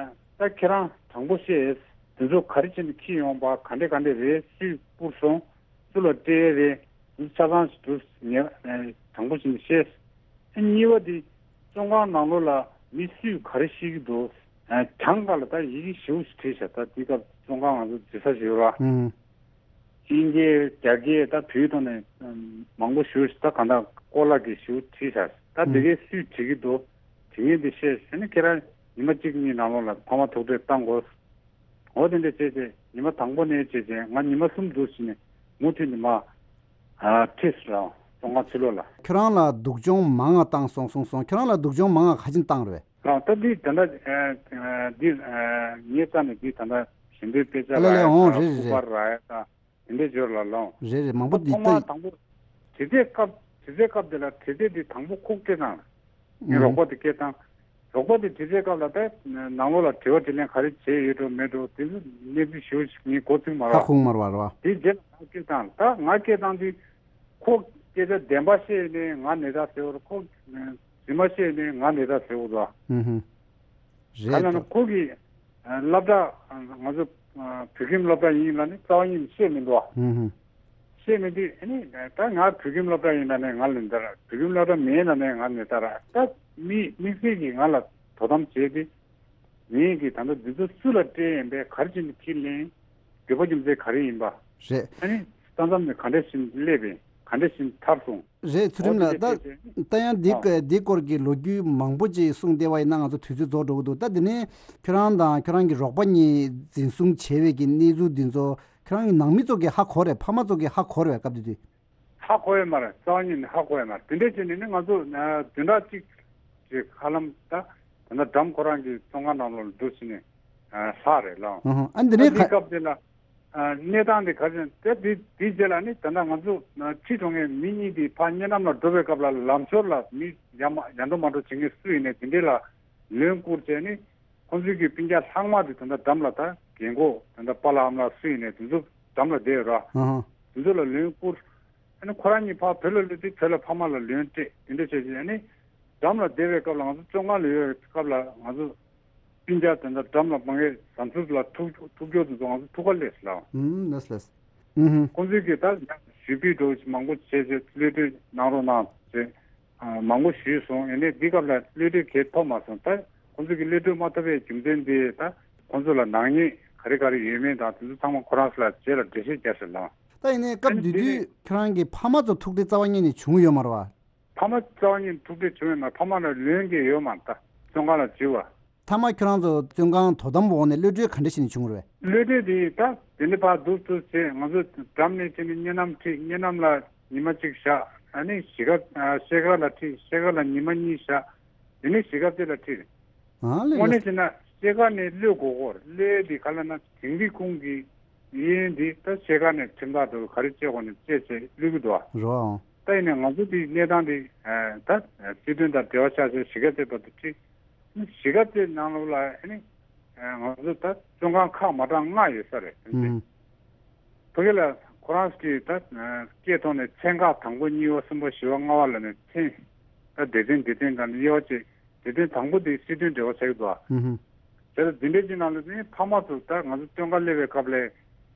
ད་ཁྱེད་རང་དྲང་པོ་བཤད། དེ་ཚོ་ག་རེ་བྱས་ནས་འཁྱེར་ཡོང་པ་ག་འདྲས་ག་འདྲས་རེད། སུས་སྤུར་སོང་། སུ་ལ་སྤྲད་རེད། དེ་ཚོ་ཆ་ཚང་ཞིག་འདུག་ངས་དྲང་པོ་བྱས་ནས་བཤད། ཨ་གཉིས་པ་དེ་བཙོན་ཁང་ནང་ལོགས་ལ་མི་སུས་ག་རེ་བཤད་ཀྱི་འདུག་ཨ་གྱང་ཁ་ལ་ད་ཡི་གེ་ཞེ་པོ་ཞིག་བྲིས་བཞག་ད་དེ་སྐབས་བཙོན་ཁང་ང་ཚོ་འཛུལ་ས་ཞིག་ཡོད་ར། ཨུམ། དབྱིན་སྐད་རྒྱ་སྐད་ད་བོད་ཐོག་ནས་མང་པོ་ཞེ་པོ་ཞིག་ད་གང་ལྟར་སྐོར་ལ་གི་ཞེ་པོ་བྲིས་བཞག་ད་དེ་གས་སུས་བྲིས་ཀྱི་འདུག་དྲི་ངན་དེ་བཤད་ཟེར་ནས་ཁྱེད་རང་ཉི་མ་གཅིག་གཉིས་ནང་ལོགས་ལ་ཕ་མ་ཐུག་འཕྲད་བཏང་དགོས། འོ་དེ་འདྲ་བྱས་རྗེས་ཉི་མ་དང་པོ་ནས་བྱས་རྗེས་ང་ཉི་མ་གསུམ་འདུག་ཟེར་ནས་མུ་མཐུད་ནས་མར་ཁྲིད་སོང་བཙོན་ཁང་ཕྱི་ལོགས་ལ། ཁྱོད་རང་ལ་སྡུག་སྦྱོང་མང་ང་བཏང་སོང་གསུངས་སོང་། ཁྱོད་རང་ལ་སྡུག་སྦྱོང་མང་ང་ག་ཅིག་བཏང་རེད། རང་ད་འདི་ད་ལྟ་འདི་ངའི་རྩ་ནས་འདི་ད་ལྟ་ཞལ་འདོན་དཔེ་ཆ་ལ་ལ་ལ་ཡ་འོང་། དང་རེད་རེད་སྐུ་རེད། པར་ལ་ཡ་དང་དེ་འདྲའི་སྦྱོར་ལ་ལོང་། རེད་རེད། མང་པོ་འདི་ཐོག་མར་ལྟ་དང་པོ་དྲི་རྩད་སྐབས་དྲི་རྩད་སྐབས་དེ་ལ་དྲི་རྩད་འདི་དང་པོ་ཁོ་སྐད་བཏང་། ངའི་ཨུ། རོགས་པ་དེ་སྐད་བཏང་། རོགས་པ་དེ་དྲི་རྩད་སྐབས་ལ་ད་ནང་ལོགས་ལ་དྲི་བ་དྲིས་ལན་ག་རེ་བྱས་ཡོད་འགྲོ་མེད་འགྲོ་དེ་ཚོ་གནས་ཚུལ་ཞེ་པོ་ཞིག་ངས་མགོ་ཚོད་མ་ཧ་རེད་བ། གོ་མ་རེད་བ་རེད་བ། དེ་རྗེས་ལ་ང་སྐད་བཏང་། ད་ང་སྐད་བཏང་དུས་ཁོ་སྐད་ཆ་བདེན་པ་བཤད་ནས་ང་ནད་རྟགས་ཟེར་བ་རེད། ཁོ་རྫུན་མ་བཤད་ནས་ང་ནད་རྟགས་ཟེར་བ་རེད་བ། ཨུ་ཧུ། ག་རེ་ལབ་ན་རེད། ཁོ་གི་སློབ་གྲྭ་ང་ཚོ་བོད་ཁྱིམ་སློབ་གྲྭ་ཡིན་ལབ་ནས་རྩ་བ་ཉིད་ནས་བཤད་མི་འདུག་བ། ཧུམ་ཧུམ། བཤད་མི་འདུག་ཨ་ནི་ད་ང་བོད་ཁྱིམ་སློབ་གྲྭ་ཡིན་ལབ་ནས་ང་ལ་འདིར་བོད་ཁྱིམ་སློབ་གྲྭ་མེད་ལབ་ནས་ང་ནས་ད་ར་ད་མི་དམིགས་བསལ་གྱིས་ང་ལ་དོ་དམ་བྱས་ཏེ། ངས་ཀྱི་ད་ལྟ་འདི་ཚོ་སུ་ལ་སྤྲད་ཡིན་པས་ག་རེ་བྱས་ནས་ཁྱེར་ལེན། དགོས་པ་རྒྱུ་མཚན་ག་རེ་ཡིན་པ། རེད། ཨ་ནི་ས་མཚམས་ནས་ག་འདྲ་བྱས་ནས་སླེབས་པས་ག་འདྲ་བྱས་ནས་ཐར་སོང་། རེད། ཚུལ་ཁྲིམས་ལགས། ད་ད་ཡང་འདི་ཨ་འདི་སྐོར་གྱི་ལོ་རྒྱུས་མང་པོ་ཅིག་གསུངས་བསྡད་པ་ཡིན་ན་ང་ཚོ་དུས་ཚོད་རྫོགས་འགྲོ་གི་འདུག་ད་འདི་ནས་ཁྱོད་རང་དང་ཁྱོད་རང་གི་རོགས་པ་གཉིས་འཛིན་བཟུང་བྱས་པའི་གི་གནས་ཚུལ་འདི་ཚོ་ཁྱོད་རང་གི་ནང་མི་ཚོ་གིས་ཧ་གོ་རེད། ཕ་མ་ཚོ་གིས་ཧ་གོ་རེད་སྐབས་དེ་དུས། ཧ་གོ་ཡོད་མ་རེད། རྩ་བ་ཉིད་ནས་ཧ་གོ་ཡོད་མ་རེད། དེ་འདྲས་བྱས་ནས་ནི་ང་ཚོ་བདུན་ཕྲག་གཅིག་ཅིག་ཧ་ལམ་ད་ད་ལྟ་འགྲམ་ཁོ་རང་གི་བཙོན་ཁང་ནང་ལོགས་ལ་འདུག་ཕྱིན་ནས་ལྷག་རེད་ལགས། ཨ་འདི་ནས་ད་དེའི་སྐབས་དེ་ལ་གནས་སྟངས་དེ་ག་ཚོད་དེ་དེའི་རྗེས་ལ་ནི་ད་ལྟ་ང་ཚོ་ཁྲིད་འགྲོ་མཁན་མི་གཉིས་དེ་ཕར་གཉའ་ནམ་ལ་འགྲོ་བའི་སྐབས་ལ་ལམ་ཞོར་ལ་མི་ཡ་མ་ཡ་འགྲོ་མ་འགྲོ་བྱེད་མཁན་སུ་ཡིན་ནའི་དེ་འདྲས་ལ་ལན་བསྐུར་བྱས་ནི། ཁོང་ཚོའི་གི་སྤུན་ཀྱག་ལྷག་མ་དེ་ད་ལྟ་འགྲམ་ལ་ད་རྒན་གོག་ད་ལྟ་པཱ་ལགས་ཨ་མ་ལགས་སུ་ཡིན་ནའི་དེ་ཚོ་འགྲམ་ལ་བསྡད་ཡོད་ར། ཨ་ཧ། དེ་ཚོ་ལ་ལན་བསྐུར། ཨ་ནི་ཁོ་རང་གཉིས་ཕར་བོད་ལ་སླེབས་དུས་བོད་ལ་ཕ་མ་ལ་ལན་སྤྲད་དེ་འདྲ་བྱས་རྗེས་ཨ་ནི་འགྲམ་ལ་བསྡད་པའི་སྐབས་ལ་ང་ཚོ་བཙོན་ཁང་ལ་ཡོད་པའི་སྐབས་ལ་ང་ཚོ་སྤུན་ཀྱག་དེ་འདྲ་འགྲམ་ལ་མ་ངེས་བཟའ་འཐུང་ལ་ཐུག་ཐུག་སྐྱོར་དེ་ཚོ་ང་ཚོ་ཐུག་ག་སླེབས་ལ། ཨུམ། ལགས་ལགས། ཨུམ། ཁོང་ཚོས་གི་ད་ཞུ་སྤེལ་འགྲོ་མང་པོ་བྱས་རྗེས་གློད་གྲོལ་གནང་རོགས་གནང་ཟེར། མང་པོ་ཞུས་སོང་། ཡིན་ནའི་འདི་སྐབས་ལ་གློད་གྲོལ་གང་ཐོབ་མ་སོང་། ད་ཁོང་ཚོ་གི་གློད་གྲོལ་མ་ཐོབ་པའི་རྒྱུ་མཚན་དེ་ད་ཁོང་ཚོ་ལ་ནག་ཉེས་ག་རེ་ག་རེ་ཡོད་མེད་དང་དེ་ཚོ་ཚང་མ་ཁོ་རང་ཚོ་ལ་རྗེས་ལ་འགྲེལ་བཤད་རྒྱག་ཤེས་ལ། ད་ཡིན་ནའི་སྐབས་དེ་དུས་ཁྱོད་རང་གི་ཕ་མ་ཚོ་ཐུག་འཕྲད་རྩ་བ་ཉིད་ནས་བྱུང་ཡོད་མ་རེད་བ། ཕ་མ་རྩ་བ་ཉིད་ཐུག་འཕྲད་བྱུང་ཡོད་མ་རེད། ཕ་མ་ལ་ལན་གང་ཡོད་མ་རེད། ད་བཙོན་ཁང་ལ་འཛུལ་བ། མཐའ་མ་ཁྱོད་རང་ཚོ་བཙོན་ཁང་དོ་དམ་འོག་ནས་གློད་གྲོལ་ག་འདྲ་ཞིག་ནས་བྱུང་རེད། གློད་གྲོལ་དེ་ད་དེ་འདྲ་ཕར་འདུག་ཚུར་བྱས་ང་ཚོ་འགྲམ་ནས་བྱས་ནས་གཉའ་ནམ་ཁྲིད། གཉའ་ནམ་ལ་ཉི་མ་གཅིག་བཞག་ཨ་ནི་གཞིས་ཀ་ཨ་ཤེལ་དཀར་ལ་ཁྲིད། ཤེལ་དཀར་ལ་ཉི་མ་གཉིས་བཞག་དེ་ནས་གཞིས་ཀ་རྩེ་ལ་ཁྲིད། ཨ་ལས་དངོས་གནས་ལས། བྱས་ན་ཤེལ་དཀར་ནས་གློད་དགོས་ཀྱི་ཡོད་རེད། གློད་དེ་ག་ལབ་ན་དིང་རི་ཁུང་གི་གཡས་གཡོན་དེ་ད་ཤེལ་དཀར་ནས་ཁྲིམས་ཐག་འདྲ་བོ་ག་རེ་བཅད་དགོས་ནས་བཅད་བྱས་གློད་ཀྱི་འདུག་ཨ། རོ། ད་ཡིན་ནའི་ང་ཚོ་དེའི་གནས་སྟངས་དེ་ད་སྲིད་དོན་དང་འབྲེལ་བ་ཆགས་བྱས་གཞིས་ཀ་རྩེ་བར་དུ་ཁྲིད། གཞིས་ཀ་རྩེ་ནང་ལོགས་ལ་ཨ་ནི་ང་ཚོ་ད་བཙོན་ཁང་ཁག་མ་གྲངས་ལྔ་ཡོད་ས་རེད། ཨུམ། ཕ་གི་ལ་ཁོ་རང་གིས་ད་སྐད་ཐོག་ནས་ཚན་ཁག་དང་པོ་གཉིས་པ་གསུམ་པ་བཞི་པ་ལྔ་པ་ལབ་ནས་ཚན་ད་སྡེ་ཚན་སྡེ་ཚན་སྒང་ནས་དབྱེ་བ་བྱས། སྡེ་ཚན་དང་པོ་དེ་སྲིད་དོན་འབྲེལ་བ་ཆགས་ཀྱི་འདུག་ཨ། ཨུམ། དེ་ལ་འདི་འདྲའི་ཅིག་ནང་ལ་ནི་ཕ་མ་ཚོ་ད་ང་ཚོ་སྟོན་ཁ་སླེབས་པའི་སྐབས་ལ་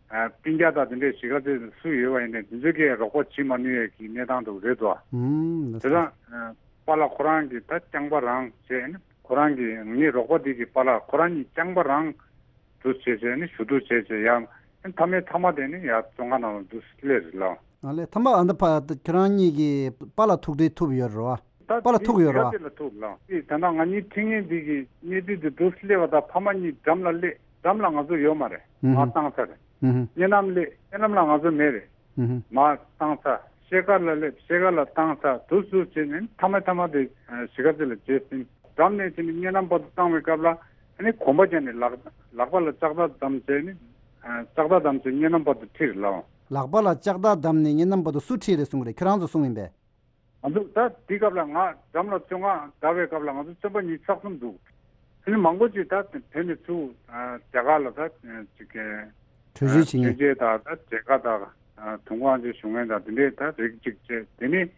ཨ་སྤུན་ཀྱག་དང་དེ་འདྲའི་གཞིས་ཀ་རྩེ་སུ་ཡོད་པ་ཡིན་ནའི་དེ་ཚོས་ཀྱིས་རོགས་པ་བྱེད་མ་ནུས་ཡས་ཀྱི་གནས་སྟངས་འདུག་རེད་དོ། ཨུམ། ལགས་དེ་སོ། དང་ཨ་པཱ་ལགས་ཁོ་རང་གིས་ད་རྐྱང་པ་རང་བྱས་ནི་ཁོ་རང་གིས་ངའི་རོགས་པ་དེ་གིས་པཱ་ལགས་ཁོ་རང་གཉིས་རྐྱང་པ་རང་འདུག་བྱས་བྱས་ནི་ཞུ་གཏུག་བྱས་བྱས་ཡ་མཐའ་མའི་མཐའ་མ་དེ་ནི་ཡ་བཙོན་ཁང་ནང་ལ་འདུག་སླེབས་རེད་ལགས། ཨ་ལས་མཐའ་མ་ཨ་ད་ཕ་ཁྱེད་རང་གཉིས་ཀྱིས་པཱ་ལགས་ཐུག་འཕྲད་ཐུབ་ཡོད་རེད་བ། ད་པཱ་ལགས་ཐུག་ཡོད་རེད་བ། དེ་ལ་ཐུག་ལགས། དེ་ད་ལྟ་ང་གཉིས་འཕྲད་མཁན་འདི་གི་གནས་ཚུལ་དེ་འདུག་སླེབས་པ་དང་ཕ་མ་གཉིས་འགྲམ་ལ་སླེབས། འགྲམ་ལ་ང་ཚོ་ཡོད་མ་རེད། ཨུ་ཧུ། མར་བཏང་ཚར་རེད། ཨུ་ཧུ། གཉའ་ལམ་སླེབས། གཉའ་ལམ་ལ་ང་ཚོ་མེད་རེད། ཨུ་ཧུ། མར་བཏང་ཚར། ཤེལ་དཀར་ལ་སླེབས། ཤེལ་དཀར་ལ་བཏང་ཚར། འདུག་སུ་བྱས་ནས་མཐའ་མ་མཐའ་མ་དེ་གཞིས་ཀ་རྩེ་ལ་བྱས་ཟིན། འགྲམ་ནས་བྱས་ནས་གཉའ་ལམ་བར་དུ་བཏང་བའི་སྐབས་ལ་ཨ་ནི་གོམ་པ་བརྒྱབ་ནས་ལག་ལག་པ་ལ་ལྕགས་ཐག་བསྡམས་བྱས་ནས་ལྕགས་ཐག་བསྡམས་བྱས་གཉའ་ལམ་བར་དུ་ཁྲིད་རེད་ལགས། ལག་པ་ལ་ལྕགས་ཐག་བསྡམས་ནས་གཉའ་ལམ་བར་དུ་སུ་ཁྲིད་རེད་གསུང་གི་རེད། ཁྱེད་རང་ཚོ་གསུང་ཡིན་པས། ང་ཚོ་ད་དེ་སྐབས་ལ་ང་འགྲམ་ལ་བཙོན་ཁང་བསྡད་པའི་སྐབས་ལ་ང་ཚོ་བཙོན་པ་གཉིས་ཆགས་སོང་འདུག་ཨ་ནི་མང་པོ་ཅིག་ད་བོད་ནས་ཚུར་རྒྱ་གར་ལ་ད་ཅིག་གི་བྲོས་བྱོལ་བྱེད་མཁན། ཆོས་རྒྱལ་དང་ད་མཇལ་ཁ་དང་དུས་འཁོར་དབང་ཆེན་ཞུ་མཁན་དང་དེ་འདྲས་ད་རིགས་གཅིག་བྱས། དེ་ནས་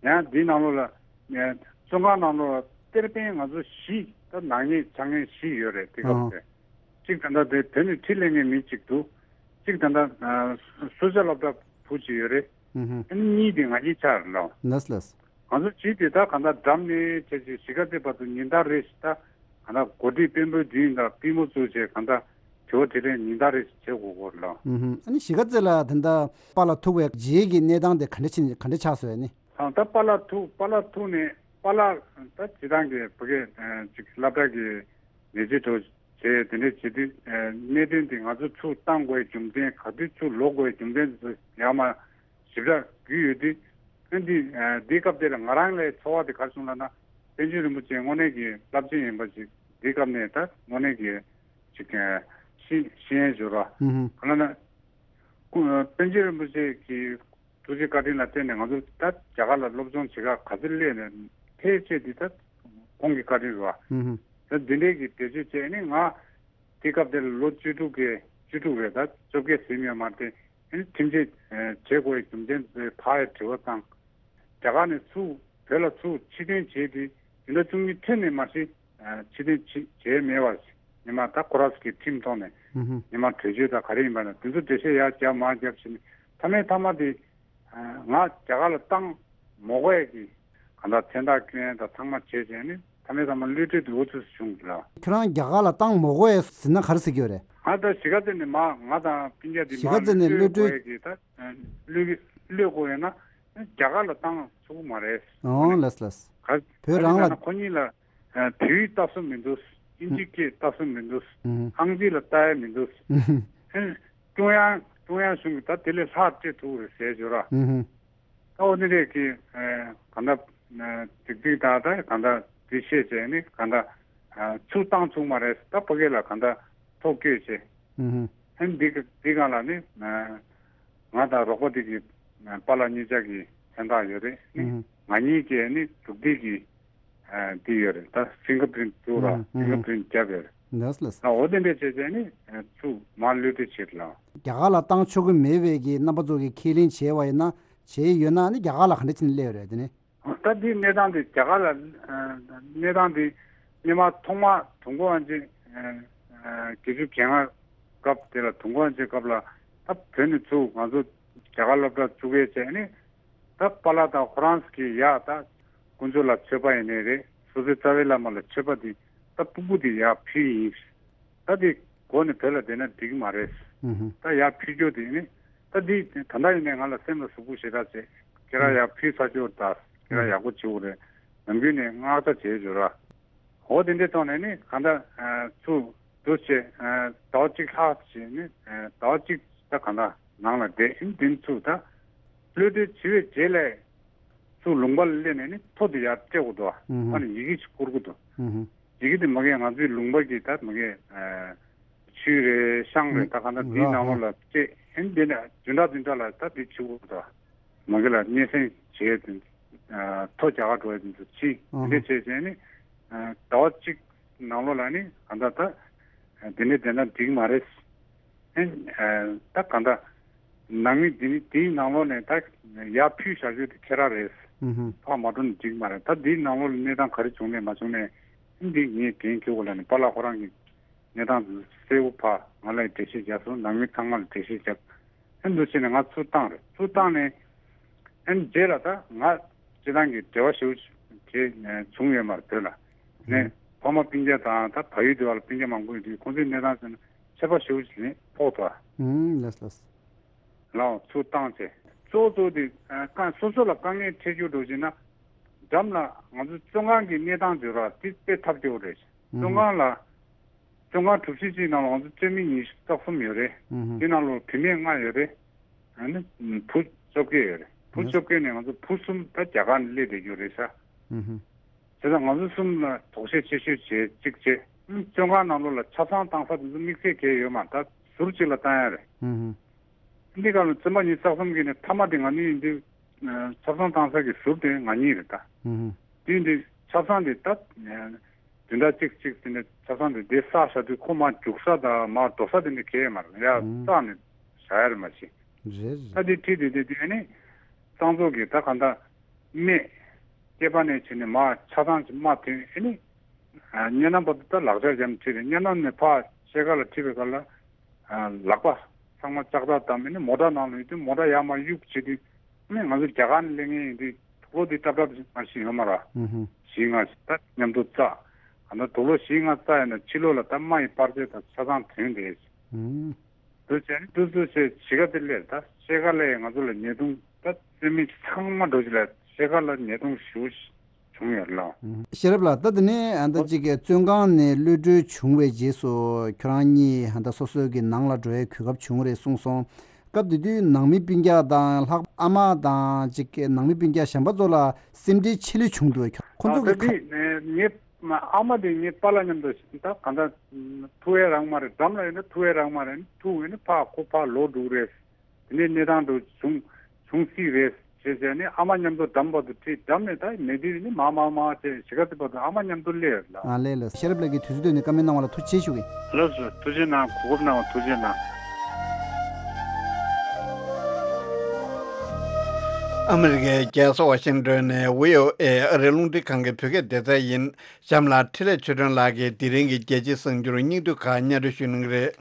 ཡང་འདིའི་ནང་ལོགས་ལ་བཙོན་ཁང་ནང་ལོགས་ལ་གཏེར་སྟོན་ང་ཚོ་བཞི་ད་ནག་ཉེས་ཆགས་མཁན་བཞི་ཡོད་རེད། དེ་སྐབས་དེ་གཅིག་ད་ལྟ་དེ་བོད་ནས་ཁྲིད་སླེབས་མཁན་མི་གཅིག་འདུག་གཅིག་ད་ལྟ་སོ་བྱ་སློབ་གྲྭ་བུ་གཅིག་ཡོད་རེད། ཨ་ནི་གཉིས་དེ་ང་གཉིས་ཆགས་རེད་ལགས། ལགས་ལགས། ང་ཚོ་བྱིས་དེ་ད་གང་ལྟར་འགྲམ་ནས་བྱས་བྱས་གཞིས་ཀ་རྩེ་བར་དུ་ཉིན་ལྟར་རེ་བཞིན་ད་གང་ལྟར་གོ་སྒྲིག་དཔོན་པོའི་མདུན་དང་པུས་མོ་བཙུགས་བྱས་གང་ལྟར་དྲི་བ་དྲིས་ལན་ཉིན་ལྟར་རེ་བཞིན་བྱེད་དགོས་ཀྱི་ཡོད་རེད་ལགས། ཨ་ནི་གཞིས་ཀ་རྩེ་ལ་ད་ལྟ་པཱ་ལགས་ཐུག་པའི་རྗེས་ཀྱི་གནས་སྟངས་དེ་ག་འདྲ་ཕྱིན་ག་འདྲ་ཆགས་སོང་ཨ་ནི། ད་པཱ་ལགས་ཐུག་པཱ་ལགས་ཐུག་ནས་པཱ་ལགས་ད་སྤྱིར་བཏང་གི་བོད་སྐད་ཅིག་སློབ་གྲྭ་གི་ནད་གཞི་འགྲོ་བྱས་དེ་འདྲ་བྱེད་དུས་གནད་དོན་དེ་ང་ཚོ་ཚུར་བཏང་དགོས་རྒྱུ་མཚན་ག་དུས་ཚུར་ལོག་དགོས་རྒྱུ་མཚན་དེ་ཚོ་ཡར་མར་ཞིབ་ཕྲ་བརྒྱུད་ཡོད་དུས། ཨ་འདི་འདིའི་སྐབས་དེ་ལ་ང་རང་ལའི་ཚོར་བ་དེ་ག་རེ་བྱུང་ལབ་ན། པཎ་ཆེན་རིན་པོ་ཆེ་དངོས་གནས་ཀྱི་རླབས་ཆེན་ཡིན་པ་ཞིག་འདིའི་སྐབས་ནས་ད་དངོས་གནས་ཀྱི་ཅིག་ཤེས་ཤེས་ཡོན་ཞུ་ར། ཨུ་ཧུ། ག་ལབ་ན། སྐུ་པཎ་ཆེན་རིན་པོ་ཆེ་གི་ཐུགས་རྗེ་བཀའ་དྲིན་ལ་བརྟེན་ནས་ང་ཚོ་ད་རྒྱ་གར་ལ་སློབ་སྦྱོང་བྱེད་ག་ག་ཚོད་སླེབས་ནས་ཕལ་ཆེར་འདི་ད་ཁོང་གི་བཀའ་དྲིན་རེད་བ། ཨུ་ཧུ། ད་འདི་འདྲའི་གི་བེད་སྤྱོད་བྱས་ནས་ང་དེ་སྐབས་དེར་ལོ་བཅུ་དྲུག་གི་བཅུ་དྲུག་རེད། ད་བཅོ་བརྒྱད་ཟིན་ཡོད་མ་རེད། ཨ་ནི་ཁྲིམས་ཆད་བྱེད་དགོས་ཡའི་རྒྱུ་མཚན་དེ་ཕར་ཡ་དྲི་བ་བཏང་། རྒྱ་གར་ནས་ཚུར་བོད་ལ་ཚུར་ཕྱིར་འཐེན་བྱས་ཏེ་བདུན་ཕྲག་བཅུ་གཉིས་ཐོན་ནས་མ་གཞི་ཕྱིར་འཐེན་བྱས་མེད་པར་ཉི་མ་ད་ཁོ་རང་ཚོ་གི་ཁྲིམས་ཐོག་ནས་ཉི་མ་བྲོས་བྱོལ་དང་ག་རེ་ཡིན་པ་ན་དེ་ཚོ་འགྲེལ་བཤད་ཡར་རྒྱབ་མར་རྒྱབ་བྱས་ནས་མཐའ་མའི་མཐའ་མ་དེ་ང་རྒྱ་གར་ལ་བཏང་མ་དགོས་ཡ་གི་གང་ལྟར་མཚན་རྟགས་བསྐྱོན་ཡ་དང་ཚང་མ་བྱས་བྱས་ནས་མཐའ་མའི་མཐའ་མ་གློད་གྲོལ་དེ་འུ་ཚོས་བྱུང་གི་ལ། ཁྱོད་རང་རྒྱ་གར་ལ་བཏང་མ་དགོས་ཡ་ཟེར་ན་ག་རེ་ཟེར་གྱི་ཡོད་རེད། ང་ད་གཞིས་ཀ་རྩེ་ནས་མ་ང་དང་སྤུན་ཀྱག་དེ་གཞིས་མ་ཀ་རྩེ་ནས་གློད་གློད་གྲོལ་དགོས་ཡ་གི་ད་གློད་གློད་དགོས་ཡ་ན། རྒྱ་གར་ལ་བཏང་ཆོག་གི་མ་རེད། ཨོ་ལགས་ལགས། ག་བོད་རང་ལ། ཁོ་གཉིས་ལ་བོད་ཡིག་ལྟ་སྲོལ་མི་འདུག་དབྱིན་ཇི་སྐད་ལྟ་སྲོལ་མི་འདུག་ཨང་རྩིས་ལ་ལྟ་ཡ་མི་འདུག་ཀྲུང་དབྱང་ཀྲུང་དབྱང་གཞུང་གིས་ད་དེ་ལས་ལྷག་སྤྲད་ཐུབ་རེད་ཟེར་བརྗོད་ར། ད་འོ་དེ་འདྲས་ཀྱི་གང་ལྟར་ཏིག་ཏིག་ད་ད་གང་ལྟར་དེ་ཤེས་བྱས་ནི་གང་ལྟར་ཚུར་བཏང་ཆོག་མ་རེད། ད་ཕ་གི་ལ་གང་ལྟར་ཐོ་བཀོད་བྱས། ཨ་ནི་འདི་ག་འདི་སྒང་ལ་ནི་ང་དང་རོགས་པ་འདི་གི་པཱ་ལགས་གཉིས་ཆ་གི་མཚན་རྟགས་ཡོད་རེད། ནི་ང་གཉིས་ཀྱི་ནི་འདུག་སྟེགས་ཀྱི་འདི་ཡོད་རེད། ད་ཕིང་གར་པི་རིན་ཊི་བཙུགས་ར་ཕིང་གར་པི་རིན་ཊི་བརྒྱབ་ཡོད་རེད། ལགས་ལགས། ད་འོ་དེ་འདྲས་བྱས་བྱས་ནི་ཚུར་མར་གློད་གྲོལ་བྱེད་ལ། རྒྱ་གར་ལ་བཏང་ཆོག་གི་མེད་པའི་གི་རྣམ་པ་ཚོ་གི་ཁས་ལེན་བྱས་པ་ཡིན་ན་བྱས་ཡོད་ན་ནི་རྒྱ་གར་ལ་ག་འདྲ་བྱས་ནས་སླེབས་ཡོད་རེད་དེ་ནི། ད་འདི་གནས་སྟངས་འདི་རྒྱ་གར་ལ་གནས་སྟངས་འདི་སྔོན་མ་ཐོག་མ་དུས་འཁོར་དབང་ཆེན་བརྒྱད་ཅུ་གྱ་ལྔ་སྐབས་དེ་ལ་དུས་འཁོར་དབང་ཆེན་སྐབས་ལ་ད་བོད་ནས་ཚུར་ང་ཚོ་རྒྱ་གར་སློབ་གྲྭ་བཙུགས་ཡས་བྱས་ནས་ད་པཱ་ལགས་དང་ཁོ་རང་གིས་ཡ་ད་དཀོན་མཆོག་ལ་མཆོད་པ་ཡིན་ནའི་རེད། སོ་སོའི་རྩ་བའི་བླ་མ་ལ་མཆོད་པ་འདི་ད་ཕྲུ་གུ་འདི་ཡར་ཕུལ་ཡིན། ད་དེ་སྒོ་ནས་བོད་ལ་བསྡད་ན་འགྲིག་གི་མ་རེད། ད་ཡར་ཕུལ་རྒྱུ་དེ་ནི་ད་དེ་ད་ལྟ་ཡིན་ནའི་ང་ལ་སེམས་ལ་ཟུག་པོ་ཞེ་དྲག་བྱས། ཁྱེད་རང་ཡར་ཕུལ་ཚར་རྒྱུ་ད་ཁྱེད་རང་ཡག་པོ་བྱེད་དགོས་རེད། ནམ་རྒྱུན་ནས་བསྔགས་བརྗོད་བྱས་ཡོད་ར། འོ་དེ་འདྲའི་ཐོག་ནས་ནི་གང་ལྟར་ཚུར་འདུག་བྱས་ཟླ་བ་གཅིག་ལྷག་བྱས་ནི་ཟླ་བ་གཅིག་ད་གང་ལྟར་ནང་ལ་བསྡད་ཡིན། དེ་ཚུར་ད་གློད་གྲོལ་བྱས་པའི་རྗེས་ལ་ཚུར་ལུང་པ་ལ་སླེབས་ནས་ནི་ཐོ་དེ་ཡར་སྤྲད་དགོས་འདུག་ཨ་ནི་ཡི་གེ་ཞིག་བསྐུར་དགོས་འདུག་ཡི་གེ་དེ་མ་གི་ང་ཚོའི་ལུང་པ་གི་ད་མ་གི་ཆུས་རེད་ཤང་རེད་ད་ག་ན་དེའི་ནང་ལོགས་ལ་སྤྲད་ཨེ་འདི་ནས་བདུན་ཕྲག་བདུན་ཕྲག་ལ་ད་དེ་བྱེད་དགོས་འདུག་མ་གི་ལ་སྙན་སེང་བྱས་ཏེ་ཐོ་རྒྱ་གར་འགྲོ་ཡ་དེ་ཚོ་ཕྱིན་དེ་འདྲས་བྱས་བྱས་ནི་ཟླ་བ་གཅིག་ནང་ལོགས་ལ་ནི་ག་ད་ད་དེ་ནས་བསྡད་ན་འགྲིག་མ་རེད། ཨེ་ད་ག་ད་ནང་མི་འདི་ནི་དེའི་ནང་ལོགས་ནས་ད་ཡར་ཕུལ་བཞག་རྒྱུ་དེ་ཁྱེད་རང་རེད། ཕར་མ་འགྲོ་ན་འགྲིག་མ་རེད། ད་དེའི་ནང་ལོགས་ལ་གནས་སྟངས་ག་རེ་བྱུང་ནས་མ་བྱུང་ནས་འདི་ངས་འགན་འཁྱེར་དགོས་ལབ་ནས་པཱ་ལགས་ཁོ་རང་གིས་ གནས་སྟངས་དེ་གསལ་པོ་ཕར་ང་ལ་འགྲེལ་བཤད་རྒྱབ་སོང་། ནང་མི་ཚང་མ་ལ་འགྲེལ་བཤད་རྒྱབ། ཨ་ནི་འདུག་བྱས་ནས་ང་ཚུར་བཏང་རེད། ཚུར་བཏང་ནས་ཨ་ནི་རྗེས་ལ་ད་ང་སྤྱི་བཏང་གི་འབྲེལ་བ་ཞེ་པོ་ཅིག་བྱས་བྱུང་ཡོད་མ་རེད་བོད་ལ། ནས་ཕ་མ་སྤུན་ཀྱག་དང་ད་བལ་ཡུལ་དེ་བ་ལ་སྤུན་ཀྱག་མང་པོ་ཡོད་དུས་ཁོང་ཚོའི་གནས་སྟངས་ཟེར་ན་ཁྱད་པར་ཞེ་པོ་ཅིག་ནས་ཕོག་ཐུབ་ཨ། ཨུམ། ལགས་ལགས། ལའོ་ཚུར་བཏང་བྱས། གཙོ་བོ་གཙོ་བོ་དེ་ཨ་དཀའ་སོ་སོ་ལ་དཀའ་ངལ་འཕྲད་རྒྱུ་འགྲོ་བཞིན་ན། འགྲམ་ལ་ང་ཚོ་བཙོན་ཁང་གི་གནས་སྟངས་བརྗོད་ར་དེ་དཔེ་ཐབས་སྐྱོ་བོ་རེད། ཨུམ། བཙོན་ཁང་ལ་བཙོན་ཁང་གྲུ་བཞི་གཅིག་ནང་ལ་ང་ཚོ་བཙོན་མི་ཉི་ཤུ་རྩ་གསུམ་ཡོད་རེད། ཨུམ། དེ་ནང་ལ་བུད་མེད་ལྔ་ཡོད་རེད། ཨ་ནི་བུ་བཅོ་བརྒྱད་ཡོད་རེད། བུ་ཨུམ། བཅོ་བརྒྱད་ནས་ང་ཚོ་བུ་གསུམ་ད་རྒྱ་གར་ནས་སླེབས་བསྡད་རྒྱུ་རེད་ཤག་ཨུམ། བྱས་ཙང་ང་ཚོ་གསུམ་ལ་དོགས་གཞི་ཆེ་ཤོས་བྱས་གཅིག་བྱས། བཙོན་ཁང་ནང་ལོགས་ལ་ཆབ་གསང་བཏང་ས་དེ་ཚོ་དམིགས་བསལ་གང་ཡང་ཡོད་མ་རེད། ད་ཟུར་གཅིག་ལ་བཏང་ཡ་རེད། ཨུམ། འདི་ག་ལ་བཙོན་པ་ཉི་ཤུ་རྩ་གསུམ་གྱི་ནས་མཐའ་མ་དེ་ང་གཉིས་ཡིན་དུས། ཆབ་གསང་བཏང་ས་གི་ཟུར་དེ་ང་གཉིས་རེད་ད། ཨུམ། དེ་འདི་ཆབ་གསང་དེ་ད་བདུན་ཕྲག་གཅིག་གཅིག་དེ་ནས་ཆབ་གསང་དེ་དེ་བསགས་བཞག་དུས་ཁོ་མར་རྒྱུག་ས་དང་མར་འགྲོ་ས་དེ་འདྲ་གང་ཡང་མ་རེད། ཡར་ཨུམ། བསགས་ནས་བཞག་ཡ་རེད་མ་གཞི། རེད་རེད། ད་དེ་ཁྲིད་དེ་དེ་དེ་ནས་གཙང་བཙོག་གི་ད་ག་འདྲ་སྨད་སྐྱེས་པ་ནས་བྱས་ནས་མར་ཆ་ཚང་ཅིག་མར་ཐོན། ཨེ་ནི་སྙེ་ནམ་བར་དུ་ད་ལག་ཆ་འཇམ་ཁྲིད་རེད། སྙེ་ནམ་ནས་ཕར་ཤེལ་དཀར་ལ་ཁྲིད་པའི་སྐབས་ལ་ལག་པ་ཚང་མ་ལྕགས་ཐག་བསྡམས། ཨེ་ནི་མོ་ཊ་ནང་ལ་ཡོད་དུས་མོ་ཊ་ཡར་མར་གཡུག་བྱེད་དུས། ཨེ་ནི་ང་ཚོ་རྒྱ་གར་ནས་སླེབས་མཁན་ཡིན་དུས་དུག་ལོག་འདི་ཏབ་ཏབ་མ་ཞིག་ཡོད་མ་རེད། ཨུ་ཧུ། བཞི་ལྔ་ཞིག་ད་མཉམ་དུ་བཙགས། ཨ་ནི་དུག་ལོག་བཞི་ལྔ་བཙགས་ཡིན་ན་ཕྱི་ལོགས་ལ་ད་རྨ་ཡི་པར་ཆས་དང་ཆ་ཚང་ཐོན་བསྡད། ཨུ། འདུག་བྱས་ནས་འདུག་ཚུལ་བྱས་གཞིས་ཀ་དེ་སླེབས། ད་ཤེལ་དཀར་ལ་ཡང་ང་ཚོ་ལ་ཉེས་རྡུང་། ད་བཙོན་མི་ཚང་མ་འགྲོ་གཞི་ལ་ཤེལ་དཀར་ལ་ཉེས་རྡུང་ཞེ་པོ་བྱུང་ཡོད་ལ། ཤེས་རབ་ལགས། ད་དེ་ནས་ཨ་ད་ཅིག་གི་བཙོན་ཁང་ནས་གློད་གྲོལ་བྱུང་བའི་རྗེས་སུ་ཁྱོད་རང་གཉིས་ཨ་ད་སོ་སོའི་གི་ནང་ལ་འགྲོ་བའི་གོ་སྐབས་བྱུང་རེད་གསུངས་སོང་། སྐབས་དེ་དུས་ནང་མི་སྤུན་ཀྱག་དང་ལྷག་ཨ་མ་དང་ཅིག་གི་ནང་མི་སྤུན་ཀྱག་གཞན་པ་ཚོ་ལ་སེམས་ཁྲལ་ཆེ་ལོས་བྱུང་འདུག་ཁྱོད་ཁོ་ཚོ་ད་གི་ད་དུས་ངའི་ཨ་མ་དེ་ངའི་པཱ་ལགས་མཉམ་དུ་ད་ག་འདྲ་ཐུག་ཡས་རག་མ་རེད། འགྲམ་ལ་ཡོད་ན་ཐུག་ཡས་རག་མ་རེད། ཐུག་ཡོད་ན་ཕར་ཁོ་ཕར་ལོག་འགྲོ་གི་རེད། དེ་ནས་གནས་སྟངས་དེ་བྱུང་བྱུང་སྲིད་རེད་ཅེས་བྱས་ནས་ཨ་མ་མཉམ་དུ་འགྲམ་བར་དུ་ཁྲིད། འགྲམ་ནས་ད་མེད་དུས་ནི་མ་མ་མ་བྱས་གཞིས་ཀ་དེ་བར་དུ་ཨ་མ་མཉམ་དུ་སླེབས་ཡོད་ལ། ཨ་ལས་ལ། ཤེས་རབ་ལགས་ཀྱིས་དུས་ཚོད་བཏོན་ནས་བཀའ་མོལ་གནང་བ་ལ་ཐུགས་རྗེ་ཆེ་ཞུ་གི། ལགས་སོ། ཐུགས་རྗེ་གནང་། གོ་སྐབས་གནང་བ་ཐུགས་རྗེ་གནང་། ཨ་མི་རི་ཀའི་རྒྱལ་ས་ཝ་ཤིང་ཏོན་ནས་བྷི་ཨོ་ཨེ་ཨ་རིའི་རླུང་འཕྲིན་ཁང་གི་བོད་སྐད་སྡེ་ཚན་ཡིན། གཤམ་ལ་འཕྲིན་ལས་ཆོས་སྒྲོན་ལགས་ཀྱིས་དེ་རིང་གི་རྒྱལ་སྤྱིའི་གསར་འགྱུར་སྙིང་བསྡུས་ཁག་སྙན་སྒྲོན་ཞུ་གནང་གི་རེད།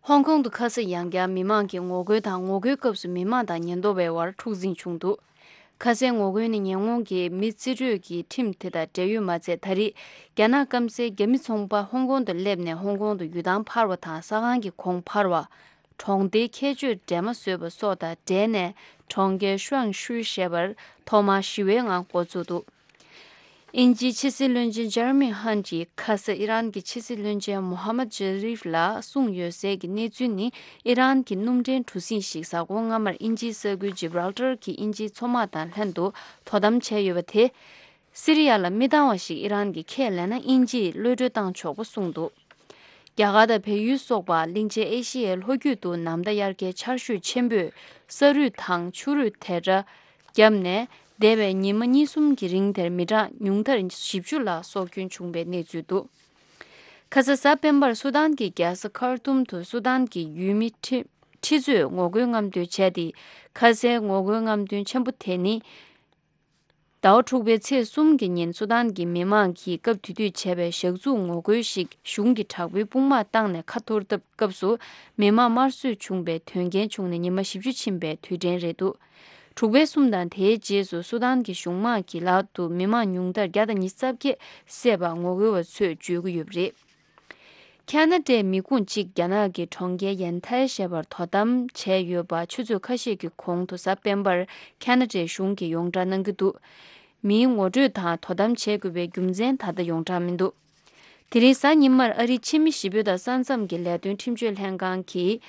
ཧོང་ཀོང་དུ་ཁ་ས་ཡང་བསྐྱར་མི་མང་གིས་ངོ་རྒོལ་དང་། ངོ་རྒོལ་སྐབས་སུ་མི་མང་དང་ཉེན་རྟོག་པའི་དབར་འཁྲུག་འཛིང་བྱུང་འདུག་ཁ་སའི་ངོ་རྒོལ་ནི་ཉེ་འཁོར་གྱི་མི་རྩིས་སྤྲོད་ཀྱི་ཁྲིམས་དེ་དང་འབྲེལ་ཡོད་མ་ཚད། ད་རེས་རྒྱ་ནག་སྐམ་སའི་རྒྱ་མི་ཚོང་པ་ཧོང་ཀོང་དུ་སླེབས་ནས་ཧོང་ཀོང་དུ་ཡུལ་ཐང་འཕར་བ་དང་། ས་ཁང་གི་གོང་འཕར་བ། གྲོང་སྡེའི་ཁྱད་ཆོས་འདྲེས་མ་བཟོས་པ་སོགས་དང་འབྲེལ་ནས་གྲོང་ཁྱེར་ཤུའང་ཤུའི་ཞེས་པར་ཐོག་མར་ཞི་བའི་ངང་འགོ་བཙུགས་འདུག་དབྱིན་ཇིའི་ཕྱི་སྲིད་བློན་ཆེན་ཇེ་རེ་མི་ཧན་གྱིས་ཁ་ས་ཨི་རན་གྱི་ཕྱི་སྲིད་བློན་ཆེན་མོ་ཧ་མད་ཇ་རིབ་ལ་གསུངས་ཡོད་སའི་གི་གནས་ཚུལ་ནི། ཨི་རན་གྱི་སྣུམ་འདྲེན་གྲུ་གཟིངས་ཤིག་གཟའ་འཁོར་སྔ་མར་དབྱིན་ཇིའི་ས་ཁུལ་ཇི་བྷ་རལ་ཏར་གྱི་དབྱིན་ཇིའི་མཚོ་དམག་དང་ལྷན་དུ་དོ་དམ་བྱས་ཡོད་པ་དེ། སི་རི་ཡ་ལ་མི་འདང་བ་ཞིག་ཨི་རན་གྱིས་ཁས་ལེན་ན་དབྱིན་ཇིས་གློད་གྲོལ་བཏང་ཆོག་པ་གསུངས་འདུག་རྒྱ་གར་དང་བལ་ཡུལ་སོགས་པ་གླིང་ཆེན་ཨེ་ཤི་ཡའི་ལྷོ་རྒྱུད་དུ་ནམ་ཟླ་དབྱར་ཁའི་ཆར་ཞོད་ཆེན་པོས་ས་རུད་དང་ཆུ་རུད་དེ་འདྲ་བརྒྱབ་ནས། འདས་པའི་ཉི་མ་གཉིས་གསུམ་གྱི་རིང་དེར་མི་གྲངས་ཉུང་མཐར་བཞི་བཅུ་ལ་སྲོག་སྐྱོན་བྱུང་བའི་གནས་ཚུལ་འདུག་ཁ་ས་གཟའ་སྤེན་པར་སུ་དཱན་གྱི་རྒྱལ་ས་ཁར་ཏུམ་དུ་སུ་དཱན་གྱི་ཡུལ་མི་ཁྲི་ཁྲི་ཚོས་ངོ་རྒོལ་རྔམ་སྟོན་བྱས་ཏེ། ཁ་སའི་ངོ་རྒོལ་རྔམ་སྟོན་ཆེན་པོ་དེ་ནི། ཟླ་བ་དྲུག་པའི་ཚེས་གསུམ་གྱི་ཉིན་སུ་དཱན་གྱི་མི་མང་གིས་སྐབས་དེ་དུས་བྱས་པའི་ཞག་ཚུགས་ངོ་རྒོལ་ཞིག་གཞུང་གི་དྲག་པོའི་དཔུང་དམག་བཏང་ནས་ཁ་འཐོར་སྟབས་སྐབས་སུ་མི་མང་དམར་གསོད་བྱུང་བའི་དོན་རྐྱེན་བྱུང་ནས་ཉི་མ་བཞི་བཅུ་ཕྱིན་པའི་དུས་དྲན་རེད་འདུག་དྲུག་པའི་གསུམ་དང་དེའི་རྗེས་སུ་སུ་དཱན་གྱི་གཞུང་དམག་གི་ལག་ཏུ་མི་མང་ཉུང་མཐར་བརྒྱ་དང་ཉི་ཤུ་རྩ་བརྒྱད་བསད་པ་ངོ་རྒོལ་བ་ཚོས་བརྗོད་ཀྱི་ཡོད་པ་རེད། ཁ་ན་ཌའི་མི་ཁུངས་གཅིག་རྒྱ་ནག་གི་གྲོང་ཁྱེར་ཡན་ཐའི་ཞེས་པར་དོ་དམ་བྱས་ཡོད་པ་ཆུ་ཚོད་ཁ་ཤས་ཀྱི་གོང་དུ་གཟའ་སྤེན་པར་ཁ་ན་ཌའི་གཞུང་གིས་ཡོངས་བསྒྲགས་གནང་གི་འདུག་མིའི་ངོ་སྤྲོད་དང་དོ་དམ་བྱེད་དགོས་པའི་རྒྱུ་མཚན་ད་ལྟ་ཡོངས་གྲགས་མི་འདུག་དེ་རིང་གཟའ་ཉི་མར་ཨ་རིའི་ཕྱི་མི་ཞི་བདེ་དང་ས་མཚམས་ཀྱི་ལས་དོན་ཁྲིམས་གཅོད་ལྷན་ཁང་གིས།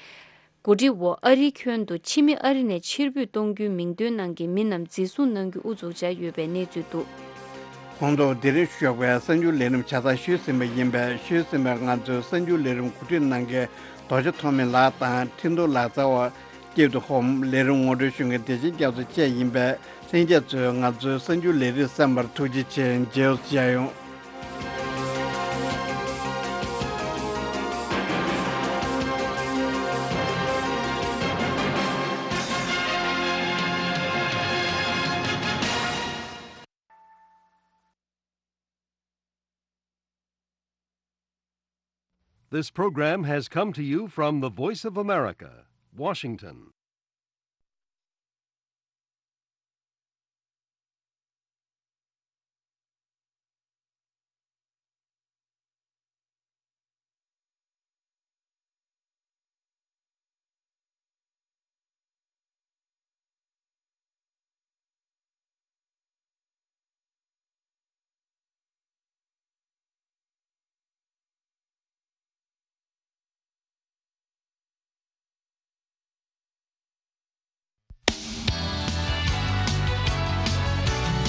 གོ་སྒྲིག་འོག་ཨ་རིའི་ཁྱོན་དུ་ཕྱི་མི་ཨ་རི་ནས་ཕྱིར་འབུད་གཏོང་རྒྱུའི་མིང་འདོན་གནང་མཁན་མི་རྣམས་འཛིན་བཟུང་གནང་རྒྱུ་དབུ་འཛུགས་བྱས་ཡོད་པའི་གནས་ཚུལ་འདུག་ཁོང་ཚོ་འདི་རིང་ཞོགས་པའི་གསར་འགྱུར་ལས་རིམ་ཆ་ཚང་ཞུས་ཟིན་པ་ཡིན་པས། ཞུས་ཟིན་པའི་ང་ཚོའི་གསར་འགྱུར་ལས་རིམ་གོ་སྒྲིག་གནང་མཁན་རྡོ་རྗེ་ཐོགས་མེད་ལགས་དང་ཁྲིན་ཏུ་ལགས་རྩ་བ་སྐྱིད་སྡུག་ཧོམ། ལས་རིམ་ངོ་སྤྲོད་ཞུ་མཁན་བདེ་ཆེན་རྒྱ་མཚོ་བཅས་ཡིན་པས། ལྷན་རྒྱས་ཚོས་ང་ཚོའི་གསར་འགྱུར་ལས་རིམ་གསན་པར་ཐུགས་རྗེ་ཆེ། མཇལ་ཡོང་། This program has come to you from the Voice of America, Washington.